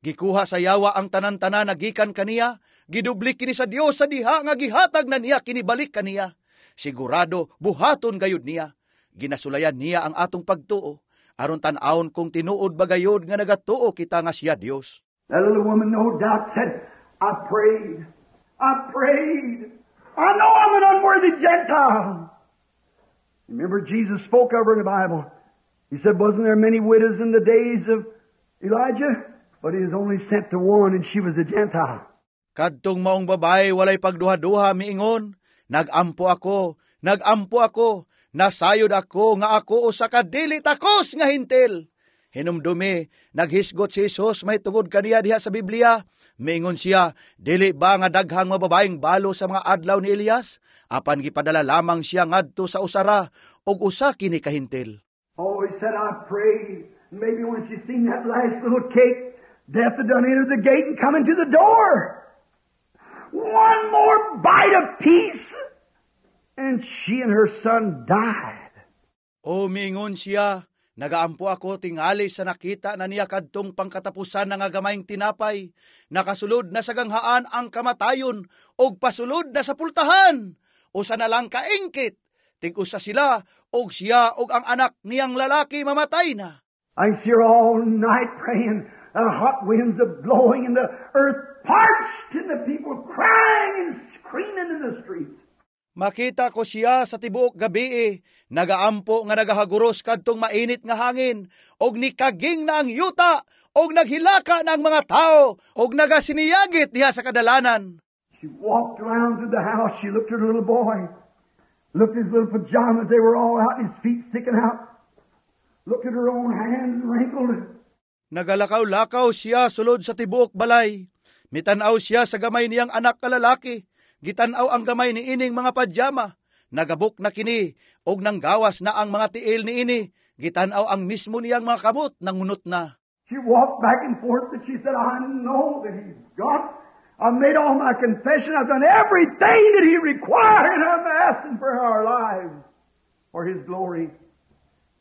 Gikuha sa yawa ang tanan-tanan na gikan kaniya, gidubli kini sa Dios sa diha nga gihatag na niya kini balik kaniya. Sigurado buhaton gayud niya. Ginasulayan niya ang atong pagtuo aron tan-awon kung tinuod ba gayud nga nagatuo kita nga siya Dios. That little woman, no doubt, said, "I prayed. I prayed. I know I'm an unworthy Gentile." Remember, Jesus spoke of her in the Bible. He said, "Wasn't there many widows in the days of Elijah? But he was only sent to one, and she was a Gentile." Kadtong maong babae walay pagduha-duha miingon, "Nagampo ako, nagampo ako, nasayod ako nga ako usa ka dili takos nga Hentil." Hinumdumi, naghisgot si Jesus mahitungod kaniya diha sa Biblia. Miingon siya, "Dili ba nga daghang mababaeng balo sa mga adlaw ni Elias? Apan gipadala lamang siya ngadto sa usara ug usa kini ka Hentil." Oh, he said, "I prayed." Maybe when she seen that last little cake, death had done entered the gate and come into the door. One more bite of peace, and she and her son died. O miingon siya, "Nagaampo ako tingali sa nakita na niya kadtong pangkatapusan na nga gamayng tinapay. Nakasulod na sa ganghaan ang kamatayon og pasulod na sa pultahan. Usa na lang kaingkit. Tig-usa sila og siya og ang anak niyang lalaki mamatay na." I can see her all night praying. The hot winds are blowing and the earth parched and the people crying and screaming in the streets. Makita ko siya sa tibuok gabi, nagaampo nga nagahaguros kadtong mainit nga hangin og nikaging na ang yuta og naghilaka na ang mga tao og nagasiniyagit diha sa kadalanan. She walked around through the house. She looked at her little boy. Looked at his little pajamas. They were all out and his feet sticking out. Looked at her own hands wrinkled. Nagalakaw-lakaw siya sulod sa tibuok balay. Mitanaw siya sa gamay niyang anak ka lalaki. Gitanaw ang gamay ni ining mga padyama. Nagabok na kini og nanggawas na ang mga tiil ni ini. Gitanaw ang mismo niyang mga kamot, nangunot na. She walked back and forth and she said, "I know that he's God. I've made all my confession. I've done everything that he required, and I'm asking for our lives for his glory."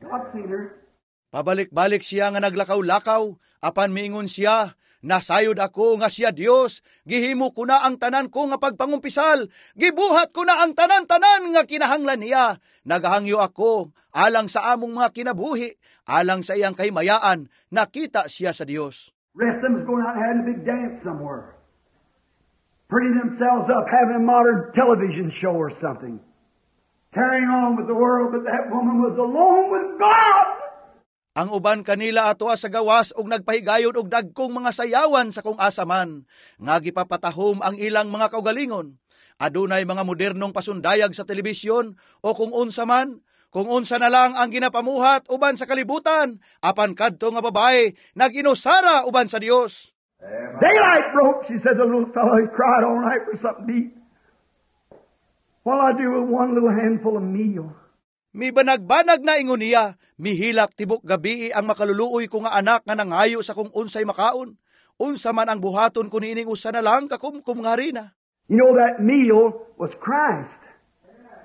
God seen her. Pabalik-balik siya nga naglakaw-lakaw, apan miingon siya, "Nasayod ako nga siya Dios, gihimo ko na ang tanan ko nga pagpangumpisal, gibuhat ko na ang tanan-tanan nga kinahanglan niya. Nagahangyo ako alang sa among mga kinabuhi, alang sa iyang kahimayaan." Nakita siya sa Dios. Rest of them was going out and having a big dance somewhere. Pretty themselves up, having a modern television show or something. Carrying on with the world, but that woman was alone with God. Ang uban kanila atoa sa gawas og nagpahigayon og dagkong mga sayawan sa kung asa man, nga gipapatahom ang ilang mga kaugalingon. Adunay mga modernong pasundayag sa telebisyon o kung unsa man, kung unsa na lang ang ginapamuhat uban sa kalibutan, apan kadto nga babae nag-inusara uban sa Dios. Daylight broke, she said, the little fellow, he cried all night for something to eat. "What'll I do with one little handful of meal?" Mibanag-banag na ingon niya, "Mihilak tibok gabi ang makaluluoy ko nga anak nga nangayo sa kung unsay makaon. Unsa man ang buhaton ko niining usa na lang kakumkum nga harina?" You know that meal was Christ.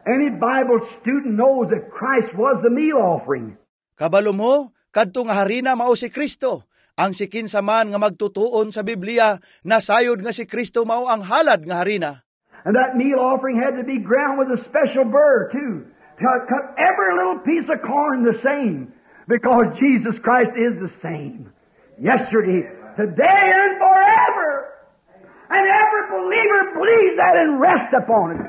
Any Bible student knows that Christ was the meal offering. Kabalo mo, kadto nga harina mao si Kristo. Ang sikinsa man nga magtutuon sa Biblia, nasayod nga si Kristo mao ang halad nga harina. And that meal offering had to be ground with a special burr too, to cut every little piece of corn the same. Because Jesus Christ is the same yesterday, today, and forever. And every believer believes that and rest upon it.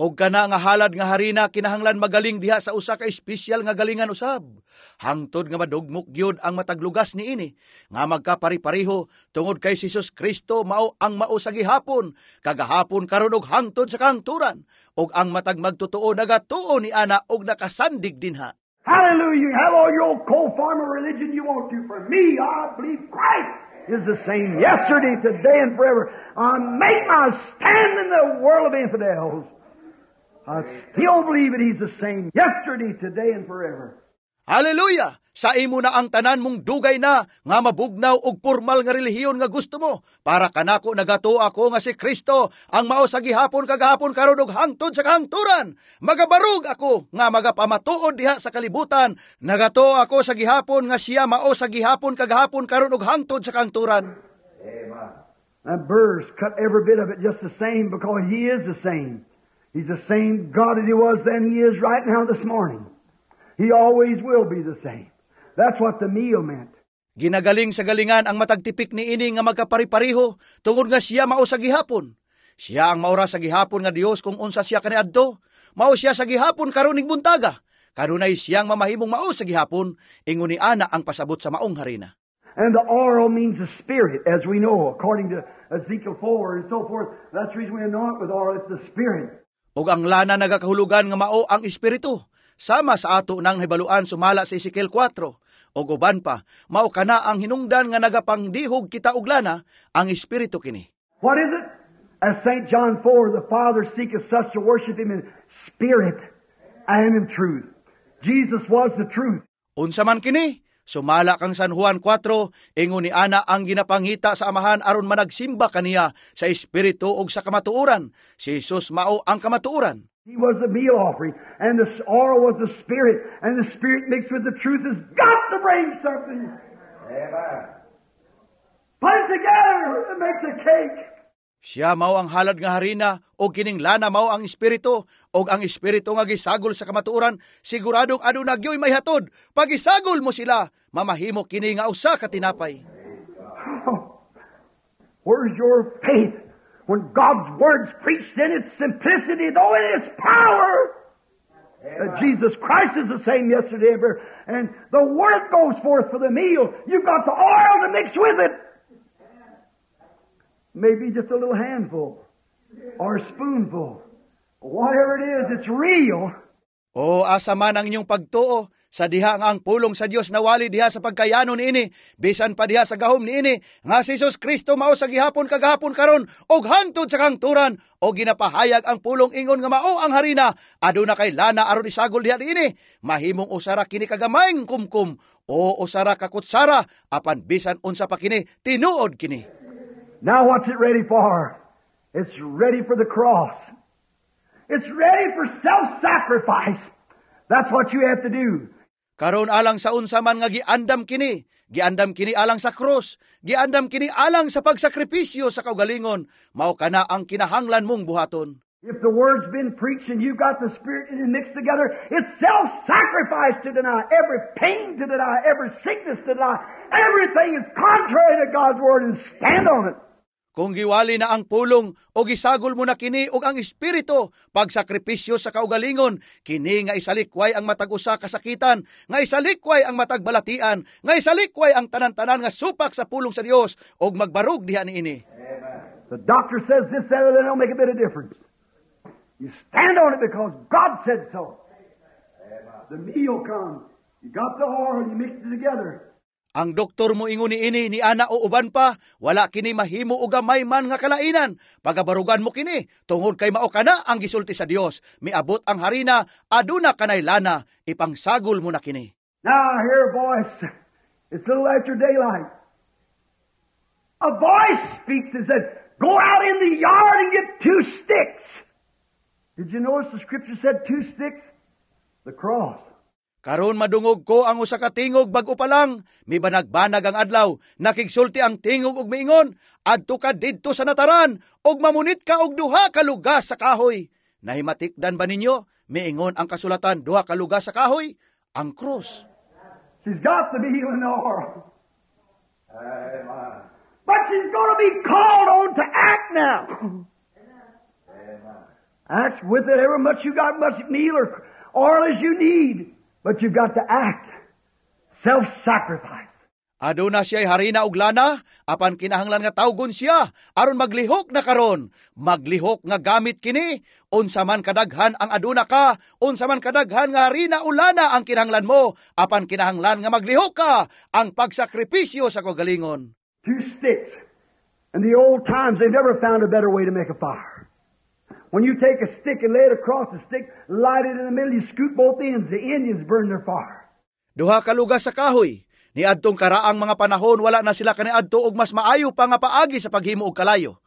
Og kana nga halad nga harina kinahanglan magaling diha sa usa ka espesyal nga galingan usab. Hangtod nga madugmok gyud ang matag lugas niini nga magkapari-pareho tungod kay si Jesus Kristo mao ang mao sa gihapon, kagahapon, karon ug hangtod sa kahangturan. Og ang matag magtotoo nagatuo ni ana og nakasandig dinha. Hallelujah. You have all your old cold form of religion you want to. For me, I believe Christ is the same yesterday, today, and forever. I make my stand in the world of infidels. I still believe that He's the same yesterday, today, and forever. Hallelujah! Sa imo na ang tanan mong dugay na nga mabugnaw og formal nga relihiyon nga gusto mo. Para kanako, nagatuo ako nga si Kristo ang mao sa gihapon, kagahapon, karon ug hangtod sa kahangturan. Magabarug ako nga magapamatuod diha sa kalibutan. Nagatuo ako sa gihapon nga siya mao sa gihapon, kagahapon, karon ug hangtod sa kahangturan. And burrs cut every bit of it just the same because He is the same. He's the same God that He was then, He is right now this morning. He always will be the same. That's what the meal meant. Ginagaling sa galingan ang matag tipik ni ini nga magkaparipariho tungod nga siya mao sa gihapon. Siya ang maura sa gihapon nga Dios kung unsa siya kaniadto. Mao siya sa gihapon karon ning buntaga. Kanunay siyang mamahimong mao sa gihapon, ingon ni ana ang pasabot sa maong harina. And the oil means the Spirit, as we know, according to Ezekiel 4 and so forth. That's the reason we anoint with oil. It's the Spirit. Ug ang lana nagakahulugan nga mao ang Espiritu. Sama sa ato nang nahibaluan sumala sa Ezekiel 4. Ug uban pa, mao kana ang hinungdan nga nagapangdihog kita og lana, ang Espiritu kini. What is it? As St. John 4, the Father seeketh such to worship Him in spirit and in truth. Jesus was the truth. Unsa man kini? Sumala kang San Juan 4, ingon ni ana ang ginapangita sa Amahan aron managsimba kaniya sa espiritu ug sa kamatuoran. Si Jesus mao ang kamatuoran. He was the meal offering, and the oil was the Spirit, and the Spirit mixed with the truth has got to bring something. Amen. Put it together, it makes a cake. Siya mao ang halad nga harina ug kining lana mao ang espiritu ug ang espiritu nga gisagol sa kamatuoran siguradong aduna gyoy may hatod. Pag isagol mo sila, mamahimo kini nga usa ka tinapay. Where's your faith when God's Word's preached in its simplicity, though in its power? That Jesus Christ is the same yesterday and forever. And the Word goes forth for the meal. You've got the oil to mix with it. Maybe just a little handful or a spoonful. Whatever it is, it's real. O asa man ang inyong pagtuo sa diha nga ang pulong sa Dios nawali diha sa pagkayano niini, bisan pa diha sa gahom niini nga si Jesus Kristo mao sa gihapon, kagahapon, karon ug hangtod sa kahangturan, o ginapahayag ang pulong ingon nga mao ang harina, aduna kay lana aron isagol diha niini. Mahimong usa ra kini kagamayng kumkum o usa ra ka kutsara, apan bisan unsa pa kini, tinuod kini. Now what's it ready for? It's ready for the cross. It's ready for self-sacrifice. That's what you have to do. Karon alang sa unsa man nga giandam kini? Giandam kini alang sa krus. Giandam kini alang sa pagsakripisyo sa kaugalingon. Mao kana ang kinahanglan mong buhaton. If the Word's been preached and you've got the Spirit and it mixed together, it's self-sacrifice to deny every pain, to deny every sickness, to deny everything is contrary to God's Word and stand on it. Kung giwali na ang pulong o gisagol mo na kini og ang espiritu, pagsakripisyo sa kaugalingon, kini nga isalikway ang matag usa kasakitan, nga isalikway ang matag balatian, nga isalikway ang tanan-tanan nga supak sa pulong sa Dios og magbarog diha niini. The doctor says this, that, or that, don't make a bit of difference. You stand on it because God said so. The meal comes. You got the oil, you mix it together. Ang doktor mo ingon ni ini ni ana o uban pa, wala kini mahimo og gamay man nga kalainan. Pagabarugan mo kini, tungod kay mao kana ang gisulti sa Dios. Miabot ang harina, aduna kanay lana, ipangsagol mo na kini. Now I hear a voice. It's a little after daylight. A voice speaks and said, "Go out in the yard and get two sticks." Did you notice the scripture said two sticks? The cross. Karon madungog ko ang usa ka tingog bag-o pa lang, mibanag-banag ang adlaw, nakigsulti ang tingog og miingon, "Adto ka didto sa nataran og mamunit ka og duha ka lugas sa kahoy." Nahimatikdan ba ninyo? Miingon ang kasulatan, duha ka lugas sa kahoy, ang krus. She's got the meal and the oil. Amen. But she's going to be called on to act now. Act with it ever much you got, much meal or oil as you need. But you've got to act. Self-sacrifice. Aduna siya'y harina ug lana, apan kinahanglan nga tawgon siya aron maglihok na karon. Maglihok nga gamit kini, unsa man kadaghan ang aduna ka, unsa man kadaghan nga harina o lana ang kinahanglan mo, apan kinahanglan nga maglihok ka ang pagsakripisyo sa kaugalingon. Two sticks. In the old times, they've never found a better way to make a fire. When you take a stick and lay it across the stick, light it in the middle, you scoot both ends. The Indians burn their fire. Duha ka lugas sa kahoy. Niadtong karaang mga panahon, wala na sila kaniadto og mas maayo pa nga paagi sa paghimo og kalayo.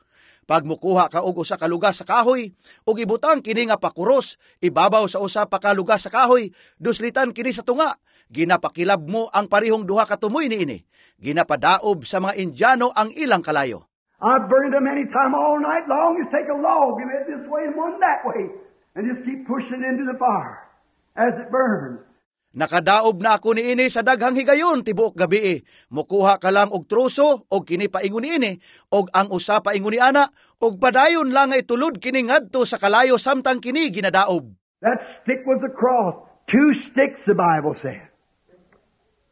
Pag mukuha ka og usa ka lugas sa kahoy, ug ibutang kini nga pakuros ibabaw sa usa pa ka lugas sa kahoy, duslitan kini sa tunga, ginapakilab mo ang parihong duha ka tumoy niini. Ginapadaob sa mga Indiano ang ilang kalayo. I've burned them many time all night long. Just take a log and it this way and one that way, and just keep pushing it into the fire as it burns. Nakadaob na ako niini sa daghang higayon tibuok gabi. Mukuha ka lang og troso og kini paingon niini og ang usa paingon ni ana og padayon lang nga itulod kini ngadto sa kalayo samtang kini ginadaob. That stick was the cross. Two sticks, the Bible said.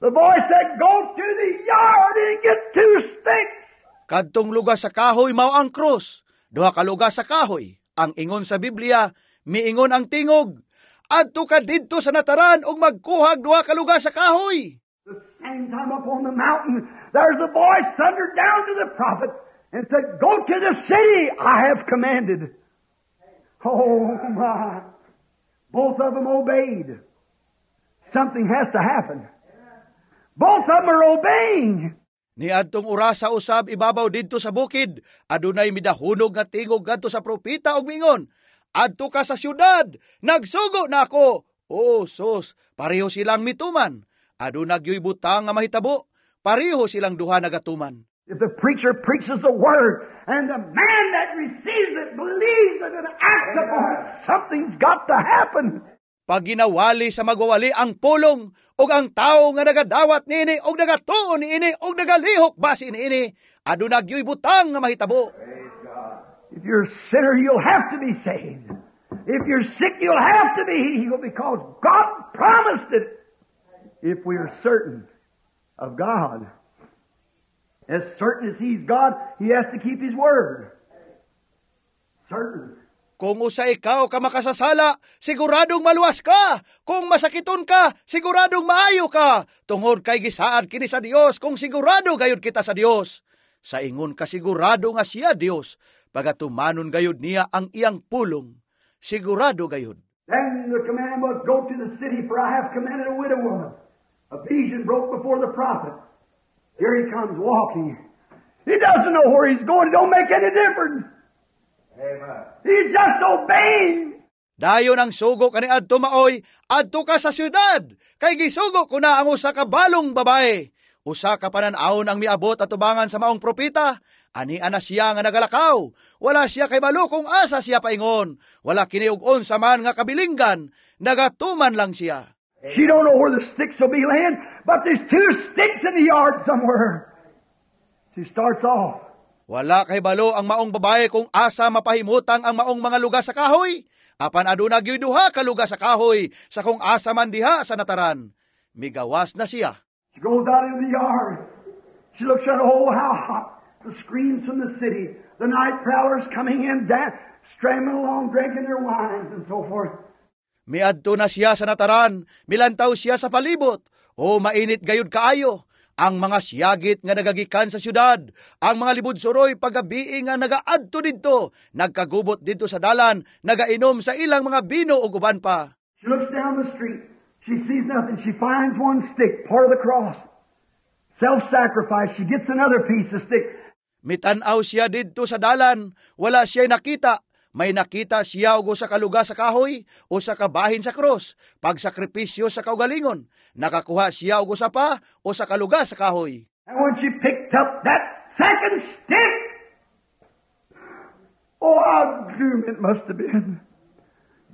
The voice said, "Go to the yard and get two sticks." Kadtong lugas sa kahoy mao ang krus. Duha ka lugas sa kahoy. Ang ingon sa Biblia, miingon ang tingog, "Adto ka didto sa nataran ug magkuhag duha ka lugas sa kahoy." The same time up on the mountain, there's a voice thundered down to the prophet and said, "Go to the city I have commanded." Oh my. Both of them obeyed. Something has to happen. Both of them are obeying. Niadtong orasa usab ibabaw didto sa bukid, adunay midahunog nga tingog ngadto sa propeta ug miingon, "Adto ka sa syudad, nagsugo na ako." Oh, sus, pareho silang mituman. Aduna gyoy butang nga mahitabo, pareho silang duha nagatuman. If the preacher preaches the word and the man that receives it believes it and acts upon it, something's got to happen. Pag ginawali sa magwawali ang pulong, ug ang tawo nga nagadawat niini ug nagatuo niini ug nagalihok base niini, aduna gyoy butang nga mahitabo. If you're a sinner, you'll have to be saved. If you're sick, you'll have to be healed because God promised it. If we are certain of God. As certain as He's God, He has to keep His word. Certain. Kung usa ikaw ka makasasala, siguradong maluwas ka. Kung masakiton ka, siguradong maayo ka. Tungod kay gisaad kini sa Dios kung sigurado gayud kita sa Dios. Sa ingon ka sigurado nga siya Dios, pagatumanon gayud niya ang iyang pulong. Sigurado gayud. Then the command was, "Go to the city, for I have commanded a widow woman." A vision broke before the prophet. Here he comes walking. He doesn't know where he's going. It don't make any difference. Amen. He's just obeying. Dayon ang sugo kaniadto maoy, "Adto ka sa syudad, kay gisugo ko na ang usa ka balong babae." Usa ka panan-awon ang miabot atubangan sa maong propeta. Ani ana siya nga nagalakaw. Wala siya kaybalo kung asa siya paingon. Wala kini og unsa man nga kabilinggan. Nagatuman lang siya. She don't know where the sticks will be laying, but there's two sticks in the yard somewhere. She starts off. Wala kaybalo ang maong babae kung asa mapahimutang ang maong mga lugas sa kahoy. Apan aduna gyud duha ka lugas sa kahoy sa kung asa man diha sa nataran. Migawas na siya. She goes out into the yard. She looks at, oh, how hot. The screams from the city. The night prowlers coming in, stramming along, drinking their wines and so forth. Miadto na siya sa nataran, milantaw siya sa palibot. O mainit gayud kaayo. Ang mga siyagit nga nagagikan sa syudad, ang mga libud-suroy pagabii nga nagaadto didto, nagkagubot didto sa dalan, nagainom sa ilang mga bino ug uban pa. She looks down the street. She sees nothing. She finds one stick, part of the cross. Self-sacrifice. She gets another piece of stick. Mitan-aw siya didto sa dalan, wala siya nakita. May nakita siya og usa ka lugas sa kahoy, usa ka bahin sa krus, pagsakripisyo sa kaugalingon. Nakakuha siya og usa pa, usa ka lugas sa kahoy. And when she picked up that second stick, oh, how gloom it must have been.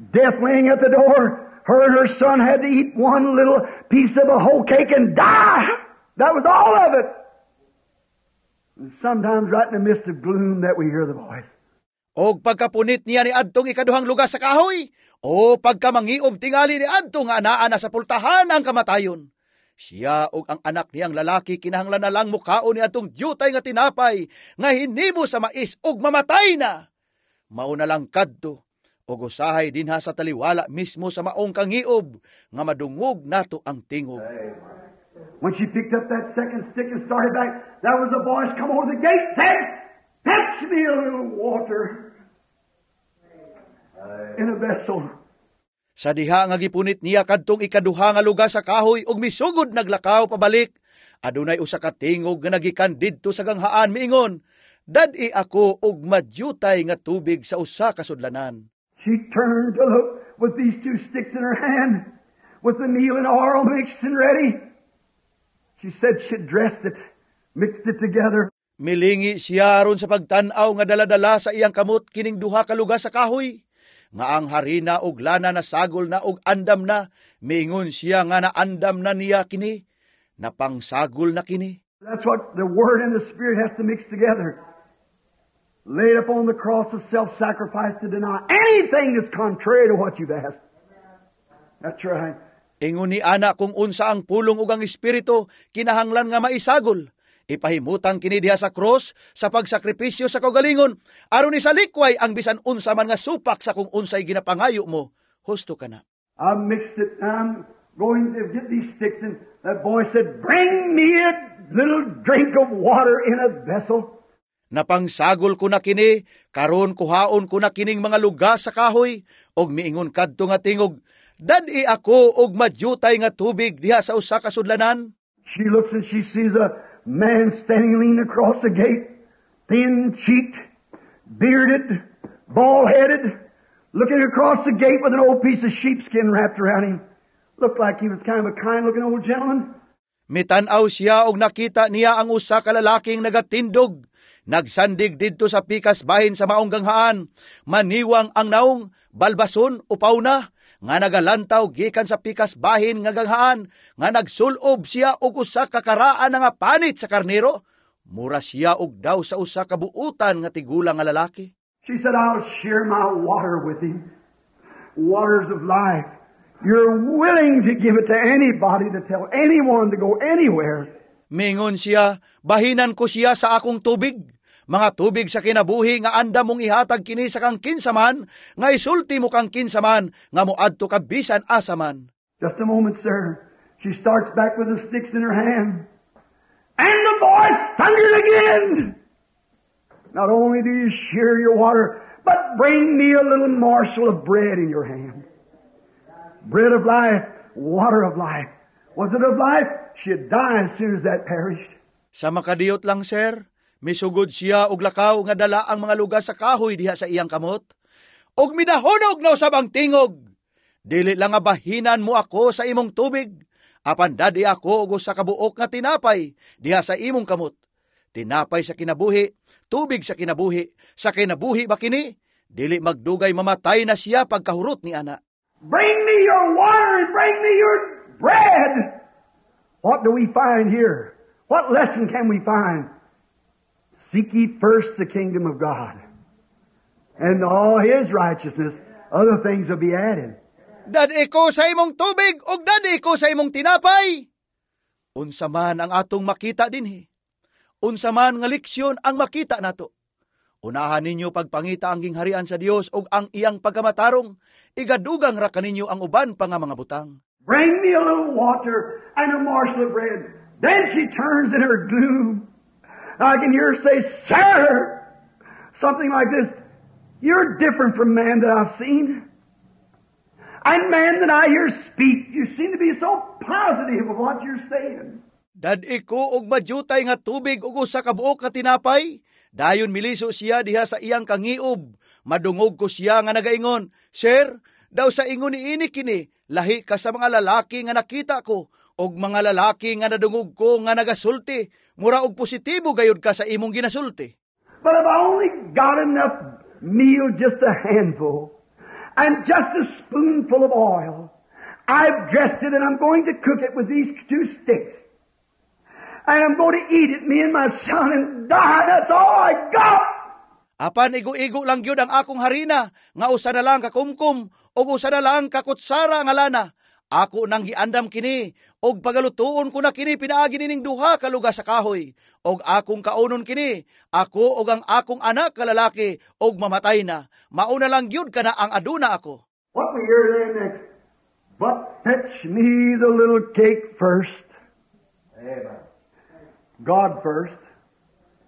Death laying at the door. Her and her son had to eat one little piece of a hoe cake and die. That was all of it. And sometimes right in the midst of gloom that we hear the voice. Og pagkapunit niya ni adtong ikaduhang lugas sa kahoy, o pagkamangiob tingali ni adto nga anaa na sa pultahan ang kamatayon. Siya og ang anak niyang lalaki kinahanglan na lang mukaon ni adtong dyutay nga tinapay nga hinimo sa mais og mamatay na. Mao na lang kadto og usahay dinha sa taliwala mismo sa maong kangiob nga madungog nato ang tingog. When she picked up that second stick and started back, there was a voice come over the gate, said, "Fetch me a little water in a vessel." Sa diha nga gipunit niya kadtong ikaduha nga lugas sa kahoy ug misugod naglakaw pabalik, adunay usa ka tingog nga nagikan didto sa ganghaan miingon, "Dad-i ako og madyutay nga tubig sa usa ka sudlanan." She turned to look with these two sticks in her hand, with the meal and oil mixed and ready. She said she dressed it, mixed it together. Milingi siya aron sa pagtan-aw nga dala-dala sa iyang kamot kining duha ka lugas sa kahoy nga ang harina og lana na sagol na og andam na. Miingon siya nga naandam na niya kini, napangsagol na kini. That's what the Word and the Spirit has to mix together. Laid upon the cross of self-sacrifice to deny anything that's contrary to what you've asked. That's right. Ingon ni ana kung unsa ang pulong ug ang espiritu kinahanglan nga maisagol. Ipahimutang kini diha sa cross sa pagsakripisyo sa kaugalingon aron isalikway ang bisan unsa man nga supak sa kung unsay ginapangayo mo. Husto kana. I mixed it. I'm going to get these sticks, and that voice said, "Bring me a little drink of water in a vessel." Napangsagol ko na kini, karon kuhaon ko na kining mga lugas sa kahoy, og miingon kadto nga tingog, "Dad-i ako og madyutay nga tubig diha sa usa ka sudlanan." She looks and she sees a man standing leaning across the gate, thin-cheeked, bearded, bald-headed, looking across the gate with an old piece of sheepskin wrapped around him. Looked like he was kind of a kind-looking old gentleman. Mitan-aw siya og nakita niya ang usa ka lalaking nagatindog. Nagsandig didto sa pikas bahin sa maong ganghaan. Maniwang ang naong, balbason, upaw na, nga nagalantaw gikan sa pikas bahin nga ganghaan, nga nagsulob siya og usa ka karaan nga panit sa karnero. Mura siya og daw sa usa ka buutan nga tigulang nga lalaki. She said, "I'll share my water with him. Waters of life. You're willing to give it to anybody, to tell anyone to go anywhere." Mingon siya, "Bahinan ko siya sa akong tubig. Mga tubig sa kinabuhi nga andam mong ihatag kini sa kang kinsa man, nga isulti mo kang kinsa man, nga moadto ka bisan asa man." Just a moment, sir. She starts back with the sticks in her hand. And the voice thundered again. "Not only do you share your water, but bring me a little morsel of bread in your hand." Bread of life, water of life. Was it of life? She'd die as soon as that perished. Sa makadiyot lang, sir, misugod siya og lakaw nga dala ang mga lugas sa kahoy diha sa iyang kamot. Og midahonog na usab ang tingog. "Dili lang nga bahinan mo ako sa imong tubig, apan dad-i ako og usa ka buok nga tinapay diha sa imong kamot." Tinapay sa kinabuhi, tubig sa kinabuhi, sa kinabuhi ba kini? Dili magdugay mamatay na siya pagkahurot ni ana. "Bring me your water and bring me your bread." What do we find here? What lesson can we find? Seek ye first the kingdom of God and all His righteousness. Other things will be added. "Dad-i ko sa imong tubig ug dad-i ko sa imong tinapay." Unsa man ang atong makita dinhi? Unsa man nga leksyon ang makita nato? Unahan ninyo pagpangita ang gingharian sa Dios ug ang iyang pagkamatarong, igadugang ra kaninyo ang uban pa nga mga butang. "Bring me a little water and a morsel of bread." Then she turns in her gloom. I can hear her say, "Sir," something like this, "You're different from man that I've seen. And man that I hear speak, you seem to be so positive of what you're saying." "Dad-i ko og madyutay nga tubig ug usa ka buok nga tinapay." Dayon miliso siya diha sa iyang kangiob. Madungog ko siya nga nagaingon, "Sir, daw sa ingon niini kini, lahi ka sa mga lalaki nga nakita ko og mga lalaki nga nadungog ko nga nagasulti. Mura og positibo gayud ka sa imong ginasulti." "But if I only got enough meal, just a handful, and just a spoonful of oil, I've dressed it and I'm going to cook it with these two sticks. And I'm going to eat it, me and my son, and die. That's all I got. Apan igo-igo lang gyud ang akong harina, nga usa na lang ka kumkum ug usa na lang ka kutsara nga lana. Ako nang giandam kini, ug pagalutuon ko na kini pinaagi nining duha ka lugas sa kahoy, ug akong kaunon kini, ako ug ang akong anak ka lalaki, ug mamatay na. Mauna lang gyud kana ang aduna ako. What we hear then next? "But fetch me the little cake first." Amen. God first.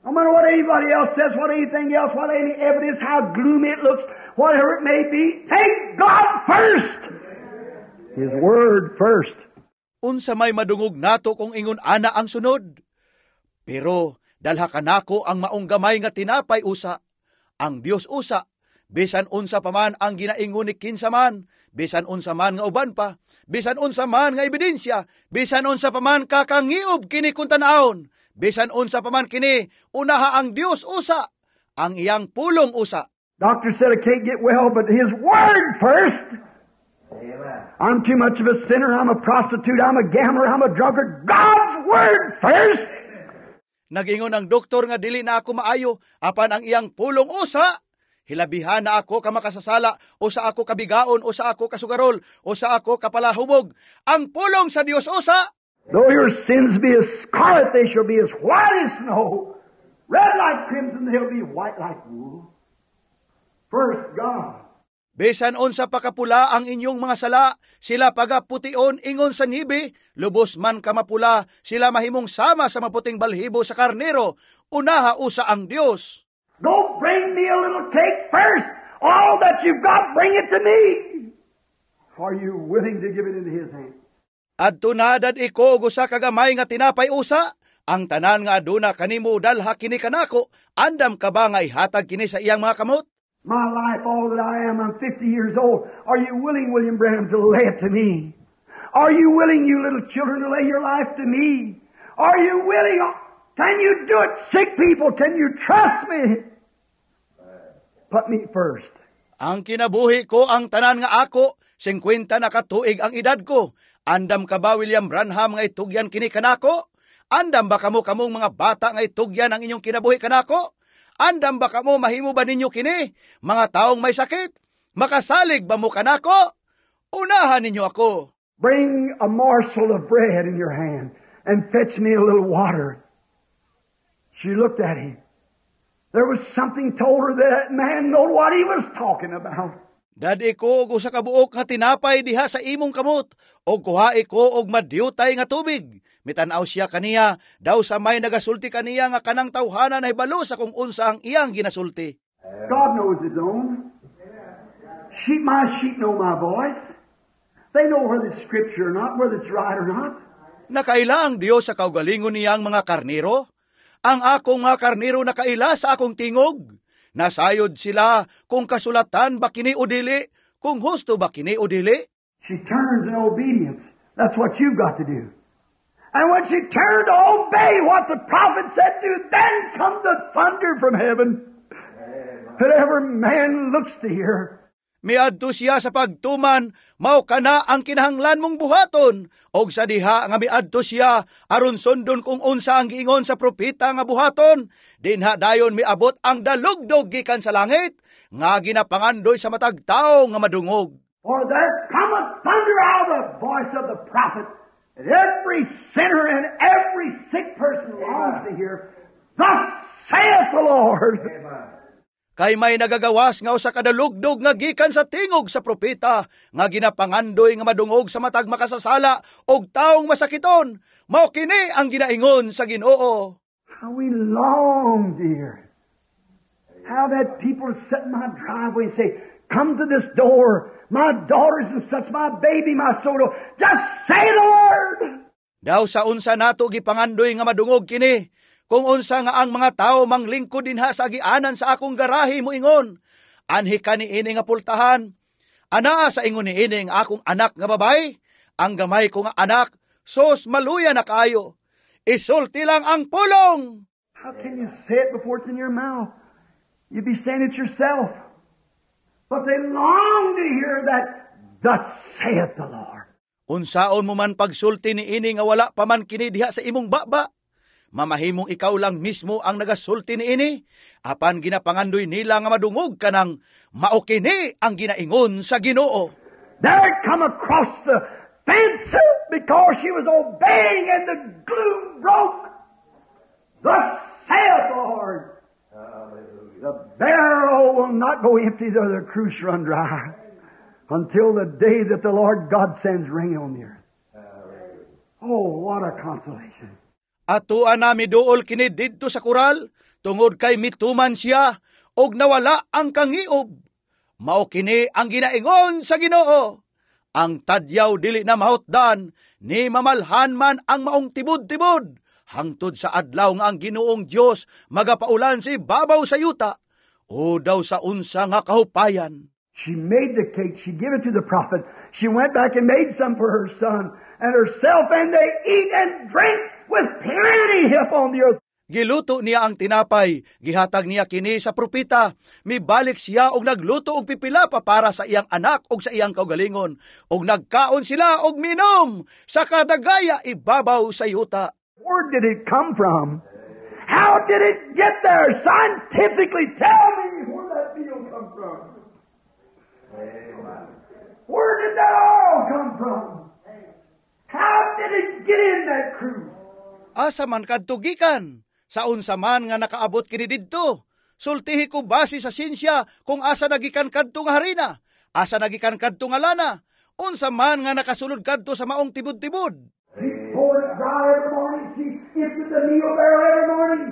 No matter what anybody else says, what anything else, what any evidence, how gloomy it looks, whatever it may be, take God first. His Word first. Unsa may madungog nato kung ingon ana ang sunod? "Pero dalha kanako ang maong gamay nga tinapay usa." Ang Dios usa, bisan unsa pa man ang ginaingon ni kinsa man, bisan unsa man nga uban pa, bisan unsa man nga ebidensya, bisan unsa pa man kakangiob kini kung tan-awon, bisan unsa pa man kini, unaha ang Dios usa, ang iyang pulong usa. Doctor said I can't get well, but His Word first. Amen. I'm too much of a sinner. I'm a prostitute. I'm a gambler. I'm a drunkard. God's Word first. Nagingon ang doktor nga dili na ako maayo, apan ang iyang pulong usa. Hilabihan na ako ka makasasala, usa ako kabigaon, usa ako kasugarol, usa ako kapalahubog. Ang pulong sa Dios usa. Though your sins be as scarlet, they shall be as white as snow. Red like crimson, they'll be white like wool. First, God. Bisan unsa pa kapula ang inyong mga sala, sila pagapution ingon sa niebe, lubos man ka mapula, sila mahimong sama sa maputing balhibo sa karnero. Unaha usa ang Dios. Go bring me a little cake first. All that you've got, bring it to me. Are you willing to give it into His hand? Adto na dad-i ko og usa ka gamay nga tinapay usa. Ang tanan nga aduna kanimo, dalha kini kanako. Andam ka ba nga ihatag kini sa iyang mga kamot? My life, all that I am, I'm 50 years old. Are you willing, William Branham, to lay it to me? Are you willing, you little children, to lay your life to me? Are you willing? Can you do it, sick people? Can you trust me? Put me first. Ang kinabuhi ko, ang tanan nga ako, 50 na katuig ang edad ko. Andam ka ba, William Branham, nga itugyan kini kanako? Andam ba kamo, kamong mga bata, nga itugyan ang inyong kinabuhi kanako? Andam ba kamo, mahimo ba ninyo kini? Mga taong may sakit, makasalig ba mo kanako? Unahan ninyo ako. Bring a morsel of bread in your hand and fetch me a little water. She looked at him. There was something told her that that man knew what he was talking about. Dad-i ko og usa ka buok nga tinapay diha sa imong kamot, og kuhae ko og madyutay nga tubig. Mitan-aw siya kaniya, daw sa may nagasulti kaniya nga kanang tawhana nahibalo sa kung unsa ang iyang ginasulti. God knows His own. Sheep, my sheep know my voice. They know whether it's Scripture or not, whether it's right or not. Nakaila ang Dios sa kaugalingon niyang mga karnero? Ang akong mga karnero nakaila sa akong tingog. Nasayod sila kung kasulatan ba kini o dili, kung husto ba kini o dili. She turns in obedience. That's what you've got to do. And when she turned to obey what the prophet said to, then come the thunder from heaven that every man looks to hear. Miadto siya sa pagtuman, mao kana ang kinahanglan mong buhaton. Og sa diha nga miadto siya, aron sundon kung unsa ang giingon sa propeta nga buhaton, dinha dayon miabot ang dalugdog gikan sa langit, nga ginapangandoy sa matag tawo nga madungog. For there cometh thunder out of the voice of the prophet that every sinner and every sick person longs to hear. "Thus saith the Lord." Kay may nagagawas nga usa ka dalugdog nga gikan sa tingog sa propeta nga ginapangandoy nga madungog sa matag makasasala og taong masakiton. Mao kini ang ginaingon sa Ginoo. How we long, dear. How that people sit in my driveway and say, "Come to this door, my daughters and such, my baby, my soul. Just say the word." Daw sa unsa nato gipangandoy nga madungog kini. Kung unsa nga ang mga tao manglingkod dinha sa agianan sa akong garahe moingon, "Anhi ka niini nga pultahan. Anaa sa ingon niini ang akong anak nga babay, ang gamay ko nga anak, sos maluya na kaayo. Isulti lang ang pulong." How can you say it before it's in your mouth? You'd be saying it yourself. But they long to hear that, "Thus saith the Lord." Unsaon mo man pagsulti niini nga wala pa man kini diha sa imong baba? Mamahimong ikaw lang mismo ang nagasulti niini, apan ginapangandoy nila nga madungog kanang mao kini ang ginaingon sa Ginoo. There it come across the fence because she was obeying and the gloom broke. Thus saith the Lord. The barrel will not go empty nor the cruse run dry until the day that the Lord God sends rain on the earth. Oh, what a consolation. Atoa na miduol kini didto sa kural, tungod kay mituman siya, og nawala ang kangiob. Mao kini ang ginaingon sa Ginoo. Ang tadyaw dili na mahutdan, ni mamalhan man ang maong tibod-tibod, hangtod sa adlaw nga ang Ginoong Dios magapaulan sa ibabaw sa yuta, o daw sa unsa nga kahupayan. She made the cake. She gave it to the prophet. She went back and made some for her son and herself, and they eat and drink with plenty upon the earth. Giluto niya ang tinapay, gihatag niya kini sa propeta. Mibalik siya og nagluto og pipila pa para sa iyang anak og sa iyang kaugalingon. Og nagkaon sila og minom sa kadagaya ibabaw sa yuta. Where did it come from? How did it get there? Scientifically, tell me where that meal come from. Where did that oil come from? How did it get in that cruse? Asa man kadto gikan? Sa unsa man nga nakaabot kini didto? Sultihi ko base sa sinsya kung asa nagikan kadto nga harina, asa nagikan kadto nga lana, unsa man nga nakasulod kadto sa maong tibod-tibod. She poured it dry every morning. She emptied the meal barrel every morning.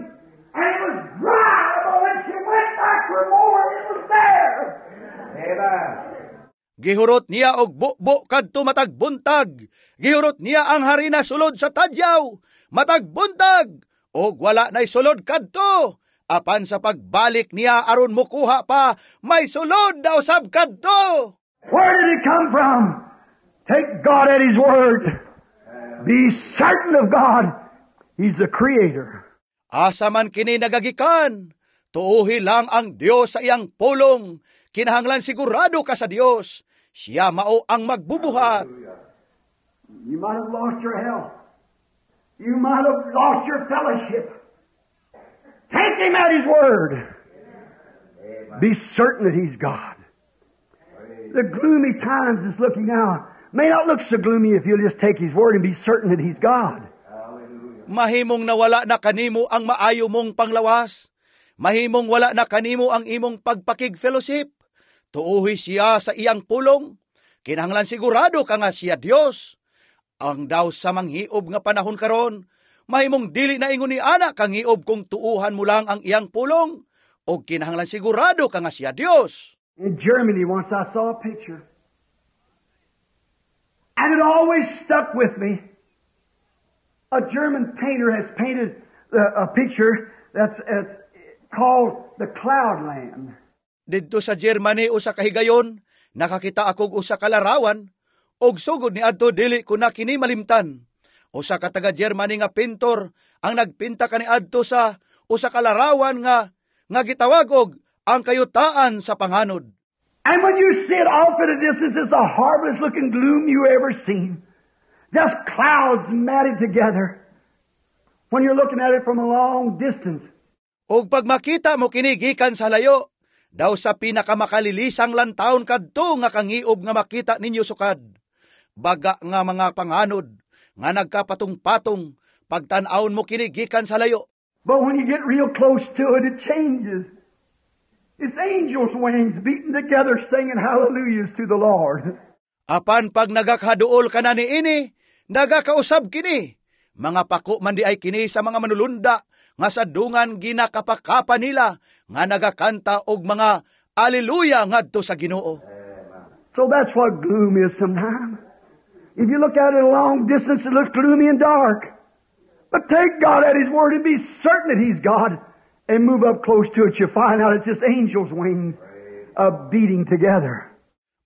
And it was dry. But when she went back for more, it was there. Amen. Gihurot niya og bubo kadto matag buntag. Gihurot niya ang harina sulod sa tadyaw. Matag buntag og wala nay sulod kadto. Apan sa pagbalik niya aron mukuha pa, may sulod daw sab kadto. Where did it come from? Take God at His word. Be certain of God. He's the Creator. Asa man kini nagagikan? Tuuhi lang ang Dios sa iyang pulong. Kinahanglan sigurado ka sa Dios. Siya mao ang magbubuhat. You might have lost your health. You might have lost your fellowship. Take Him at His word. Be certain that He's God. The gloomy times that's looking now may not look so gloomy if you'll just take His word and be certain that He's God. Mahimong nawala na kanimo ang maayo mong panglawas. Mahimong wala na kanimo ang imong pagpakig-fellowship. Tuuhi siya sa iyang pulong. Kinahanglan sigurado ka nga siya Dios. Ang daw sa manghiob nga panahon karon, mahimong dili na ingon ni ana kangiob kung tuuhan mo lang ang iyang pulong. O kinahanglan sigurado ka nga siya Dios. In Germany, once I saw a picture. And it always stuck with me. A German painter has painted a picture that's called the Cloudland. Didto sa Germany usa ka higayon, nakakita akog usa ka larawan, og sugod ni adto dili ko na kini malimtan. Usa ka taga Germany nga pintor ang nagpinta kani adto sa usa ka larawan nga gitawag og ang kayutaan sa panganod. And when you see it off at a distance, it's the horriblest looking gloom you ever seen. Just clouds matted together. When you're looking at it from a long distance. Og pag makita mo kini gikan sa layo, daw sa pinakamakalilisang lantawon kadto nga kangiob nga makita ninyo sukad. Baga nga mga panganod nga nagkapatong-patong pagtan-awon mo kini gikan sa layo. But when you get real close to it, it changes. It's angels' wings beating together, singing hallelujahs to the Lord. Apan pag nagakaduol ka na niini, nagakausab kini. Mga pako man di ay kini sa mga manulunda nga sa dungan ginakapakapa nila nga nagakanta og mga aleluya ngadto sa Ginoo. So that's what gloom is sometimes. If you look at it a long distance, it looks gloomy and dark. But take God at His word and be certain that He's God, and move up close to it, you find out it's just angels' wings beating together.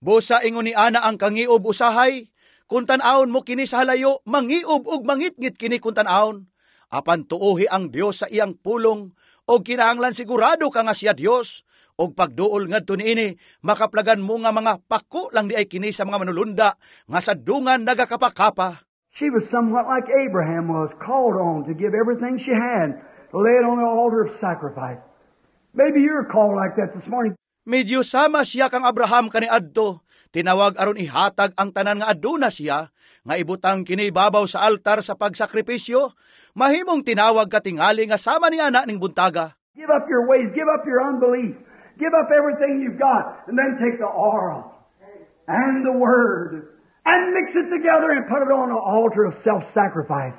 Busa ingon ni ana ang kangiob usahay, kung tan-awon mo kini sa halayo, mangiob ug mangitngit kini kung tan-awon. Apan tuohi ang Dios sa iyang pulong, og kinahanglan sigurado ka nga siya Dios. Og pagduol ngadto niini, makaplagan mo nga mga pako lang di ay kini sa mga manulunda nga sa dungan nagakapakapa. She was somewhat like Abraham was, called on to give everything she had, to lay it on the altar of sacrifice. Maybe you're called like that this morning. Medyo sama siya kang Abraham kaniadto, tinawag aron ihatag ang tanan nga aduna siya, nga ibutang kini babaw sa altar sa pagsakripisyo, mahimong tinawag ka tingali nga sama ni ana ning buntaga. Give up your ways, give up your unbelief, give up everything you've got, and then take the oil and the Word and mix it together and put it on an altar of self-sacrifice.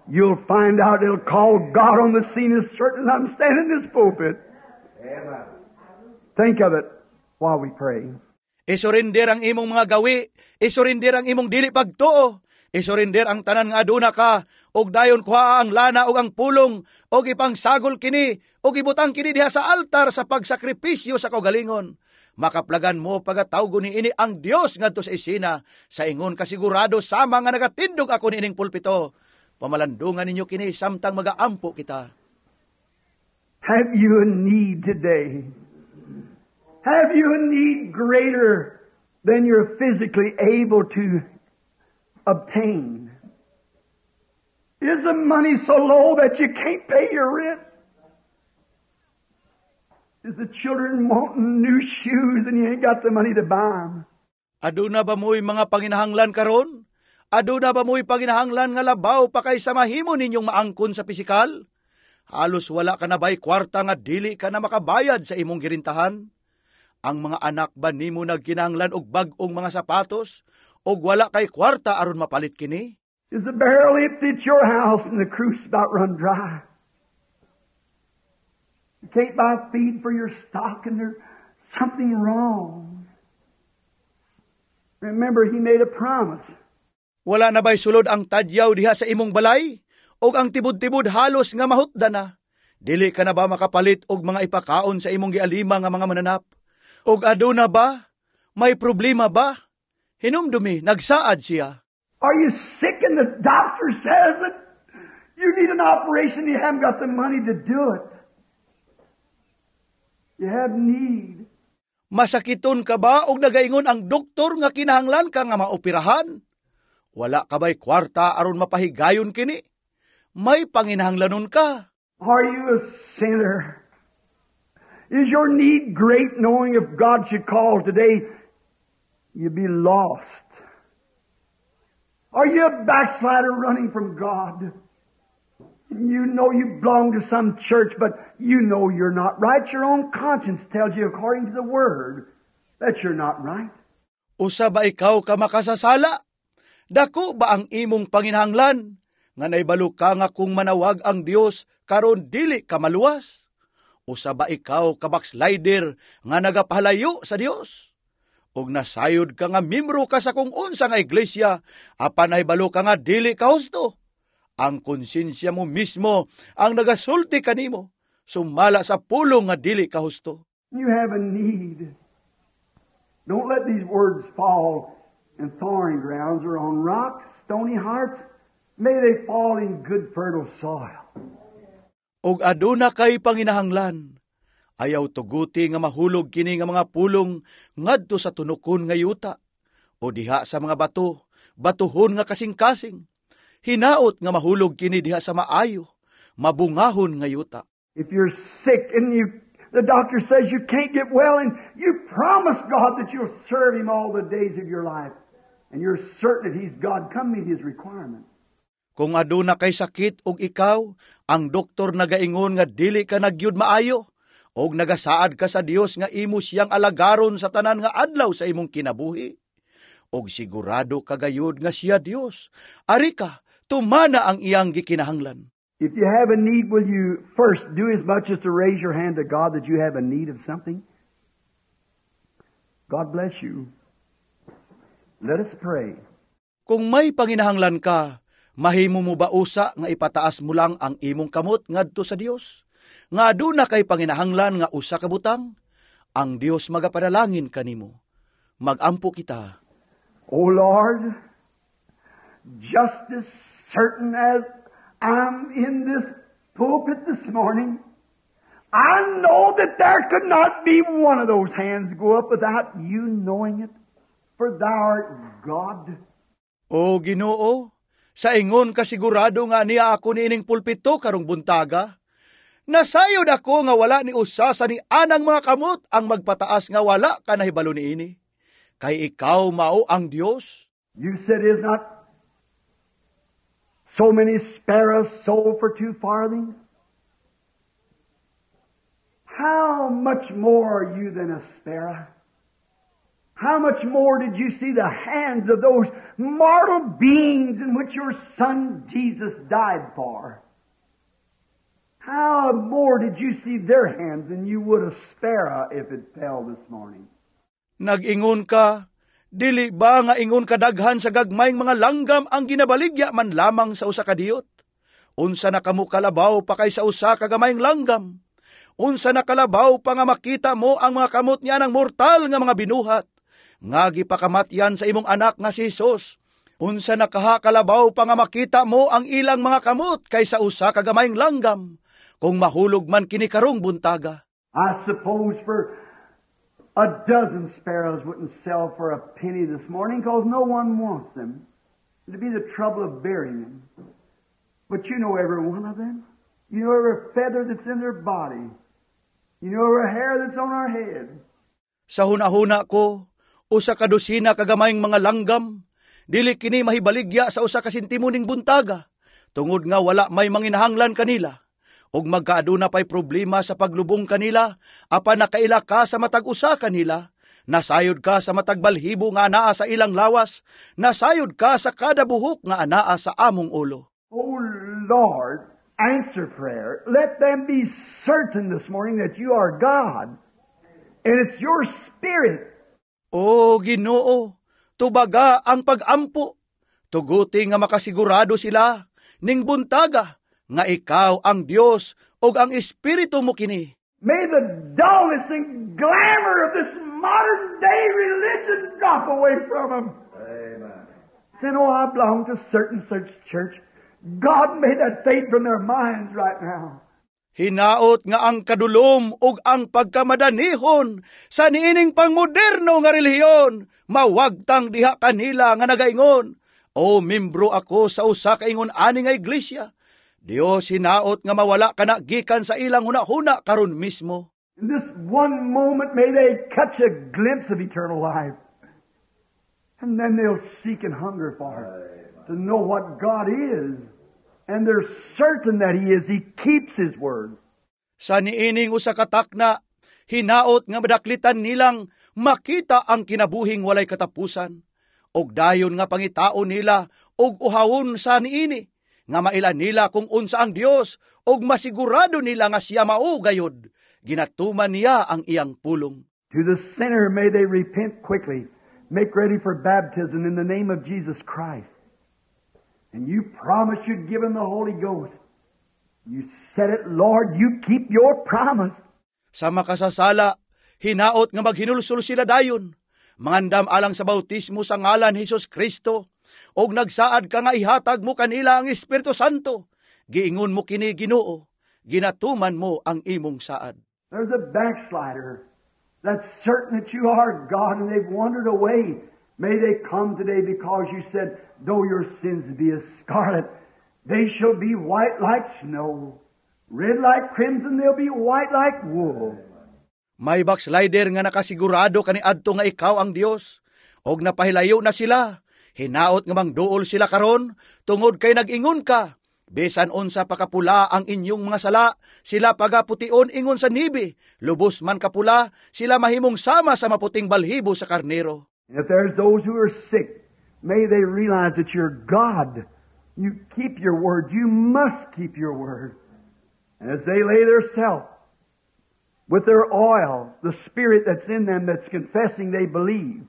You'll find out it'll call God on the scene as certain as I'm standing in this pulpit. Amen. Think of it while we pray. Isurrender ang imong mga gawi, isurrender ang imong dili pagtuo, isurrender ang tanan nga aduna ka, ug dayon kuha ang lana ug ang pulong, ug ipangsagol kini, ug ibutang kini diha sa altar sa pagsakripisyo sa kaugalingon. Makaplagan mo pagatawgo ni ini ang Dios ngadto sa isina, sa ingon kasigurado sama nga nagatindog ako niining pulpito. Pamalandungan ninyo kini samtang magaampo kita. Have you a need today? Have you a need greater than you're physically able to obtain? Is the money so low that you can't pay your rent? Is the children wanting new shoes and you ain't got the money to buy them? Aduna ba mo'y mga panginahanglan karon? Aduna ba mo'y panginahanglan nga labaw pa kaysa mahimo ninyong maangkon sa pisikal? Halos wala ka na ba'y kwarta nga dili ka na makabayad sa imong girintahan? Ang mga anak ba nimo nagkinahanglan og bag-ong mga sapatos? Og wala kay kwarta aron mapalit kini? Is the barrel empty at your house and the cruse about run dry? You can't buy feed for your stock and there's something wrong. Remember, He made a promise. Wala na ba'y sulod ang tadyaw diha sa imong balay? Og ang tibod-tibod halos nga mahutda na? Dili ka na ba makapalit og mga ipakaon sa imong gialima nga mga mananap? Og aduna ba? May problema ba? Hinumdumi, nagsaad siya. Are you sick and the doctor says that you need an operation and you haven't got the money to do it? You have need. Masakiton ka ba og nagaingon ang doktor nga kinahanglan ka nga maoperahan? Wala ka ba'y kwarta aron mapahigayon kini? May panginahanglanon ka. Are you a sinner? Is your need great, knowing if God should call today, you'd be lost? Are you a backslider running from God? You know you belong to some church, but you know you're not right. Your own conscience tells you, according to the Word, that you're not right. Usa ba ikaw ka makasasala? Dako ba ang imong panginahanglan? Nga naibalo ka nga kung manawag ang Dios karon dili ka maluwas? Usa ba ikaw ka backslider nga nagapahalayo sa Dios? Og nasayod ka nga membro ka sa kung unsa nga iglesia, apan nahibalo ka nga dili ka husto? Ang konsensya mo mismo ang nagasulti kanimo, sumala sa pulong nga dili ka husto. You have a need. Don't let these words fall in thorny grounds or on rocks, stony hearts. May they fall in good, fertile soil. Og aduna kay panginahanglan, ayaw tuguti nga mahulog kini nga mga pulong ngadto sa tunukon nga yuta o diha sa mga bato, batuhon nga kasing-kasing. Hinaot nga mahulog kini diha sa maayo, mabungahon nga yuta. If you're sick and the doctor says you can't get well, and you promise God that you'll serve Him all the days of your life, and you're certain that He's God, come meet His requirements. Kung aduna kay sakit og ikaw, ang doktor nagaingon nga dili ka na gyud maayo, og nagasaad ka sa Dios nga imo siyang alagaron sa tanan nga adlaw sa imong kinabuhi. Og sigurado ka gayud nga siya Dios. Ari ka, tumana ang iyang gikinahanglan. If you have a need, will you first do as much as to raise your hand to God that you have a need of something? God bless you. Let us pray. Kung may panginahanglan ka, mahimo mo ba usa nga ipataas mo lang ang imong kamot ngadto sa Dios? Nga aduna kay panginahanglan nga usa ka butang, ang Dios magapanalangin kanimo. Magampo kita. O Lord, just as certain as I'm in this pulpit this morning, I know that there could not be one of those hands go up without you knowing it, for Thou art God. O Ginoo, Sa ingon kasigurado nga ania ako niining pulpito karong buntaga, nasayod ako nga wala ni usa sa ni anang mga kamot ang magpataas nga wala ka nahibalo niini. Kay ikaw mao ang Dios. You said, "Is not so many sparrows sold for 2 farthings? How much more are you than a sparrow? How much more did you see the hands of those mortal beings in which your Son Jesus died for? How more did you see their hands than you would a sparrow if it fell this morning?" Nag-ingon ka, "Dili ba nga ingon kadaghan sa gagmayng mga langgam ang ginabaligya man lamang sa usa ka diyot? Unsa na kamo kalabaw pa kaysa usa ka gamayng langgam? Unsa na kalabaw pa nga makita mo ang mga kamot niya ng mortal nga mga binuhat nga gipakamatyan sa imong anak nga si Jesus? Unsa na kaha kalabaw pa nga makita mo ang ilang mga kamot kaysa usa ka gamayng langgam, kung mahulog man kini karong buntaga?" I suppose for a dozen sparrows wouldn't sell for a penny this morning because no one wants them. It'd be the trouble of burying them. But you know every one of them. You know every feather that's in their body. You know every hair that's on our head. Sa hunahuna ko, usa ka dosina ka gamayng mga langgam, dili kini mahibaligya sa usa ka sentimo ning buntaga, tungod nga wala may manginahanglan kanila. Ug magkaaduna pay problema sa paglubong kanila, apan nakaila ka sa matag usa kanila, nasayod ka sa matag balhibo nga anaa sa ilang lawas, nasayod ka sa kada buhok nga anaa sa among ulo. Oh Lord, answer prayer. Let them be certain this morning that you are God. And it's your Spirit. O Ginoo, tubaga ang pagampo. Tuguti nga makasigurado sila ning buntaga nga ikaw ang Dios ug ang Espiritu mo kini. May the dullness and glamour of this modern day religion drop away from them. Amen. Saying, "Oh, I belong to certain such church." God, may that fade from their minds right now. Hinaot nga ang kadulom ug ang pagkamadanihon sa niining pangmoderno nga relihiyon mawagtang diha kanila nga nagaingon, "O, membro ako sa usa ka ingon ani nga iglesia." Dios, hinaot nga mawala kana gikan sa ilang hunahuna karon mismo. In this one moment, may they catch a glimpse of eternal life. And then they'll seek and hunger for it, to know what God is. And they're certain that He is. He keeps His word. Sa niining usa ka takna, hinaot nga madaklitan nilang makita ang kinabuhing walay katapusan. Og dayon nga pangitaon nila og uhawon sa niini, nga maila nila kung unsa ang Dios og masigurado nila nga siya mao gayod. Ginatuman niya ang iyang pulong. To the sinner, may they repent quickly. Make ready for baptism in the name of Jesus Christ. And you promised you'd give them the Holy Ghost. You said it, Lord. You keep your promise. Sa makasasala, hinaot nga maghinulsol sila dayon. Mangandam alang sa bautismo sa ngalan ni Hesus Kristo. Og nagsaad ka nga ihatag mo kanila ang Espiritu Santo. Giingon mo kini, Ginoo. Ginatuman mo ang imong saad. There's a backslider that's certain that you are God and they've wandered away. May they come today because you said, "Though your sins be as scarlet, they shall be white like snow. Red like crimson, they'll be white like wool." May backslider nga nakasigurado kaniadto nga ikaw ang Dios. Og napahilayo na sila. Hinaot nga mangduol sila karon tungod kay nag-ingon ka, "Bisan unsa pa kapula ang inyong mga sala, sila pagapution ingon sa niebe. Lubos man kapula, sila mahimong sama sa maputing balhibo sa karnero." And if there's those who are sick, may they realize that you're God. You keep your word. You must keep your word. And as they lay their self with their oil, the spirit that's in them that's confessing they believe.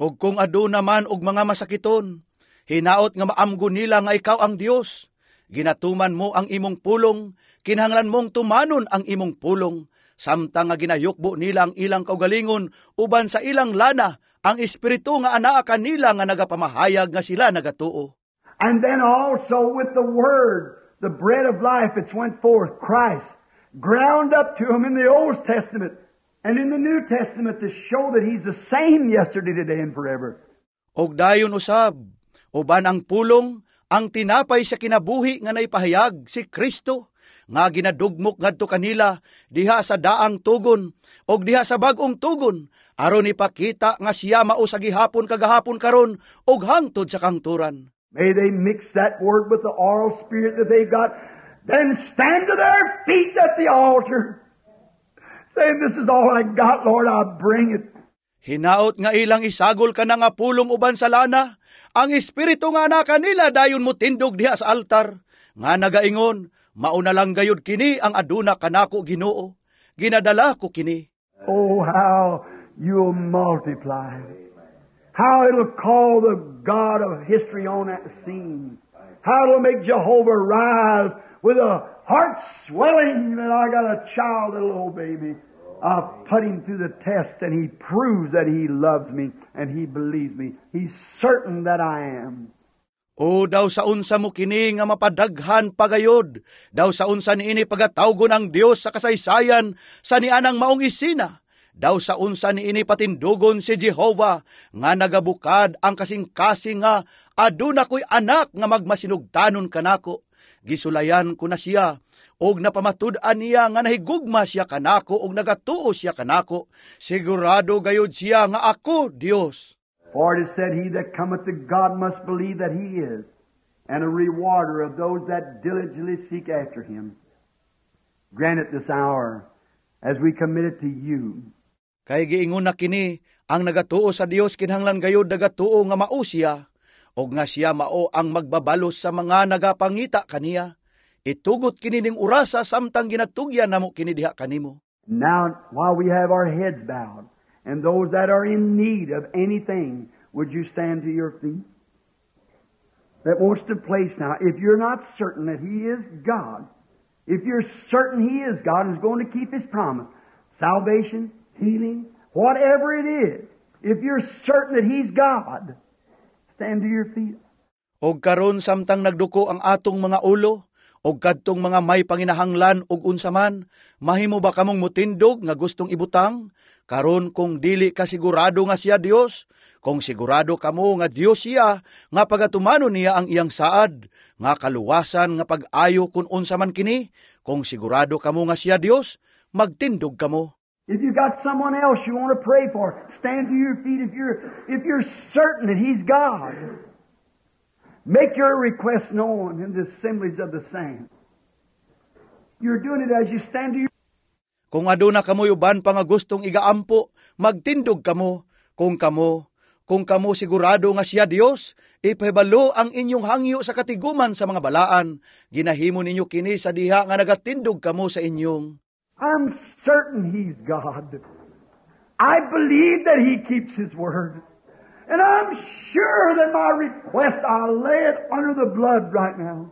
Og kung aduna man og mga masakiton, hinaot nga maamgo nila nga ikaw ang Dios. Ginatuman mo ang imong pulong, kinahanglan mong tumanon ang imong pulong. Samtang nga ginayukbo nila ang ilang kaugalingon uban sa ilang lana, ang espiritu nga anaa kanila nga nagapamahayag nga sila nagatuo. And then also with the Word, the bread of life that's went forth, Christ, ground up to him in the Old Testament and in the New Testament to show that He's the same yesterday, today, and forever. Og dayon usab, uban ang pulong, Ang tinapay sa kinabuhi nga naipahayag, si Kristo, nga ginadugmok ngadto kanila diha sa daang tugon og diha sa bag-ong tugon aron ipakita nga siya mao sa gihapon, kagahapon, karon ug hangtod sa kangturan. May they mix that word with the oral spirit that they've got, then stand to their feet at the altar, saying, "This is all I got, Lord, I bring it." Hinaot nga ilang isagol kana nga pulong uban sa lana, ang espiritu nga naa kanila, dayon motindog diha sa altar, nga nagaingon, "Mao na lang gayud kini ang aduna kanako, Ginoo. Ginadala ko kini." Oh, how you'll multiply. How it'll call the God of history on that scene. How it'll make Jehovah rise with a heart swelling that I got a child that'll obey me. I've put him through the test and he proves that he loves me and he believes me. He's certain that I am. O daw sa unsa mo kini nga mapadaghan pagayod, daw sa unsa niini pagatawgon ang Dios sa kasaysayan sa nianang maong isina, daw sa unsa niini patindugon si Jehova nga nagabukad ang kasing-kasing nga aduna ko'y anak nga magmasinugtanon kanako. Gisulayan ko na siya, og napamatud-an niya nga nahigugma siya kanako og nagatuo siya kanako. Sigurado gayud siya nga ako Dios. For it is said, "He that cometh to God must believe that He is, and a rewarder of those that diligently seek after Him." Grant it this hour as we commit it to you. Kay giingon na kini, ang nagatuo sa Dios kinahanglan gayud nagatuo nga mao siya, og nga siya mao ang magbabalos sa mga nagapangita kaniya. Itugot kini ning orasa samtang ginatugyan namo kini diha kanimo. Now, while we have our heads bowed, and those that are in need of anything, would you stand to your feet? That wants to place now, if you're not certain that He is God, if you're certain He is God and is going to keep His promise, salvation, healing, whatever it is, if you're certain that He's God, stand to your feet. Og karon samtang nagduko ang atong mga ulo, og kadtong mga may panginahanglan og unsa man, mahimo ba kamong mutindog nga gustong ibutang? Karon kung dili ka sigurado nga siya Dios, kung sigurado kamo nga Dios siya, nga pagatumanon niya ang iyang saad, nga kaluwasan, nga pag-ayo, kung unsa man kini, kung sigurado kamo nga siya Dios, magtindog kamo. If you've got someone else you want to pray for, stand to your feet if you're certain that He's God. Make your request known in the assemblies of the saints. You're doing it as you stand to your Kung aduna kamoy uban pa nga gustong igaampo, magtindog kamo. Kung kamo sigurado nga siya Dios, ipahibalo ang inyong hangyo sa katiguman sa mga balaan. Ginahimo ninyo kini sa diha nga nagatindog kamo sa inyong I'm certain He's God. I believe that He keeps His word. And I'm sure that my request, I'll lay it under the blood right now.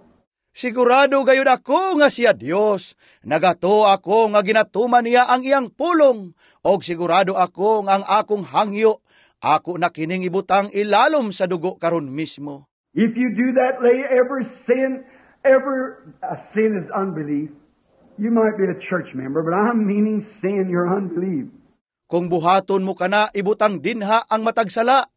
Sigurado gayud ako nga siya Dios. Nagatuo ako nga ginatuman niya ang iyang pulong. Og sigurado ako nga ang akong hangyo, ako na kining ibutang ilalom sa dugo karon mismo. If you do that, lay every sin, every sin is unbelief. You might be a church member, but I'm meaning sin, your unbelief. Kung buhaton mo kana, ibutang dinha ang matag sala.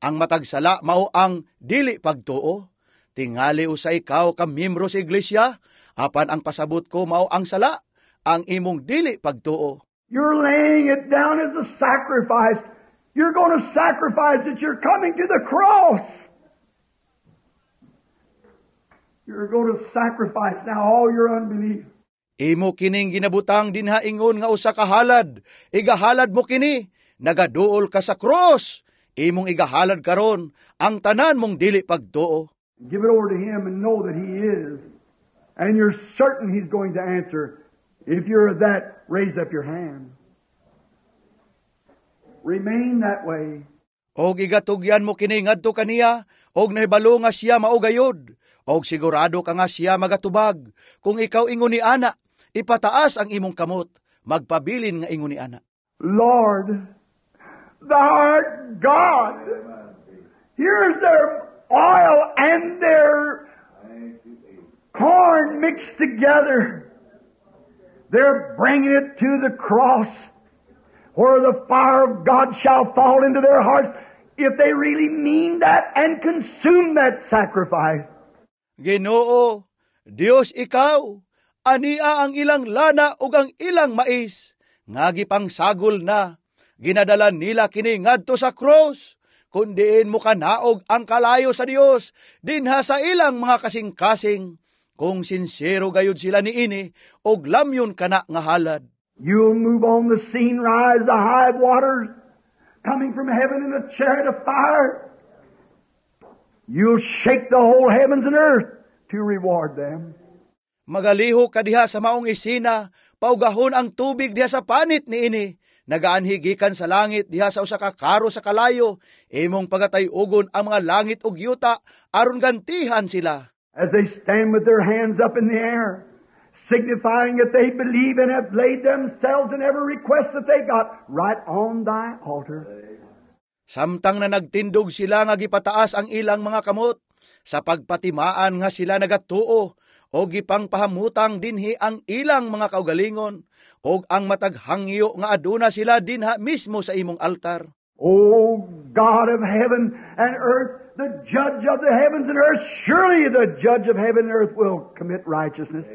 Ang matag sala mao ang dili pagtuo. Tingali usa ikaw ka miyembro sa iglesia, apan ang pasabot ko mao ang sala, ang imong dili pagtuo. You're laying it down as a sacrifice. You're going to sacrifice it. You're coming to the cross. You're going to sacrifice now all your unbelief. Imo kining ginabutang dinha ingon nga usa ka halad. Igahalad mo kini, nagaduol ka sa cross. Imong igahalad karon ang tanan mong dili pagtuo. Give it over to Him and know that He is. And you're certain He's going to answer. If you're that, raise up your hand. Remain that way. Og igatugyan mo kini ngadto kaniya, og nahibalo nga siya mao gayod. Og sigurado ka nga siya magatubag. Kung ikaw ingon ni ana, ipataas ang imong kamot, magpabilin nga ingon ni ana. Lord, Thou art God. Here's their oil and their corn mixed together. They're bringing it to the cross where the fire of God shall fall into their hearts if they really mean that and consume that sacrifice. Ginoo, Dios ikaw, ania ang ilang lana ug ang ilang mais, nga gipangsagol na, ginadala nila kini ngadto sa krus, kun diin mo kanaog ang kalayo sa Dios dinha sa ilang mga kasing-kasing, kung sinsero gayud sila niini og lamyon kana nga halad. You'll move on the scene, rise the high waters, coming from heaven in a chariot of fire. You'll shake the whole heavens and earth to reward them. Magalihok ka diha sa maong isina, paugahon ang tubig diha sa panit niini. Nagaanhi gikan sa langit diha sa usa ka karo sa kalayo, imong pagatay-ugon ang mga langit ug yuta aron gantihan sila. As they stand with their hands up in the air, signifying that they believe and have laid themselves in every request that they got right on thy altar. Samtang na nagtindog sila nga gipataas ang ilang mga kamot, sa pagpatimaan nga sila nagatuo, o gipangpahamutang dinhi ang ilang mga kaugalingon, og ang matag hangyo nga aduna sila dinha mismo sa imong altar. O God of heaven and earth, the judge of the heavens and earth, surely the judge of heaven and earth will commit righteousness.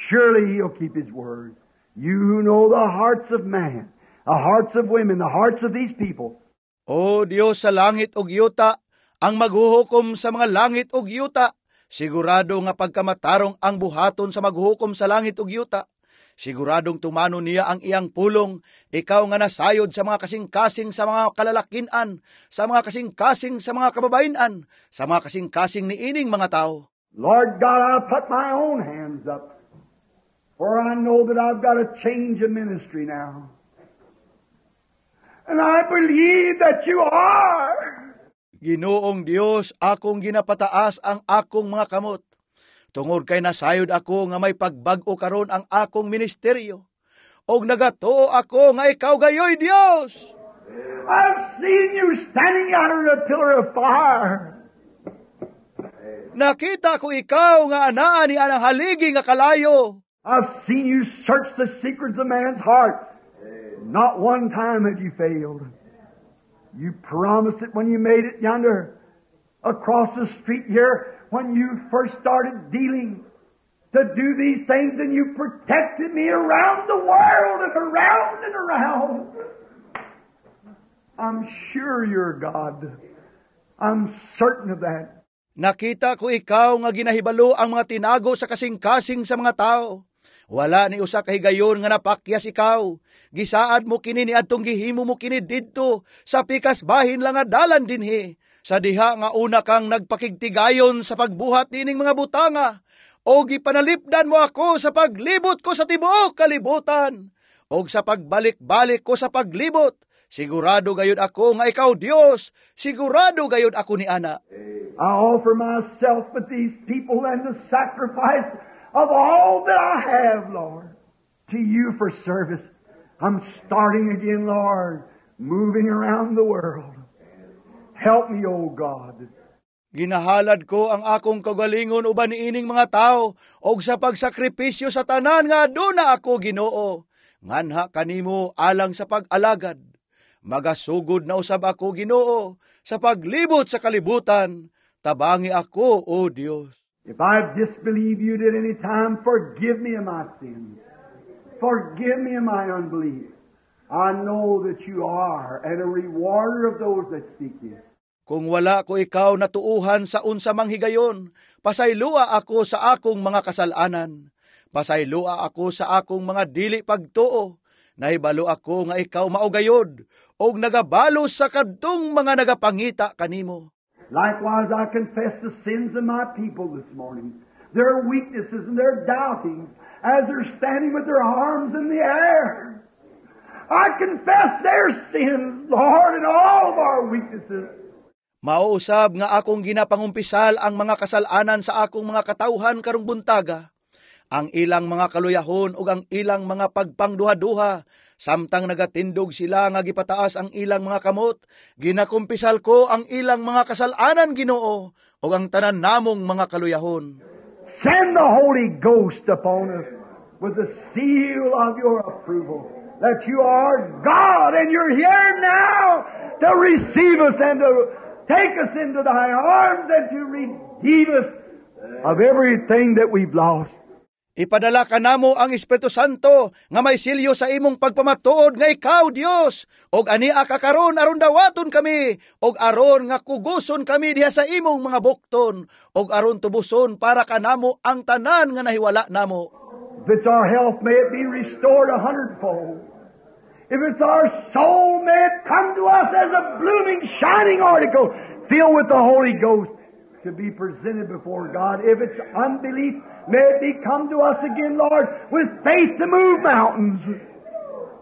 Surely he'll keep his word. You who know the hearts of man, the hearts of women, the hearts of these people. O Dios sa langit ug yuta, ang maghuhukom sa mga langit ug yuta, sigurado nga pagkamatarong ang buhaton sa maghuhukom sa langit ug yuta. Siguradong tumano niya ang iyang pulong, ikaw nga nasayod sa mga kasing-kasing sa mga kalalakinan, sa mga kasing-kasing sa mga kababayenan, sa mga kasing-kasing ni ining mga tao. Lord God, I put my own hands up, for I know that I've got a change of ministry now. And I believe that you are. Ginoong Dios, akong ginapataas ang akong mga kamot. Tungod kay nasayod ako nga may pagbag-o karon ang akong ministeryo. Og nagatuo ako nga ikaw gayoy Dios. I've seen you standing out in a pillar of fire. Nakita ko ikaw nga anaa ni anang haligi nga kalayo. I've seen you search the secrets of man's heart. Not one time have you failed. You promised it when you made it yonder across the street here when you first started dealing to do these things, and you protected me around the world and around and around. I'm sure you're God. I'm certain of that. Nakita ko ikaw nga ginahibalo ang mga tinago sa kasing-kasing sa mga tao. Wala ni usa ka higayon nga napakyas ikaw. Gisaad mo kini niadtong gihimo mo kini didto sa pikas bahin lang nga dalan dinhi. Sa diha nga una kang nagpakigtigayon sa pagbuhat nining mga butanga, o gipanalipdan mo ako sa paglibot ko sa tibuok kalibutan, og sa pagbalik-balik ko sa paglibot. Sigurado gayud ako nga ikaw Dios, sigurado gayud ako ni ana. I offer myself with these people and the sacrifice of all that I have, Lord, to you for service. I'm starting again, Lord, moving around the world. Help me, O God. Ginahalad ko ang akong kaugalingon uban niining mga tao og sa pagsakripisyo sa tanan nga aduna ako, Ginoo. Nganha kanimo alang sa pag-alagad. Magasugod na usab ako, Ginoo, sa paglibot sa kalibutan. Tabangi ako, O Dios. If I've disbelieved you at any time, forgive me of my sins. Forgive me of my unbelief. I know that you are and a rewarder of those that seek you. Kung wala ko ikaw natuuhan sa unsa mang higayon, pasaylua ako sa akong mga kasalanan. Pasaylua ako sa akong mga dili pagtuo. Nahibalo ako nga ikaw mao gayod, og nagabalos sa kadtong mga nagapangita kanimo. Likewise, I confess the sins of my people this morning, their weaknesses and their doubtings, as they're standing with their arms in the air. I confess their sins, Lord, and all of our weaknesses. Mao usab nga akong ginapangumpisal ang mga kasalanan sa akong mga katawhan karong buntaga, ang ilang mga kaluyahon ug ang ilang mga pagpangduha-duha, samtang nagatindog sila nga gipataas ang ilang mga kamot, ginakumpisal ko ang ilang mga kasalanan, Ginoo, ug ang tanan namong mga kaluyahon. Send the Holy Ghost upon us with the seal of your approval that you are God and you're here now to receive us and to take us into thy arms and to redeem us of everything that we've lost. Ipadala kanamo ang Espiritu Santo nga may silyo sa imong pagpamatuod nga ikaw Dios, og ania ka karon aron dawaton kami, og aron nga kuguson kami diha sa imong mga bukton, og aron tubuson para kanamo ang tanan nga nahiwala namo. If it's our health, may it be restored a hundredfold. If it's our soul, may it come to us as a blooming, shining article filled with the Holy Ghost to be presented before God. If it's unbelief, may it be come to us again, Lord, with faith to move mountains.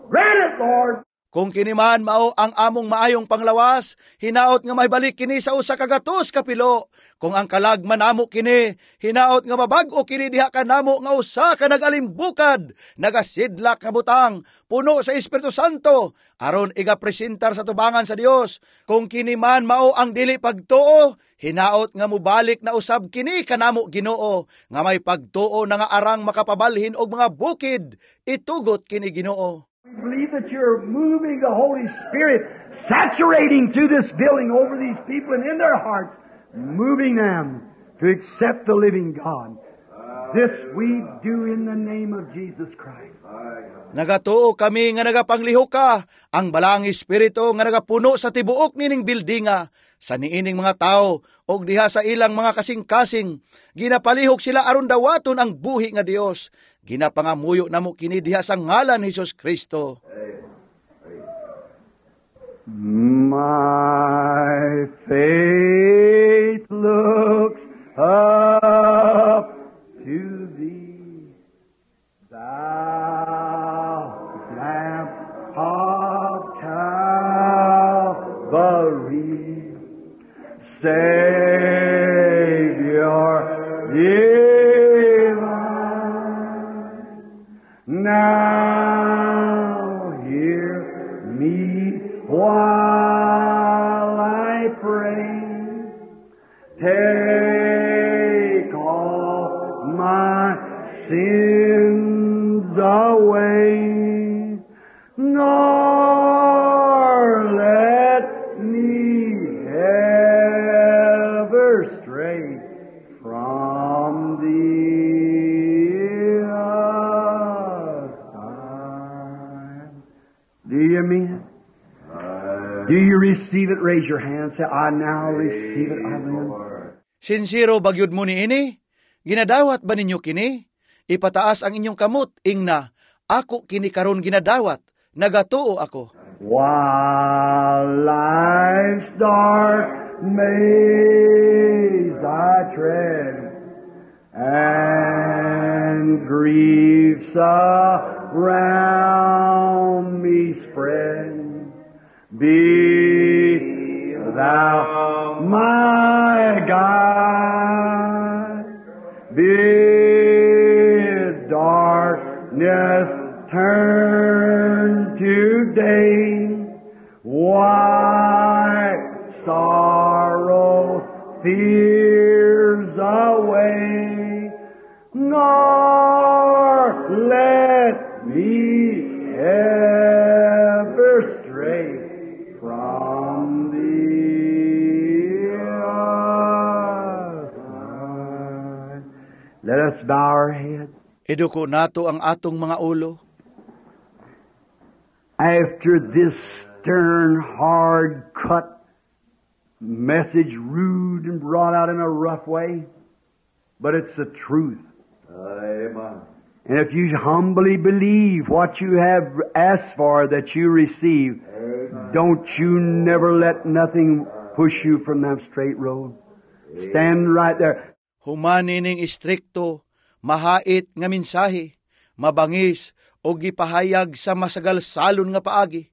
Grant it, Lord. Kung kini man mao ang among maayong panglawas, hinaot nga mahibalik kini sa usa ka gatos ka pilo. Kung ang kalag man namo kini, hinaot nga mabag-o kini diha kanamo nga usa ka nagalimbukad, nagasidlak nga butang, puno sa Espiritu Santo, aron igapresentar sa tubangan sa Dios. Kung kini man mao ang dili pagtuo, hinaot nga mobalik na usab kini kanamo, Ginoo, nga may pagtuo na nga arang makapabalhin og mga bukid, itugot kini, Ginoo. We believe that you're moving the Holy Spirit, saturating through this building over these people and in their hearts, moving them to accept the living God. This we do in the name of Jesus Christ. Nagatuo kami nga nagapanglihok ka, ang Balaang Espiritu nga nagapuno sa tibuok nining buildinga, sa niining mga tao, og diha sa ilang mga kasing-kasing, ginapalihok sila aron dawaton ang buhi nga Dios. Ginapangamuyo namo kini diha sa ngalan ni Hesus Kristo. My faith looks up to thee, thou Lamb of Calvary, Savior divine. Now hear me while I pray. Take all my sins away, nor let me ever stray from thee aside. Do you mean it? Do you receive it? Raise your hand. Say, "I now receive it. I will." Sinsero ba gyud mo niini? Ginadawat ba ninyo kini? Ipataas ang inyong kamot, ingna, "Ako kini karon ginadawat, nagatuo ako." While life's dark maze I tread, and griefs around me spread, be thou my guide. Bid darkness turn to day. Wipe sorrow, fears away, nor let me ever stray from thee aside. Let us bow our heads. Iduko nato ang atong mga ulo. After this stern, hard cut message, rude and brought out in a rough way, but it's the truth. Amen. And if you humbly believe what you have asked for that you receive, don't you never let nothing push you from that straight road. Stand right there. Human nining istrikto, mahait nga mensahe, mabangis o gipahayag sa masagalsalon nga paagi,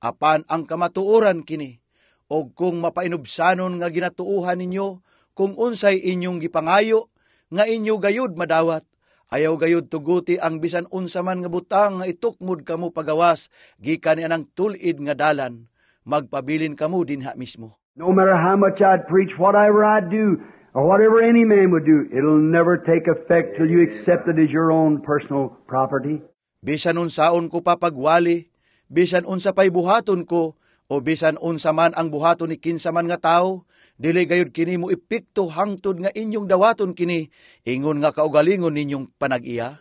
apan ang kamatuoran kini, og kung mapainubsanon nga ginatuuhan ninyo kung unsay inyong gipangayo nga inyo gayud madawat, ayaw gayud tuguti ang bisan unsa man nga butang nga itukmod kamo pagawas gikan ni anang tul-id nga dalan. Magpabilin kamo dinha mismo. No matter how much I'd preach, whatever I'd do, or whatever any man would do, it'll never take effect till you accept it as your own personal property. Bisan unsaon ko pa pagwali, bisan unsa pay buhaton ko, o bisan unsa man ang buhaton ni kinsa man nga tawo, Dili gayud kini mo epekto hangtod nga inyong dawaton kini ingon nga kaugalingon ninyong panag-iya.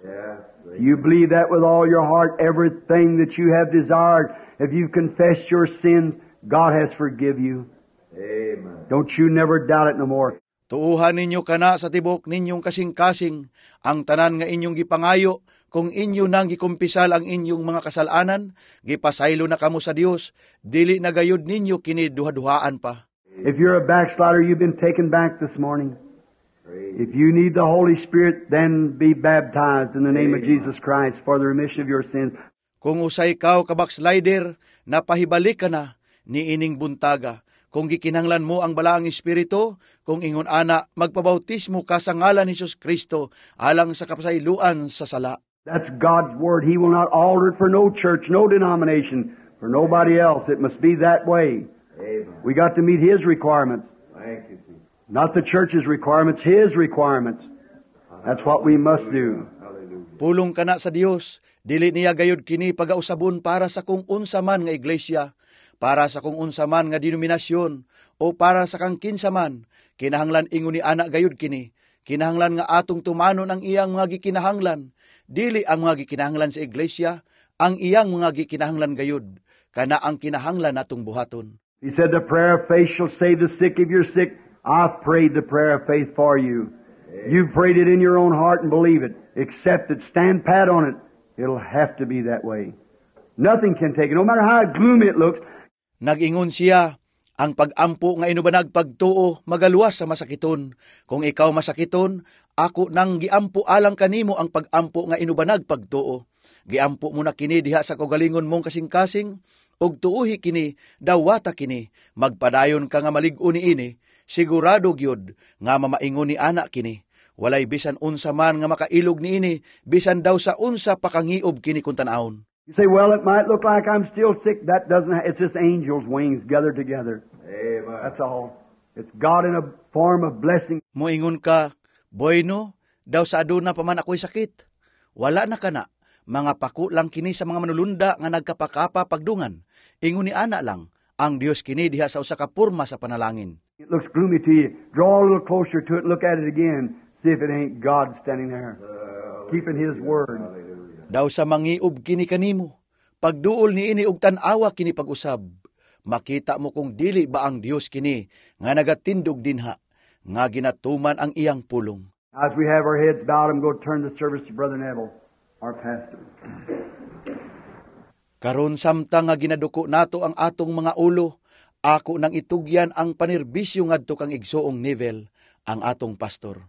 You believe that with all your heart, everything that you have desired, if you've confessed your sins, God has forgive you. Amen. Don't you never doubt it no more. Tuuhan ninyo kana sa tibok ninyong kasing-kasing ang tanan nga inyong gipangayo. Kung inyo nang gikumpisal ang inyong mga kasalanan, gipasaylo na kamo sa Dios, dili na gayud ninyo kini duha-duhaan pa. If you're a backslider, you've been taken back this morning. If you need the Holy Spirit, then be baptized in the name of Jesus Christ for the remission of your sins. Kung usay ikaw ka backslider, napahibalik ka na niining buntaga. Kung gikinahanglan mo ang Balaang Espiritu, kung ingon ana, magpabautismo ka sa ngalan ni Jesus Kristo alang sa kapasayloan sa sala. That's God's Word. He will not alter it for no church, no denomination, for nobody else. It must be that way. Amen. We got to meet His requirements. Thank you, Jesus. Not the church's requirements, His requirements. That's what we must do. Hallelujah. Pulong kana sa Dios, dili niya gayud kini pagausabon para sa kung unsa man nga iglesia, para sa kung unsa man nga denominasyon, o para sa kang kinsa man. Kinahanglan ingon ni ana gayud kini. Kinahanglan nga atong tumanon ang iyang mga gikinahanglan. Dili ang mga gikinahanglan sa iglesia, ang iyang mga gikinahanglan gayud. Kana ang kinahanglan natong buhaton. He said, "The prayer of faith shall save the sick." If you're sick, I've prayed the prayer of faith for you. You've prayed it in your own heart and believe it. Accept it. Stand pat on it. It'll have to be that way. Nothing can take it, no matter how gloomy it looks. Nag-ingon siya, "Ang pag-ampo nga inubanag pagtuo magaluwas sa masakiton." Kung ikaw masakiton, ako nang giampo alang kanimo ang pag-ampo nga inubanag pagtuo. Giampo mo na kini diha sa kaugalingon mong kasing-kasing, ug tuuhi kini, dawata kini, magpadayon ka nga malig-on niini, sigurado gyud nga mamaingon ni ana kini. Walay bisan unsa man nga makailog niini, bisan daw sa unsa pakangiob kini kung tan-awon. You say, "Well, it might look like I'm still sick." That doesn't, it's just angels' wings gathered together. Amen. That's all. It's God in a form of blessing. Moingon ka, "Bueno, daw sa aduna pa man ako'y sakit." Wala na kana. Mga pako lang kini sa mga manulunda nga nagkapakapa pagdungan. Ingon ni ana lang, ang Dios kini diha sa usa ka porma sa panalangin. It looks gloomy to you. Draw a little closer to it and look at it again. See if it ain't God standing there, keeping His word. Daw sa mangiob kini kanimo. Pagduol niini og tan-awa kini pag-usab. Makita mo kung dili ba ang Dios kini nga nagatindog dinha, nga ginatuman ang iyang pulong. As we have our heads bowed, I'm going to turn the service to Brother Neville, our pastor. Karon samtang nga ginaduko nato ang atong mga ulo, ako nang itugyan ang panerbisyo ngadto kang Igsoong Neville, ang atong pastor.